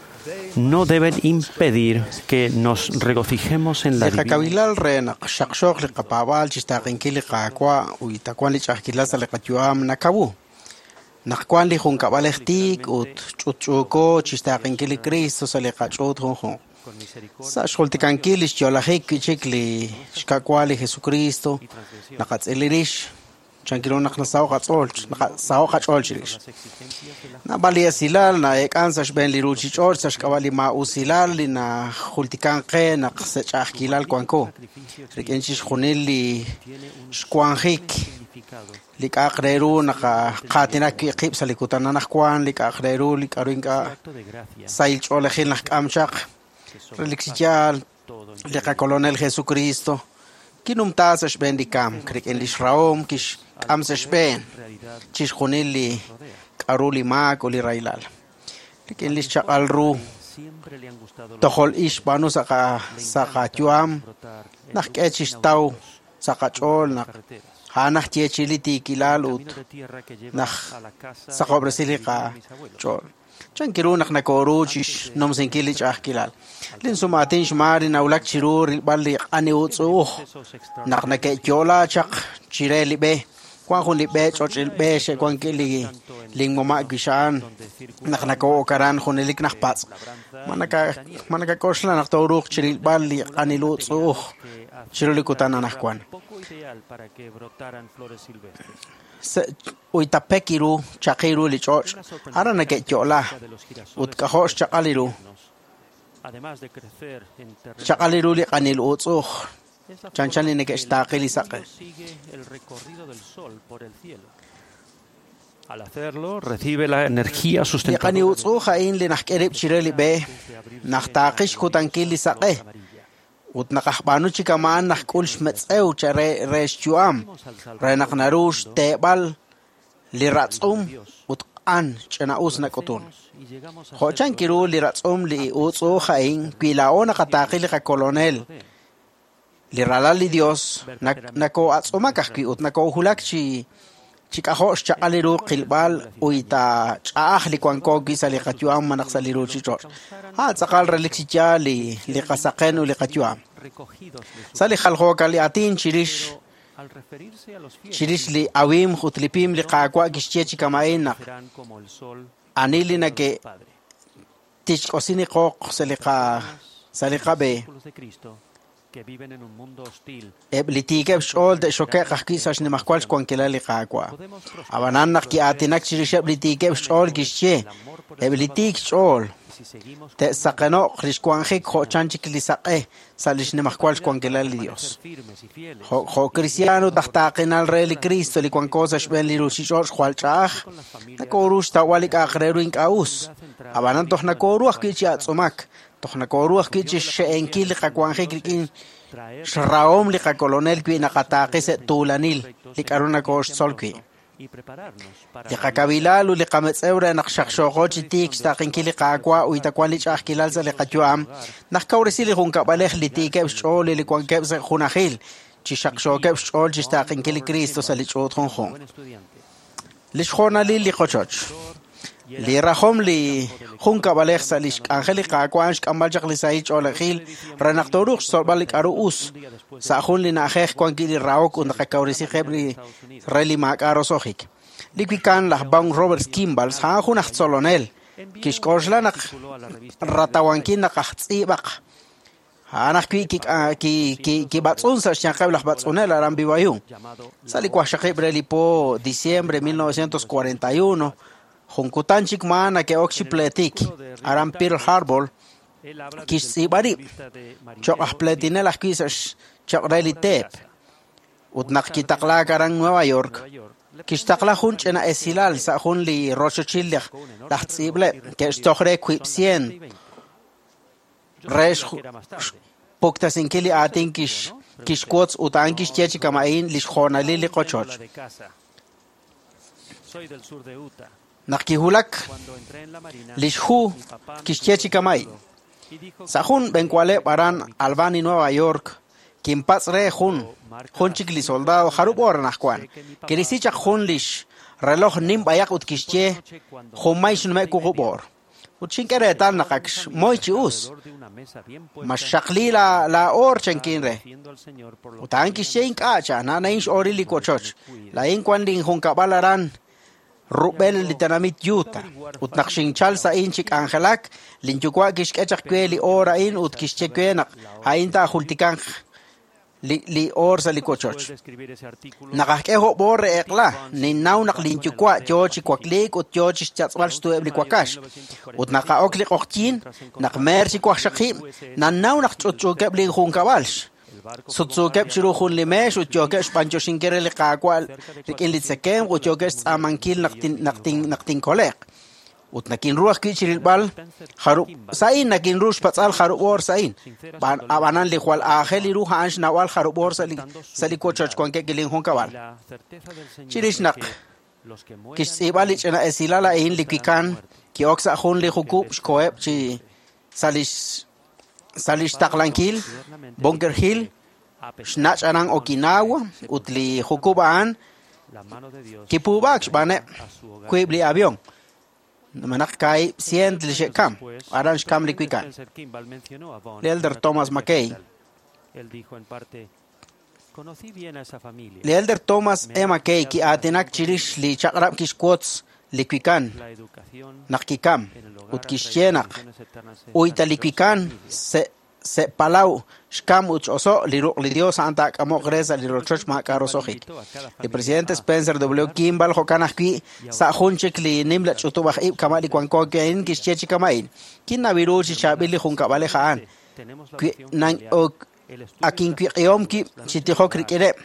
no deben impedir que nos regocijemos en la Li divina qakawilal re naq xaqxoq li qapaab'al chixtaaqinkil li Qaawa' ut wan li ch'a'ajkilal sa' li qayu'am nakawu. Naq wan li junkab'alej tiik ut ch'utch'uuko chixtaaqinkil li Cristo sa' li qach'uut junjunq. Sa' xjultikankil li xyo'lajik wi'chik li xka'wa li Jesucristo, naqatz'ili rix chankiru naq nasaho' qatz'ool, naqasaho' qach'ool chirix. Naab'al li esilal na'eek'an sa' xb'een li ruuchich'och' sa' xk'ab'a' li maa'usilal li najultikan qe naq sa' ch'a'ajkilal wanko. Rik'in chixjunil li xwanjik li k'a'aq re ru naqaatinak wi' qib' sa' li kutan anaqwan, li k'a'aq re ru li k'a'ru ink'a' sahil ch'oolejil naqk'am chaq. Relik chi yaal li qakolonel Jesucristo kinumta sa' xb'een li kamk rik'in lix rahom kixk'am sa' xb'een chixjunil li k'a'ru li maak ut li rahilal. Rik'in lix chaq'al ru tojol ix xb'aanu sa' qa- sa' qayu'am naq k'e chixtaw sa' qach'ool naq a'an aj yeechi li tiikilal ut naq saqob'resi li qach'ool. Chankiru naq nakooru chixnumsinkil li ch'a'ajkilal. Linsumaatin xmaar nawulak chiru rilb'al li q'ani utz'u'uj naq nake'yo'la chaq chire li b'e. Wan jun li b'e ch'och'il b'e xe'wankil li linmama' wixa'an naq nakoo'ok aran junelik najpatz'. Ma naka- ma nakak'oxla naq tooruuq chirilb'al li q'anil utz'u'uj chiru li kutan anaqwan. Uyta pek ru chaqi ru li ch'och' aran neke'yo'la ut k'ajo' xchaq'al ru xchaq'al ru li q'anil utz'uj chanchan li neke'xtaaqi li saq'e. Al hacerlo, recibe la energía Li sustentadora q'anil utz'uj a'in li najk'e rib' chire li b'e najtaaqi xkutankil li saq'e ut naqajb'aanu chi kama'an najk'ul xmetz'ew cha re re xyu'am re naq naru xteeb'al li ratz'um ut q'an ch'ina'us nak'utun. Jo' chan kiru li ratz'um li utz'uj a'in wi laa'o naqataaqi li qakolonel li ralal li Dios nakoo'atz'umak ajwi' ut nakoohulak chi chi k'ajo' xchaq'al ru qilb'al uyta ch'a'aj li wanko wi' sa' li qayu'am malaj sa' li ruuchich'och'. A'an tz'aqal relik chi yaal li li qasaqen ut li qayu'am. Sa' li jaljookal li aatin chirix chirix li awimq ut li pim li Qaawa' kixye chi kama'in naq ani li nake tixk'osi li qooq sa' li qa sa' li qab'e eb' li tiikeb' xch'ool te'xoke'q ajwi' sa' xnimajwal xwankilal li Qaawa'. Ab'anan naq ki'aatinak chirixeb' li tiikeb' xch'ool kixye eb' li tiik xch'ool te'saqeno'q li xwanjik jo' chan chik li saq'e sa' li xnimajwal xwankilal li Dios. Jo' jo' cristiano ut aj taaqinal re li Cristo li wanko sa' xb'een li ruuchich'och' jwal ch'a'aj nakooru xtawb'al li k'a'aq re ru ink'a' us. Ab'anan toj nakooru ajwi' chi atz'umak toj nakooru ajwi' chi xxe'enkil li qawanjik rik'in xrahom li qakolonel wi' naqataaqi sa' tuulanil li k'a'ru nakooxtzol wi'. Li qakabilal ut li qametz'ew re naq xaqxooqo chi tiik xtaaqinkil li Qaawa' uyta wan li ch'a'ajkilal sa' li qayu'am najkawresi li junkab'alej li tiikeb' xch'ool li wankeb' sa' junajil chi xaqxookeb' xch'ool chi xtaaqinkil li Cristo sa' li ch'uut junjunq. Li xjoonalil li qochoch. Li rajom li junkab'alej sa' li xk'anjel li Qaawa' xk'amb'al chaq li sahil ch'oolejil re naq tooruuq xtzolb'al li k'a'ru us sa' jun li na'ajej wan wi' li rahok ut naqakawresi qib' li re li maak'a' roso'jik. Li wikan laj Baum Roberts Kimball a'an jun aj tzolonel kixk'oxla naq ratawankil naq aj tz'iib'aq. A'an ajwi' kib'atz'un sa' xyanqeb' laj b'atz'unel aran B Y U. Sa' li wajxaqib' re li po diciembre mil novecientos cuarenta y uno junkutan chik maa nake'ok chi pleetik aran Pearl Harbor kixtz'iib'a rib' cho'q aj pleetinel ajwi' sa' cho'q re li teep. Ut naq kitaqlaak aran Nueva York kixtaqla jun ch'ina esilal sa' jun li rochochil laj tz'iib'leb' ke'xtoj re wiib' cien re xpuktasinkil li aatin kixwotz ut a'an kixye chi kama'in li xjoonalil li qochoch. Naq kiwulak li xhu kixye chi kama'in: Sa' jun b'enwaleb' aran Albany, Nueva York, kinpatz' re jun jun chik li soldado jarub' hora anaqwan. Kirisi chaq jun li xreloj nim b'ayaq ut kixye junmay xnume' wuqub' oor. Ut xink'e reetal naq ak xmoy chi us. Ma xxaqli la la oor chankin re. Ut a'an kixye ink'a' cha na'in x'ooril li wochoch. Laa'in wan linjunkab'al aran rub'el li tenamit Utah. Ut naq xinchal sa'in chi k'anjelak, linyuwa' kixk'e chaq we li oor a'in ut kixye we naq a'in taajultikanq li li oor sa' li wochoch. Naq ajk'e jo'b' oor re eq'la, ninnaw naq linyuwa' yoo chi wakliik ut yoo chi xyatz'b'al xtu'eb' li wakax. Ut naq a'ok li q'oqyiin, naq meer chi wajxaqib', nannaw naq ch'utch'uukeb' linjunkab'al. Sutsuukeb' chiru jun li meex ut yookeb' xb'anyoxinkil re li Qaawa' rik'in li tzekemq ut yookeb' xtz'aamankil naq tin naq tin naq tinkole'q. Ut nakinru ajwi' chirilb'al jarub' sa'in nakinru xpatz'al jarub' oor sa'in. Ab'anan li jwal aajel ru a'an xnawb'al jarub' oor sa' li sa' li wochoch wankeb' linjunkab'al. Chirix naq kixtz'iib'a li ch'ina esilal a'in li wikan ki'ok sa' jun li jukub' xkoheb' chi sa' li sa' li xtaqlankil Bunker Hill xnach' aran Okinawa ut li jukub' a'an kipuub'aak xb'aaneb' wiib' li avión. Manaq kaahib' cien li xe'kam aran xkam li wikan. Li Elder Thomas McKay. Li Elder Thomas E. McKay ki'aatinak chirix li chaq'rab' kixwotz li wikan naq kikam ut kixye naq uyta li wikan se se'palaw xkam ut x'oso' li ruq' li Dios a'an taak'amoq re sa' li rochoch maak'a' roso'jik. Li presidente Spencer W. Kimball jo'kan ajwi' sa' jun chik li nimla ch'utub' aj ib' kama' li wanko a'in kixye chi kama'in. Kinnawiru chi chaab'il li junkab'alej a'an. Wi nan ok akinwiq'ihom kib' chi tijok rik'ineb'.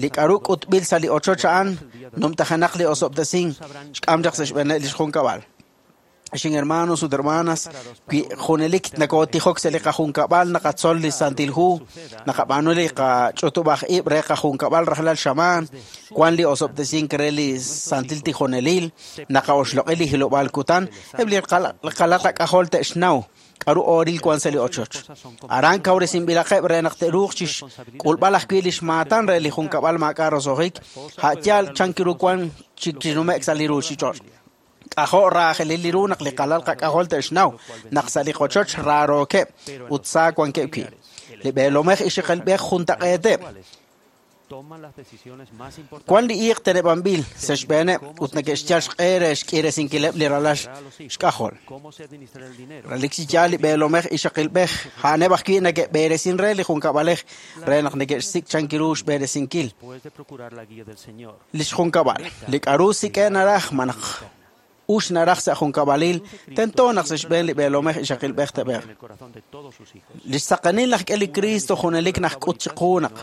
Li k'aru k'utb'il sa' li ochoch a'an numtajenaq li osob'tesin xk'am chaq sa' xb'eeneb' li xjunkab'al. Xin hermanos ut hermanas, wi junelik nakotijok sa' li qajunkab'al naqatzol li Santil Hu, naqab'aanu li qach'utub' aj ib' re qajunkab'al rajlal xamaan, wan li osob'tesink re li Santil Tijonelil, naqaoxloq'i li hilob'aal kutan, eb' li qalal qak'ajol te'xnaw k'aru ooril wan sa' li ochoch. Aran kawresinb'ilaqeb' re naq te'ruuq chi xk'ulb'al ajwi' li xmaatan re li junkab'al maak'a' roso'jik, a' yaal chan ru wan chi chinume'k sa' li ruuchich'och'. K'ajo' raajelil li ru naq li qalal qak'ajol te'xnaw naq sa' li qochoch raarookeb' ut sa wankeb' wi'. Li b'eelomej ixaqilb'ej juntaq'eeteb'. Wan li iiq teneb'anb'il sa' xb'eeneb' ut neke'xyal xq'e re xk'iresinkileb' li ralal xk'ajol. Relik chi yaal li b'eelomej ixaqilb'ej a'aneb' ajwi' neke'b'eeresin re li junkab'alej re naq neke'xsik' chan ru xb'eeresinkil li xjunkab'al. Li k'aru sik'e naraj ma naq ux naraj sa' junkab'alil tento naq sa' xb'een li b'eelomej ixaqilb'ej te'b'eeq. Li xsaqenil naq k'e li Cristo junelik najk'ut chiqu naq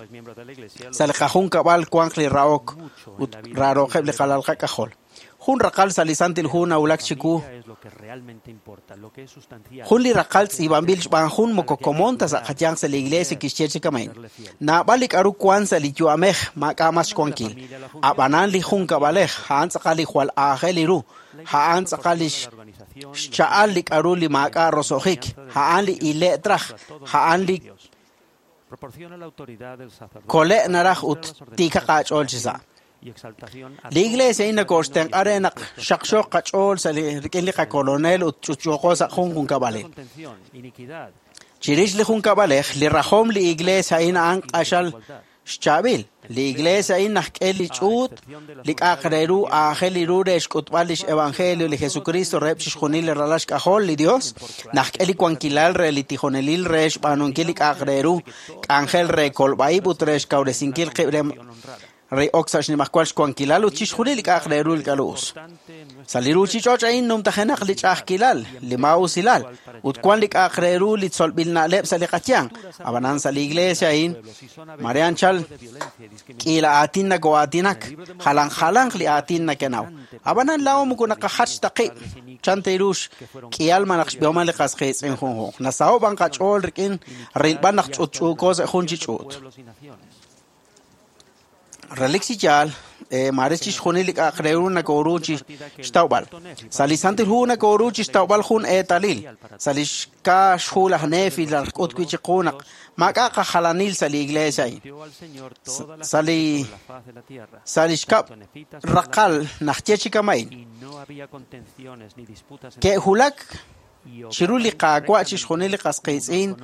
sa' li qajunkab'al wanq li rahok ut raaroqeb' li qalal qak'ajol. Jun raqal sa' li Santil Hu nawulak chiwu. Jun li raqal tz'iib'anb'il xb'aan jun moko komon ta sa' qayanq sa' li iglesia kixye chi kama'in. Naab'al li k'aru wan sa' li yu'amej maak'a' mas xwankil. Ab'anan li junkab'alej a'an tz'aqal li jwal aajel li ru. A'an tz'aqal li xcha'al li k'aru li maak'a' roso'jik. A'an li ile' traj. A'an li kole' naraj ut tiikaq aach'ool chi sa'. Li iglesia a'in nakoxtenq'a re naq xaqxoq qach'ool sa' li rik'in li qakolonel ut ch'utch'uuqo sa' jun junkab'alil. Chirix li junkab'alej, li rajom li iglesia a'in a'an q'axal xchaab'il. Li iglesia a'in najk'e li ch'uut, li k'aq re ru aajel li ru re xk'utb'al lix evangelio li Jesucristo reheb' chixjunil li ralal xk'ajol li Dios, najk'e li wankilal re li tijonelil re xb'aanunkil li k'aq re ru, k'anjel re kolb'a'ib' ut re xkawresinkil qib' re re ok sa' xnimajwal xwankilal ut chixjunil li k'aq re ru li k'aru us. Sa' li ruuchich'och' a'in numtajenaq li ch'a'ajkilal, li maa'usilal, ut wan li k'aq re ru li tzolb'il na'leb' sa' li qayanq. Ab'anan sa' li iglesia a'in, mare anchal k'iila aatin nako'aatinak, jalan jalanq li aatin nakenaw. Ab'anan laa'o moko naqajach ta qib', chan teerux k'ihal ma naq xb'ihoman li qas qiitz'in junjunq. Nasaho' b'an qach'ool rik'in rilb'al naq ch'utch'uuko sa' jun chi ch'uut. Relik chi yaal, mare chixjunil li k'aq re ru nakoru chi xtawb'al. Sa' li Santil Hu nakoru chi xtawb'al jun eetalil. Sa' li xka xhu laj Nefi laj k'ut wi' chiqu naq maak'a' qajalanil sa' li iglesia a'in. Sa' li sa' li xkab' raqal najye chi kama'in. Ke'wulak chiru li Qaawa' chixjunil li qas qiitz'in,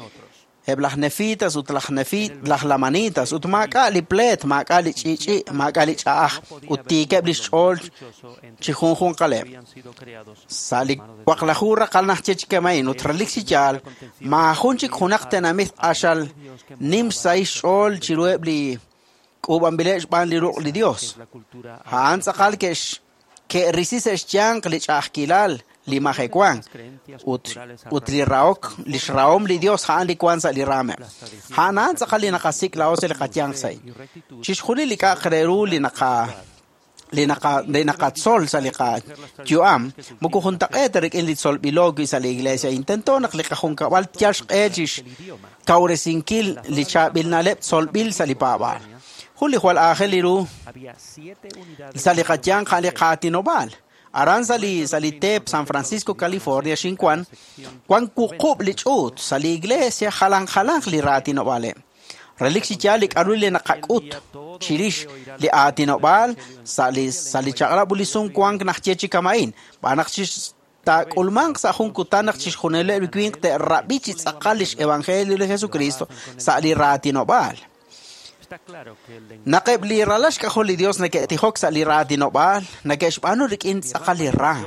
eb' laj Nefitas ut laj Nefit, laj Lamanitas, ut maak'a' li pleet, maak'a' li ch'i'ch'i', maak'a' li ch'a'aj, ut tiikeb' li xch'ool chi junjunqaleb'. Sa' li waqlaju raqal najye chi kama'in ut relik chi yaal, maajun chik junaq tenamit q'axal nim xsahil xch'ool chiruheb' li k'uub'anb'ileb' xb'aan li ruq' li Dios. A'an tz'aqal ke'x ke'risi sa' xyanq li ch'a'ajkilal, li majewan ut ut li rahok, li xrahom li Dios a'an li wan sa' li raameb'. A'an a'an tz'aqal li naqasik' laa'o sa' li qayanq sa' a'in. Chixjunil li k'aq re ru li naqa li naqa li naqatzol sa' li qayu'am moko juntaq'eet ta rik'in li tzolb'ilo wi' sa' li iglesia. Intento naq li qajunkab'al yal xq'e chi xkawresinkil li chaab'il na'leb' tzolb'il sa' li paab'aal. Jun li jwal aajel li ru sa' li qayanq a'an li qaatinob'aal. Aran sa' li sa' li teep San Francisco, California, xinwan, wan wuqub' li ch'uut sa' li iglesia jalan jalanq li raatinob'aaleb'. Relik chi yaal li k'aru li naqak'ut chirix li aatinob'aal sa' li sa' li chaq'rab' ut li sumwank najye chi kama'in. B'aan naq taak'ulmanq sa' jun kutan naq chixjunileb' li winq te'rab'i chi tz'aqal lix evangelio li Jesucristo sa' li raatinob'aal. Naq eb' li ralal xk'ajol li Dios neke'tijok sa' li raatinob'aal, neke'xb'aanu rik'in tz'aqal li raam.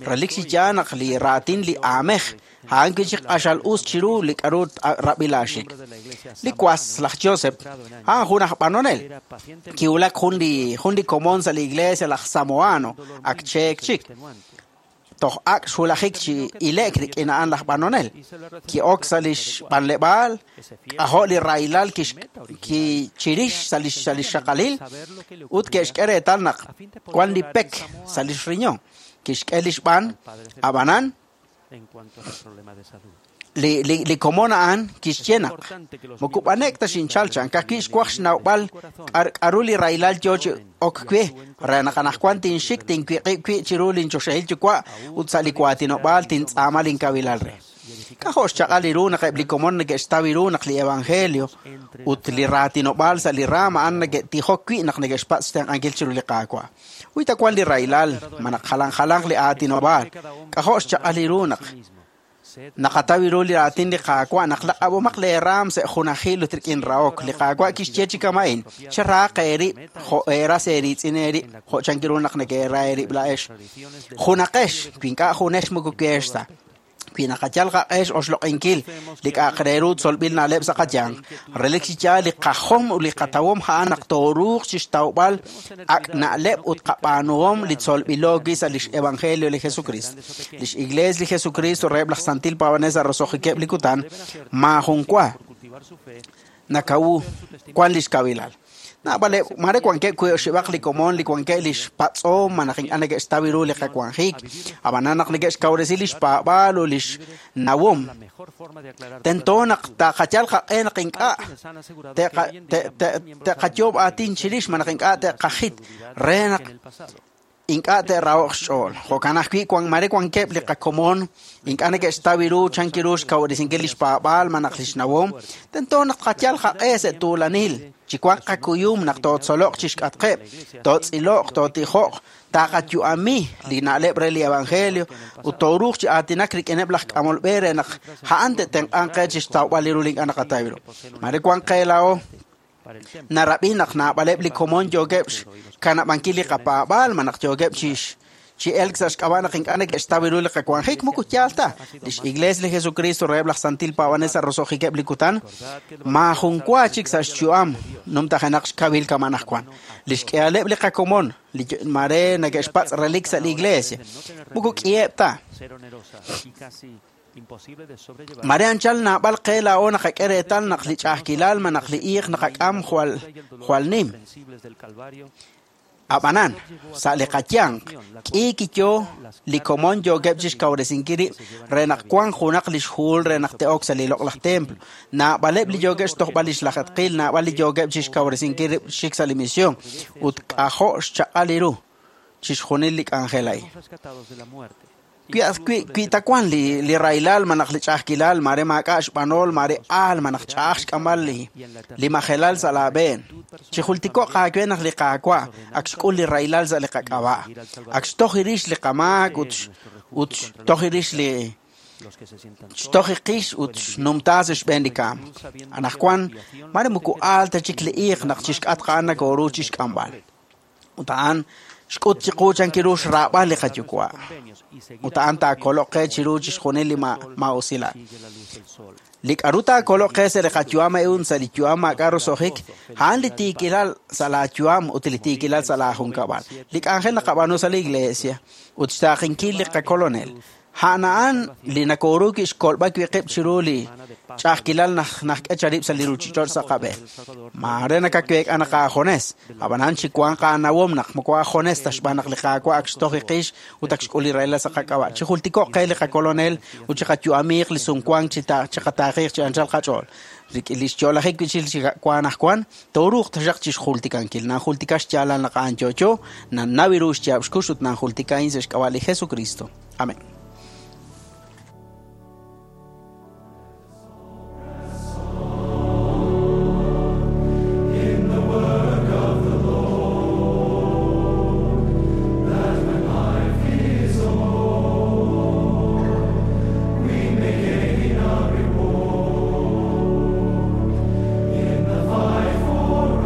Relik chi yaal naq li raatin li aamej, a'an wi' chik q'axal us chiru li k'aru rab'ilaaxik. Li was laj Joseph, a'an jun aj b'anonel. Kiwulak jun li jun li komon sa' li iglesia laj Samoano, ak cheek chik. Toj ak' xwulajik chi ile'k rik'in a'an laj b'anonel. Ki'ok sa' lix b'anleb'aal, k'ajo' li rahilal kichirix sa' lix sa' lix xaqalil ut ke'xk'e reetal naq wan li pek sa' lix riñon. Kixk'e lix b'an, ab'anan li li li komon a'an kixye naq moko b'anek ta xinchal chan ka'ajwi' xwaj xnawb'al k'aru li rahilal yo chi ok we re naq anaqwan tinxik tinwiq'ib' wi' chiru linchoxahil yuwa' ut sa' li waatinob'aal tintz'aama linkawilal re. K'ajo' xchaq'al li ru naq eb' li komon neke'xtaw ru naq li evangelio ut li raatinob'aal sa' li raam a'an neke'tijok wi' naq neke'xpatz' xtenq'ankil chiru li Qaawa'. Uy ta wan li rahilal ma naq jalan jalanq li aatinob'aal. K'ajo' xchaq'al li ru naq naqataw ru li raatin li Qaawa' naq laq'ab'omaq leeraam sa' junajil ut rik'in rahok. Li Qaawa' kixye chi kama'in, cheraaq eerib' jo' eeras eeritz'in eerib' jo' chankiru naq neke'era eerib' la'ex. Junaqex, wi ink'a' junex moko keex ta. Wi naqayal qaq'ex oxloq'inkil li k'a'aq re ru tzolb'il na'leb' sa' qayanq. Relik chi yaal li qajom ut li qatawom a'an naq tooruuq chixtawb'al ak' na'leb' ut qab'aanuhom li tzolb'ilo wi' sa' lix evangelio li Jesucristo. Lix iglees li Jesucristo reheb' laj santil paab'anel sa' roso'jikeb' li kutan maajun wa nakawu wan lix kawilal. Naab'aleb' mare wankeb' wi' oxib'aq li komon li wankeb' lix patz'om ma naq ink'a' neke'xtaw ru li qawanjik, ab'anan naq neke'xkawresi lix paab'aal ut lix nawom. Tento naq taqayal qaq'e naq ink'a' te'qayoob' aatin chirix ma naq ink'a' te'qajit re naq ink'a' te'raho'q xch'ool. Jo'kan ajwi' wan mare wankeb' li qakomon ink'a' neke'xtaw ru chankiru xkawresinkil lix paab'aal ma naq lix nawom. Tento naq tqayal qaq'e sa' tuulanil, chi wanq qakuyum naq tootzoloq chixk'atqeb', tootz'iloq, tootijoq, taqayu'ami li na'leb' re li evangelio ut tooruuq chi aatinak rik'ineb' laj k'amol b'e re naq a'an te'tenq'anq qe chixtawb'al li ru li ink'a' naqataw ru. Mare wanq qe laa'o narab'i naq naab'aleb' li komon yookeb' xkanab'ankil li qapaab'aal ma naq yookeb' chix chi elk sa' xk'ab'a' naq ink'a' neke'xtaw ru li qawanjik moko yaal ta. Lix iglees li Jesucristo reheb' laj santil paab'anel sa' roso'jikeb' li kutan maajun wa chik sa' xyu'am numtajenaq xkawil kama' anaqwan. Lix k'ihaleb' li qakomon li mare neke'xpatz' relik sa' li iglesia moko k'iheb' ta. Mare anchal naab'al qe laa'o naqak'e reetal naq li ch'a'ajkilal ma naq li iiq naqak'am jwal jwal nim. Ab'anan, sa' li qayanq, k'i kiyo li komon yookeb' chixkawresinkil rib' re naq wanq junaq lix huhul re naq te'ok sa' li loq'laj templo. Naab'aleb' li yookeb' xtojb'al lix lajetqil, naab'al li yookeb' chixkawresinkil rib' xik sa' li misión ut k'ajo' xchaq'al li ru chixjunil li k'anjel a'in. Wi wi ta wan li li rahilal ma naq li ch'a'ajkilal mare maak'a' xb'anol mare aal ma naq ch'a'aj xk'amb'al li li majelal sa' laab'een. Chijultiko'q aawe naq li Qaawa' ak xk'ul li rahilal sa' li qak'ab'a'. Ak xtoj rix li qamaak ut ut xtoj rix li xtoj qix ut xnumtaa sa' xb'een li kaam. Anaqwan mare moko aal ta chik li iiq naq chixk'atq a'an nakooru chixk'amb'al. Ut a'an xk'ut chiqu chankiru xraab'al li qayuwa'. Ut a'an taakoloq qe chiru chixjunil li maa'usilal. Li k'aru taakoloq qe sa' li qayu'am a'in sa' li yu'am maak'a' roso'jik, a'an li tiikilal sa' laayu'am ut li tiikilal sa' laajunkab'al. Li k'anjel naqab'aanu sa' li iglesia ut xtaaqinkil li qakolonel. A'an a'an li nakooru wi' xkolb'al wi' qib' chiru li ch'a'ajkilal naq najk'e charib' sa' li ruuchich'och' sa' qab'een. Mare nakaweek'a naq aajones, ab'anan chi wanq aanawom naq moko aajones ta xb'aan naq li Qaawa' ak xtoj qix ut ak xk'ul li rahilal sa' qak'ab'a'. Chijultiko'q qe li qakolonel ut chiqayu'amiiq li sumwank chi chiqataaqiiq chi anchal qach'ool. Rik'in li xyo'lajik wi' chik wan ajwan, tooruuq taxaq chixjultikankil. Nanjultika xyaalal naq a'an yo'yo, nannaw ru xyaab' xkux ut nanjultika a'in sa' xk'ab'a' li Jesucristo. Amén. In the fight for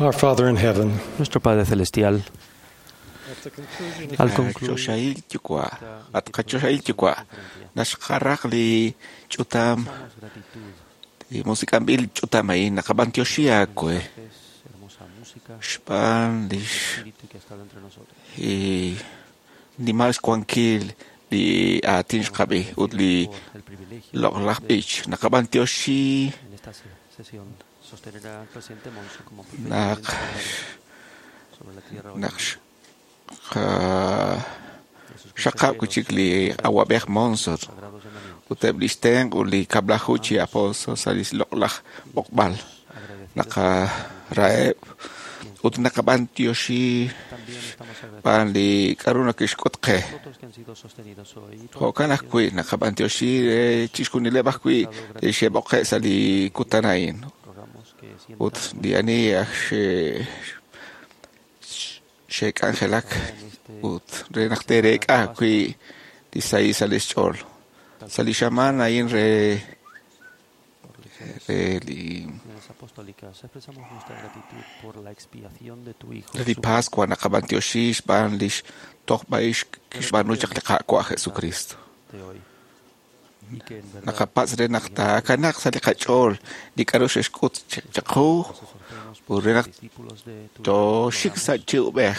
Our Father in heaven, Nuestro Padre Celestial, al concluir Choxahil yuwa', at qachoxahil yuwa', naxqaraq li ch'utam, li musik'anb'il ch'utam a'in, naqab'antioxi aawe. Xb'aan lix i nimal xwankil li aatin xqab'i ut li loq'laj b'ich. Naqab'antioxi en esta sesión sostenerá al presidente Monson como naq sobre la tierra hoy. naq xaqab' kuchik li awab'ej Monson ut eb' lix tenq' ut li kab'laju chi apóstol sa' li loq'laj b'oqb'al. Naqaraheb' ut naqab'antioxi b'aan li k'a'ru nakixk'ut qe. Otros que han sido sostenidos hoy y todos Jo'kan ajwi' naqab'antioxi re chixjunileb' ajwi' li xe'b'oqe' sa' li kutan a'in. Ut li ani aj xe- xe'k'anjelak ut re naq te'reek'a ajwi' li sahil sa' lix ch'ool. Sa' li xamaan a'in re re li misiones apostólicas expresamos nuestra gratitud por la expiación de tu Hijo. re li Pascua naqab'antioxi xb'aan lix tojb'a'ix kixb'aanu chaq li Qaawa' Jesucristo. De hoy. Y que en verdad Naqapatz' re naq taakanaq sa' li qach'ool li k'a'ru xe'xk'ut chaq qu ut re naq tooxik sa' chi ub'ej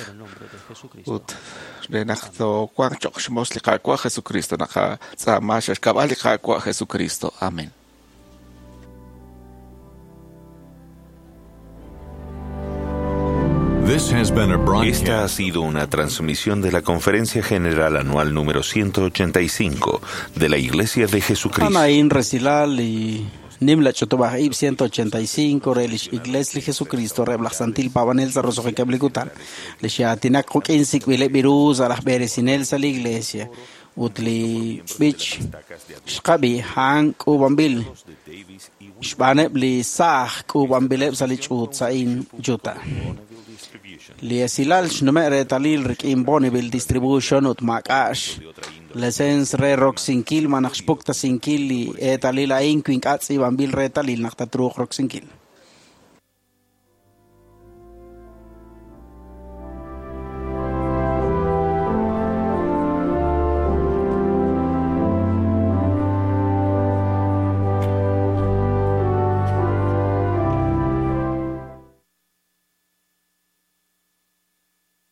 ut re naq toowanq choq' xmoos li Qaawa' Jesucristo naqatz'aama sa' xk'ab'a' li Qaawa' Jesucristo. Amén. This has been a broadcast. Esta ha sido una transmisión de la Conferencia General Anual número ciento ochenta y cinco de la Iglesia de Jesucristo. A'an resilal li nimla ch'utub'aj ib' ciento ochenta y cinco re lix Iglesia li Jesucristo reheb' laj Santil Paab'anel sa' roso'jikeb' li kutan. Li xaatinak quk'in sik'b'ileb' ru sa' laj b'eresinel sa' li Iglesia ut li b'ich xqab'i a'an k'uub'anb'il xb'aaneb' li saaj k'uub'anb'ileb' sa' li ch'uut sa'in Utah. Li esilal xnume' reetalil rik'in Bonneville Distribution ut maak'a'x lesens re roksinkil malaj xpuktasinkil li eetalil a'in wi ink'a' tz'iib'anb'il reetalil naq tatruuq roksinkil.